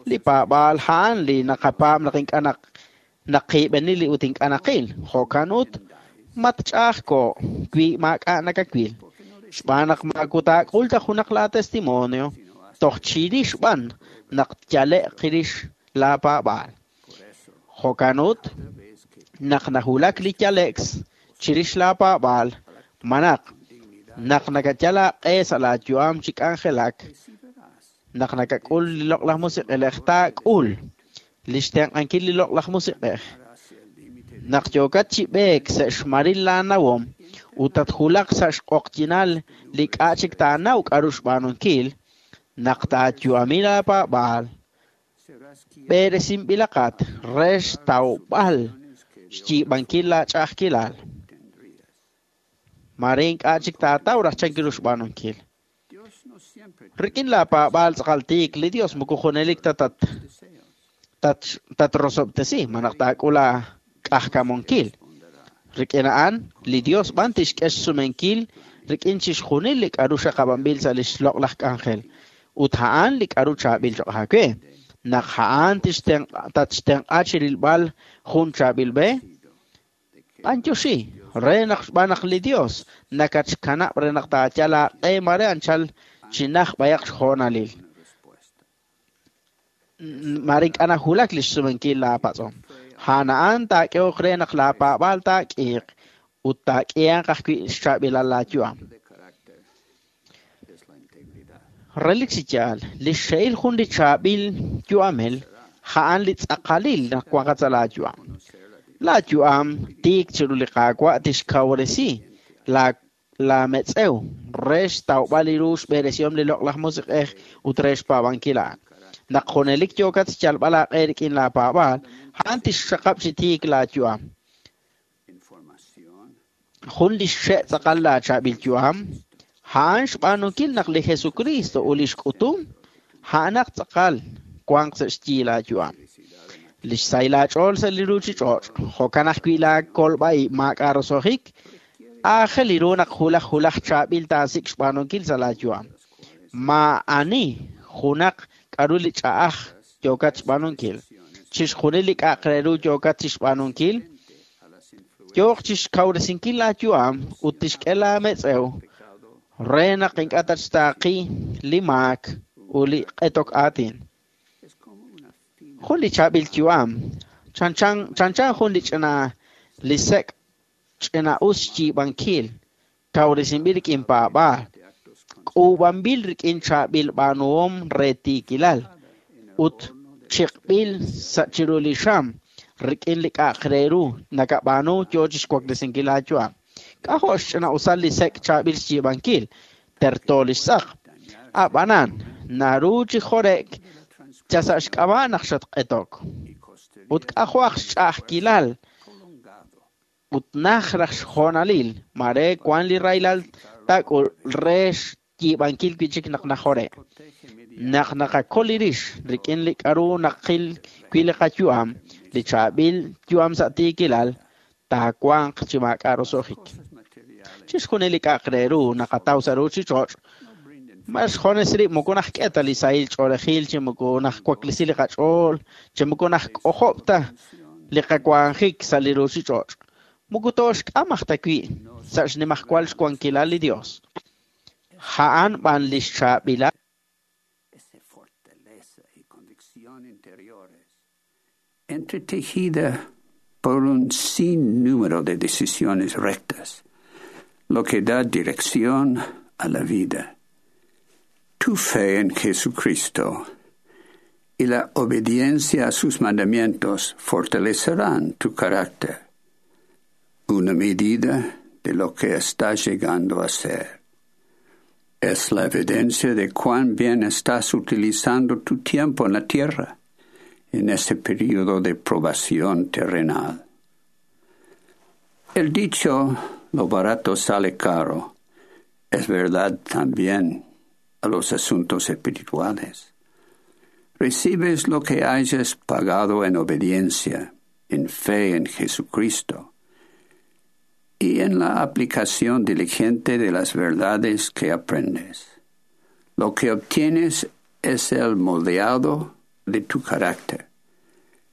Li paab'aal ha'an li naqapaab' naq ink'a' naq naqiib'enil li ut ink'a' naqil. Jo'kan ut match'a'ajko' wi maak'a' nakawil. Xb'aan naq maakutaak'ul ta junaq laa testimonio toj chirix b'an naq tyale'q rix laapaab'aal. Jo'kan ut naq najulak li yale'k chirix laapaab'aal manaq naq nakayal aaq'e sa' laayu'am chi k'anjelak naq nakak'ul li loq'laj musiq'ej taak'ul li xtenq'ankil li loq'laj musiq'ej. Naq yookat chi b'eek sa' xmaril laanawom ut tatjulaq sa' xq'oqyinal li k'a' chik taanaw k'aru xb'aanunkil naq taayu'ami laapaab'aal b'eresinb'ilaqat re xtawb'al xyiib'ankil laach'a'ajkilal. Mare ink'a' chik taataw raj chankiru xb'aanunkil. Rik'in laapaab'aal tz'aqal tiik li Dios moko junelik ta tat tat tatrosob'tesi manaq taak'ul aak'ajkamunkil. Rik'in a'an li Dios b'an tixk'e xsumenkil rik'in chixjunil li k'aru xaqab'anb'il sa' li xloq'laj k'anjel. Ut a'an li k'aru chaab'il cho'q aawe. Naq a'an tixtenq'a tatxtenq'a chirilb'al jun chaab'il b'e, b'antioxi re naq xb'aan naq li Dios nakatxkanab' re naq taayal aaq'e mare anchal chinaj b'ayaq xjoonalil. Mare ink'a' najulak li xsumenkil laapatz'om. A'an a'an taak'ehoq re naq laapaab'aal taak'iiq ut taak'ihanq ajwi' xchaab'ilal laayu'am. Relik chi yaal, li xxe'il jun li chaab'il yu'amel a'an li tz'aqalil naq wanqat sa' laayu'am. Laayu'am tiik chiru li Qaawa' tixkawresi la laametz'ew re xtawb'al li ru xb'eresihom li loq'laj musiq'ej ut re xpaab'ankil a'an. Naq junelik yookat xyalb'al aaq'e rik'in laapaab'aal, a'an tixxaqab' chi tiik laayu'am. Jun li xxe' tz'aqal laachaab'il yu'am, a'an xb'aanunkil naq li Jesucristo ut li xk'utum, a'anaq tz'aqal wanq sa' xyi laayu'am. Li xsahil aach'ool sa' li ruuchich'och', jo'kan ajwi' laakolb'a'ib' maak'a' roso'jik, aajel li ru naq hulaj hulaj chaab'il taasik' xb'aanunkil sa' laayu'am. Maa'ani junaq k'aru li ch'a'aj yookat xb'aanunkil. Chixjunil li k'a'aq re ru yookat chixb'aanunkil, yooq chixkawresinkil laayu'am ut tixk'e laametz'ew re naq ink'a' tatxtaaqi li maak ut li q'etok aatin. Jun li chaab'il yu'am, chanchan chanchan jun li ch'ina li sek' ch'ina us xyiib'ankil, kawresinb'il rik'in paab'aal, k'uub'anb'il rik'in chaab'il b'aanuhom re tiikilal, ut chiqb'il sa' chiru li xam rik'in li k'a'aq re ru nakab'aanu yoo chixwaklesinkil laayu'am. K'ajo' xch'ina'usal li sek' chaab'il xyiib'ankil, terto li xtz'aq. Ab'anan, naru chi jore'k ya sa' xk'ab'a' naq xatq'etok. Ut k'ajo' aj xch'a'ajkilal ut naj raj xjoonalil, mare wan li rahilal taak'ul re xyiib'ankil wi' chik naq najore'. Naq naqakol li rix rik'in li k'aru naqil wi' li qayu'am, li chaab'il yu'am sa' tiikilal, taawanq chi maak'a' roso'jik. Chixjunil li k'a'aq re ru naqataw sa' ruuchich'och', ma xjones rib' moko najk'e ta li sahil ch'oolejil chi moko najwaklesi li qach'ool, chi moko najk'ojob' ta li qawanjik sa' li ruuchich'och'. Moko tooxk'am aj ta wi' sa' xnimajwal xwankilal li Dios. A'an b'an li xchaab'ilal. Entretejida por un sinnúmero de decisiones rectas, lo que da dirección a la vida. Tu fe en Jesucristo y la obediencia a sus mandamientos fortalecerán tu carácter, una medida de lo que estás llegando a ser. Es la evidencia de cuán bien estás utilizando tu tiempo en la tierra en ese periodo de probación terrenal. El dicho, lo barato sale caro, es verdad también a los asuntos espirituales. Recibes lo que hayas pagado en obediencia, en fe en Jesucristo y en la aplicación diligente de las verdades que aprendes. Lo que obtienes es el moldeado de tu carácter,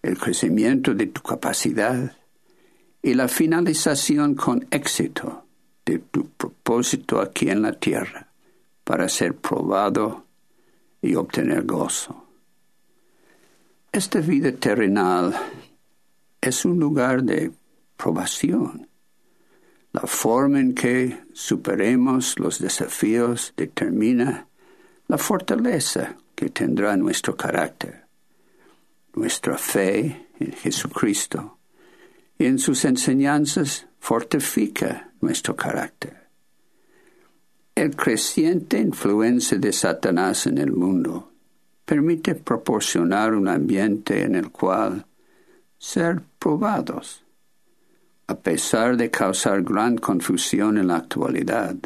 el crecimiento de tu capacidad y la finalización con éxito de tu propósito aquí en la tierra para ser probado y obtener gozo. Esta vida terrenal es un lugar de probación. La forma en que superemos los desafíos determina la fortaleza que tendrá nuestro carácter, nuestra fe en Jesucristo y en sus enseñanzas fortifica nuestro carácter. El creciente influencia de Satanás en el mundo permite proporcionar un ambiente en el cual ser probados, a pesar de causar gran confusión en la actualidad.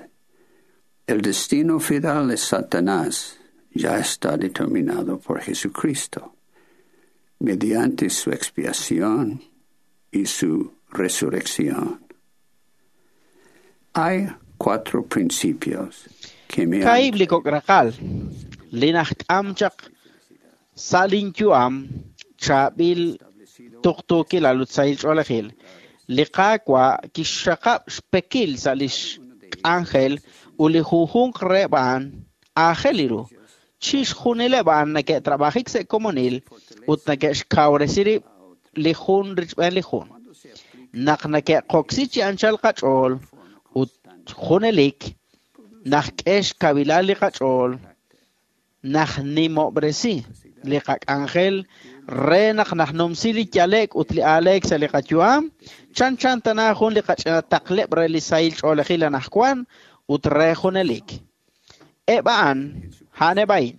El destino final de Satanás ya está determinado por Jesucristo, mediante su expiación y su resurrección. Hay cuatro principios que me han Kaib li kok'raqal, li najk'am chaq sa' linyu'am chaab'il tuqtuukilal ut sahil ch'oolejil. Li Qaawa' kixxaqab' xpekil sa' lix k'anjel ut li junjunq reheb' a'an aajel ru. Chixjunileb' a'an neke'trab'ajik sa' komonil ut neke'xkawresi rib' li jun richb'een li jun. Naq neke'qoksi chi anchal qach'ool ut junelik najk'e xkawilal li qach'ool, najnimob'resi li qak'anjel re naq najnumsi li yalek ut li aaleek sa' li qayu'am, chanchan tana jun li qach'ina taqleb' re li sahil ch'oolejil anajwan ut re junelik. Eb' a'an a'aneb' a'in,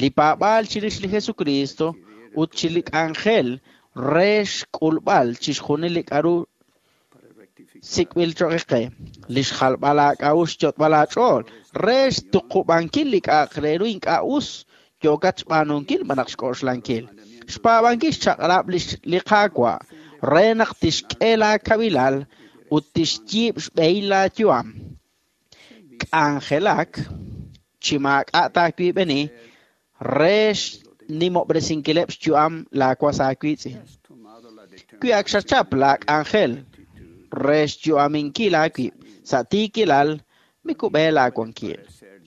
li paab'aal chirix li Jesucristo ut chi li k'anjel re xk'ulb'al chixjunil li k'aru sik'b'il cho'q qe, li xjalb'al aak'a'uxl xyot'b'al aach'ool re xtuqub'ankil li k'a'aq re ru ink'a' us yookat xb'aanunkil malaj xk'oxlankil. Xpaab'ankil xchaq'rab' li Qaawa' re naq tixk'e laakawilal ut tixyiib' xb'ehil laayu'am. K'anjelak chi maak'a' taawiib'eni re xnimob'resinkileb' xyu'am laawas aawiitz'in. Wi ak xachap laak'anjel re xyu'aminkil aawib' sa' tiikilal, mikub'e laawankil.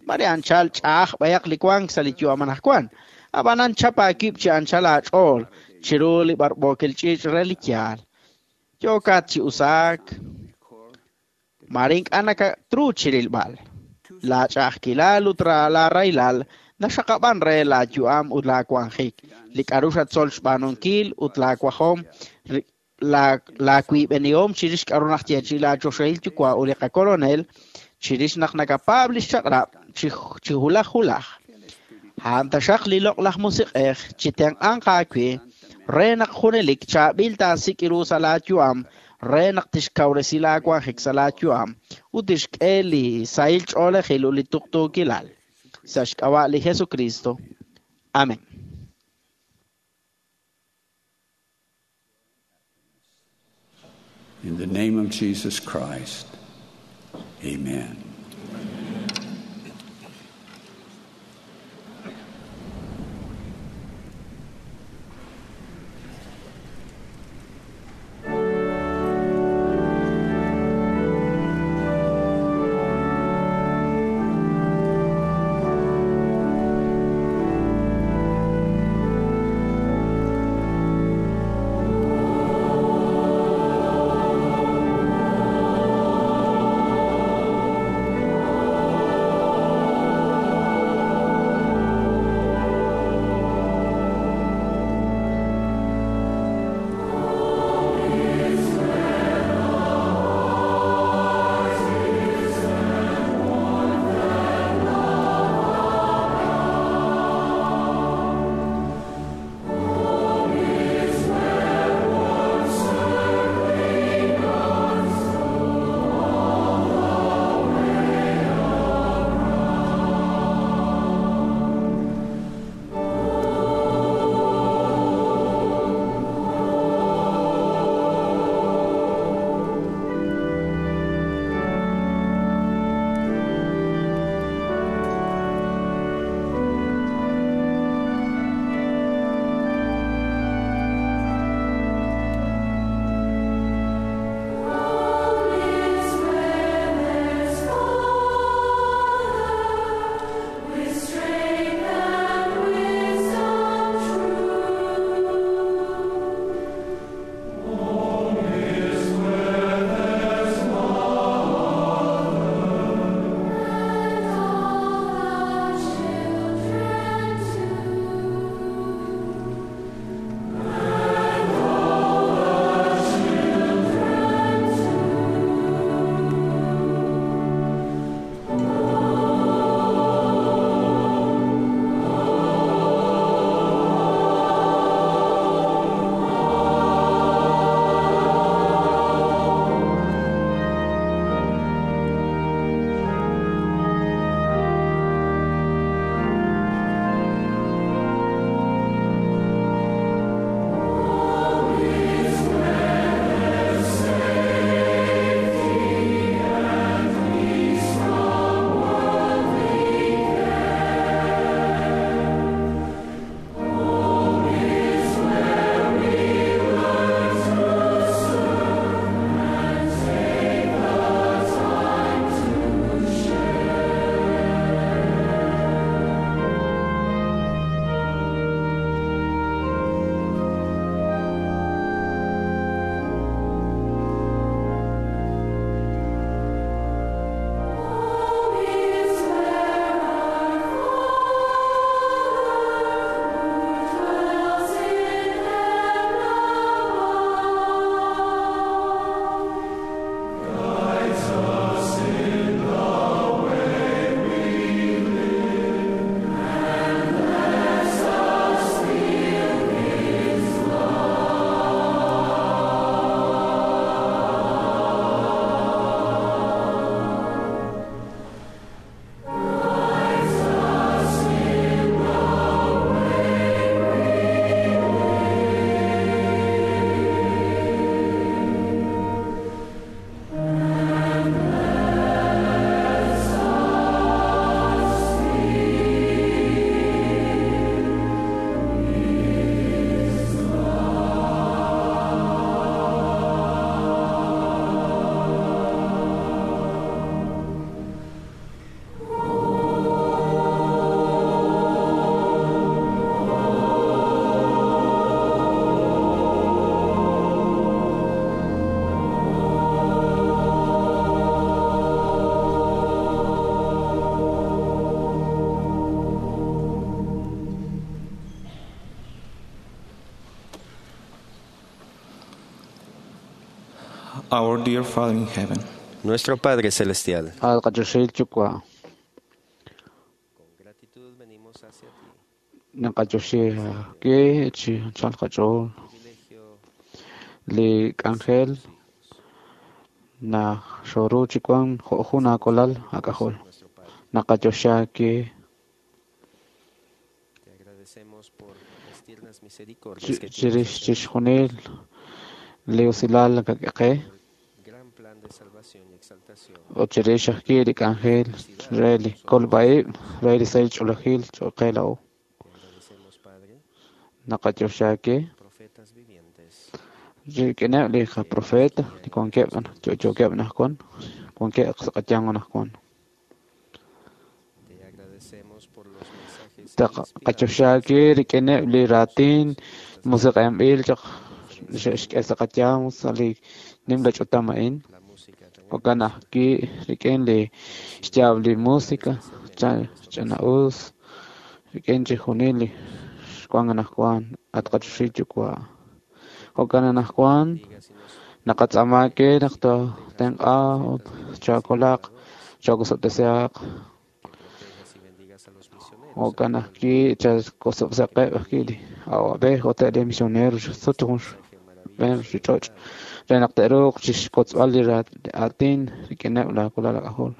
Mare anchal ch'a'aj b'ayaq li wank sa' li yu'am anajwan, ab'anan chap aawib' chi anchal aach'ool chiru li b'arb'ookil ch'iich' re li yaal. Yookat chi usaak, mare ink'a' nakatru chirilb'al. Laach'a'ajkilal ut laaraylal naxaqab'an re laayu'am ut laawanjik, li k'aru xatzol xb'aanunkil ut laawajom laawiib'enihom chirix k'aru najyeechi'i laachoxahil yuwa' ut li qakolonel chirix naq nakapaab' li xchaq'rab' chi hulaj hulaj. A'an taxaq li loq'laj musiq'ej chi tenq'anq aawe re naq junelik chaab'il taasik' ru sa' laayu'am re naq tixkawresi laawanjik sa' laayu'am ut tixk'e li sahil ch'oolejil ut li tuqtuukilal. Sa' xk'ab'a' li Jesucristo. Amén. In the name of Jesus Christ, amen. Our dear Father in heaven. Nuestro Padre Celestial. Li k'anjel na xoru chikuan jo'jun akolal ak'ajol. Naqayoxaki. Chirix chixjunil li usilal nakak'e qe ut chirix ajwi' li k'anjel re li kolb'a-ib' re li sahil ch'oolejil cho'q qe laa'o. Naqayoxaake rik'ineb' li qaprofeta li wankeb' yo'yookeb' anaqwan, wankeb' sa' qayanq anaqwan. Qayoxaake rik'ineb' li raatin musiq'anb'il chaq xe'xk'e sa' qayanq sa' li nimla ch'utam a'in. Jo'kan ajwi' rik'in li xyaab' li música ch'ina'us rik'in chixjunil li xwank anaqwan at qachoxahil Yuwa'. Jo'kan anaqwan naqatz'aama ke naq tootenq'a ut chookolaq, chookosob'tesihaq. Jo'kan ajwi' chakosob'saqeb' ajwi' li awab'ej ut eb' li misionero sut jun xb'een ruuchich'och' re naq te'ruuq chixkotzb'al li aatin rik'ineb' laa walal aak'ajol.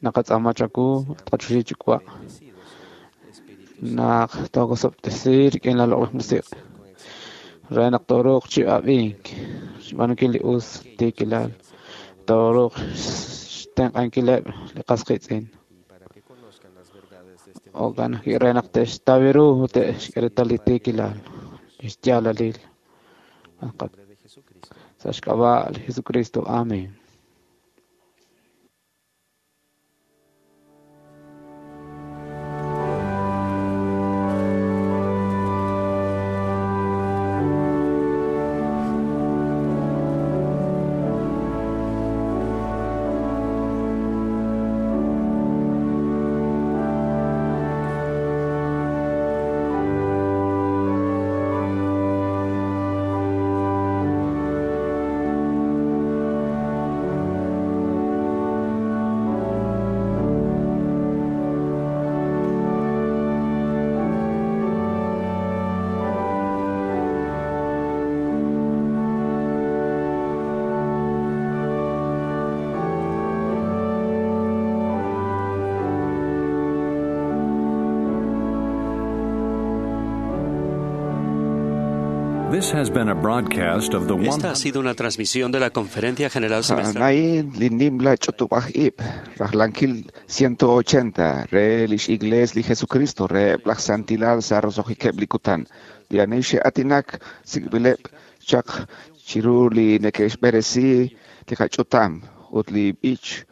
Naqatz'aama chawu at qachoxahil Yuwa' naq tookosob'tesi rik'in laa Loq'laj Musiq' re naq tooruuq chi ab'ink, xb'aanunkil li us tiikilal, tooruuq xtenq'ankileb' li qas qiitz'in. Jo'kan ajwi' re naq te'xtaw ru ut te'xk'e reetal li tiikilal, li xyaalalil. Sa' xk'ab'a' li Jesucristo. Amén. This has been a broadcast of the Esta ha sido una transmisión de la Conferencia General Semestral. A'an li nimla ch'utub'aj-ib' rajlankil ciento ochenta re lix Iglees li Jesucristo re laj santilal sa' roso'jikeb' li kutan. Li ani xe'aatinak sik'b'ileb' chaq chiru li neke'xb'eresi li qach'utam ut li b'ich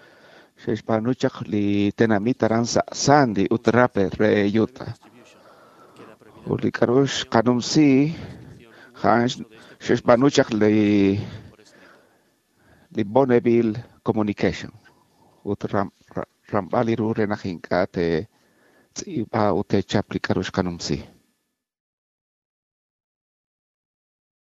xe'xb'aanu chaq li tenamit aran sa' Sandy ut Draper re Utah. Ut li k'a'ru xqanumsi a'an xe'xb'aanu chaq li li Bonneville Communication ut ramb'al li ru re naq ink'a' te'tz'iib'a ut te'chap li k'a'ru xqanumsi.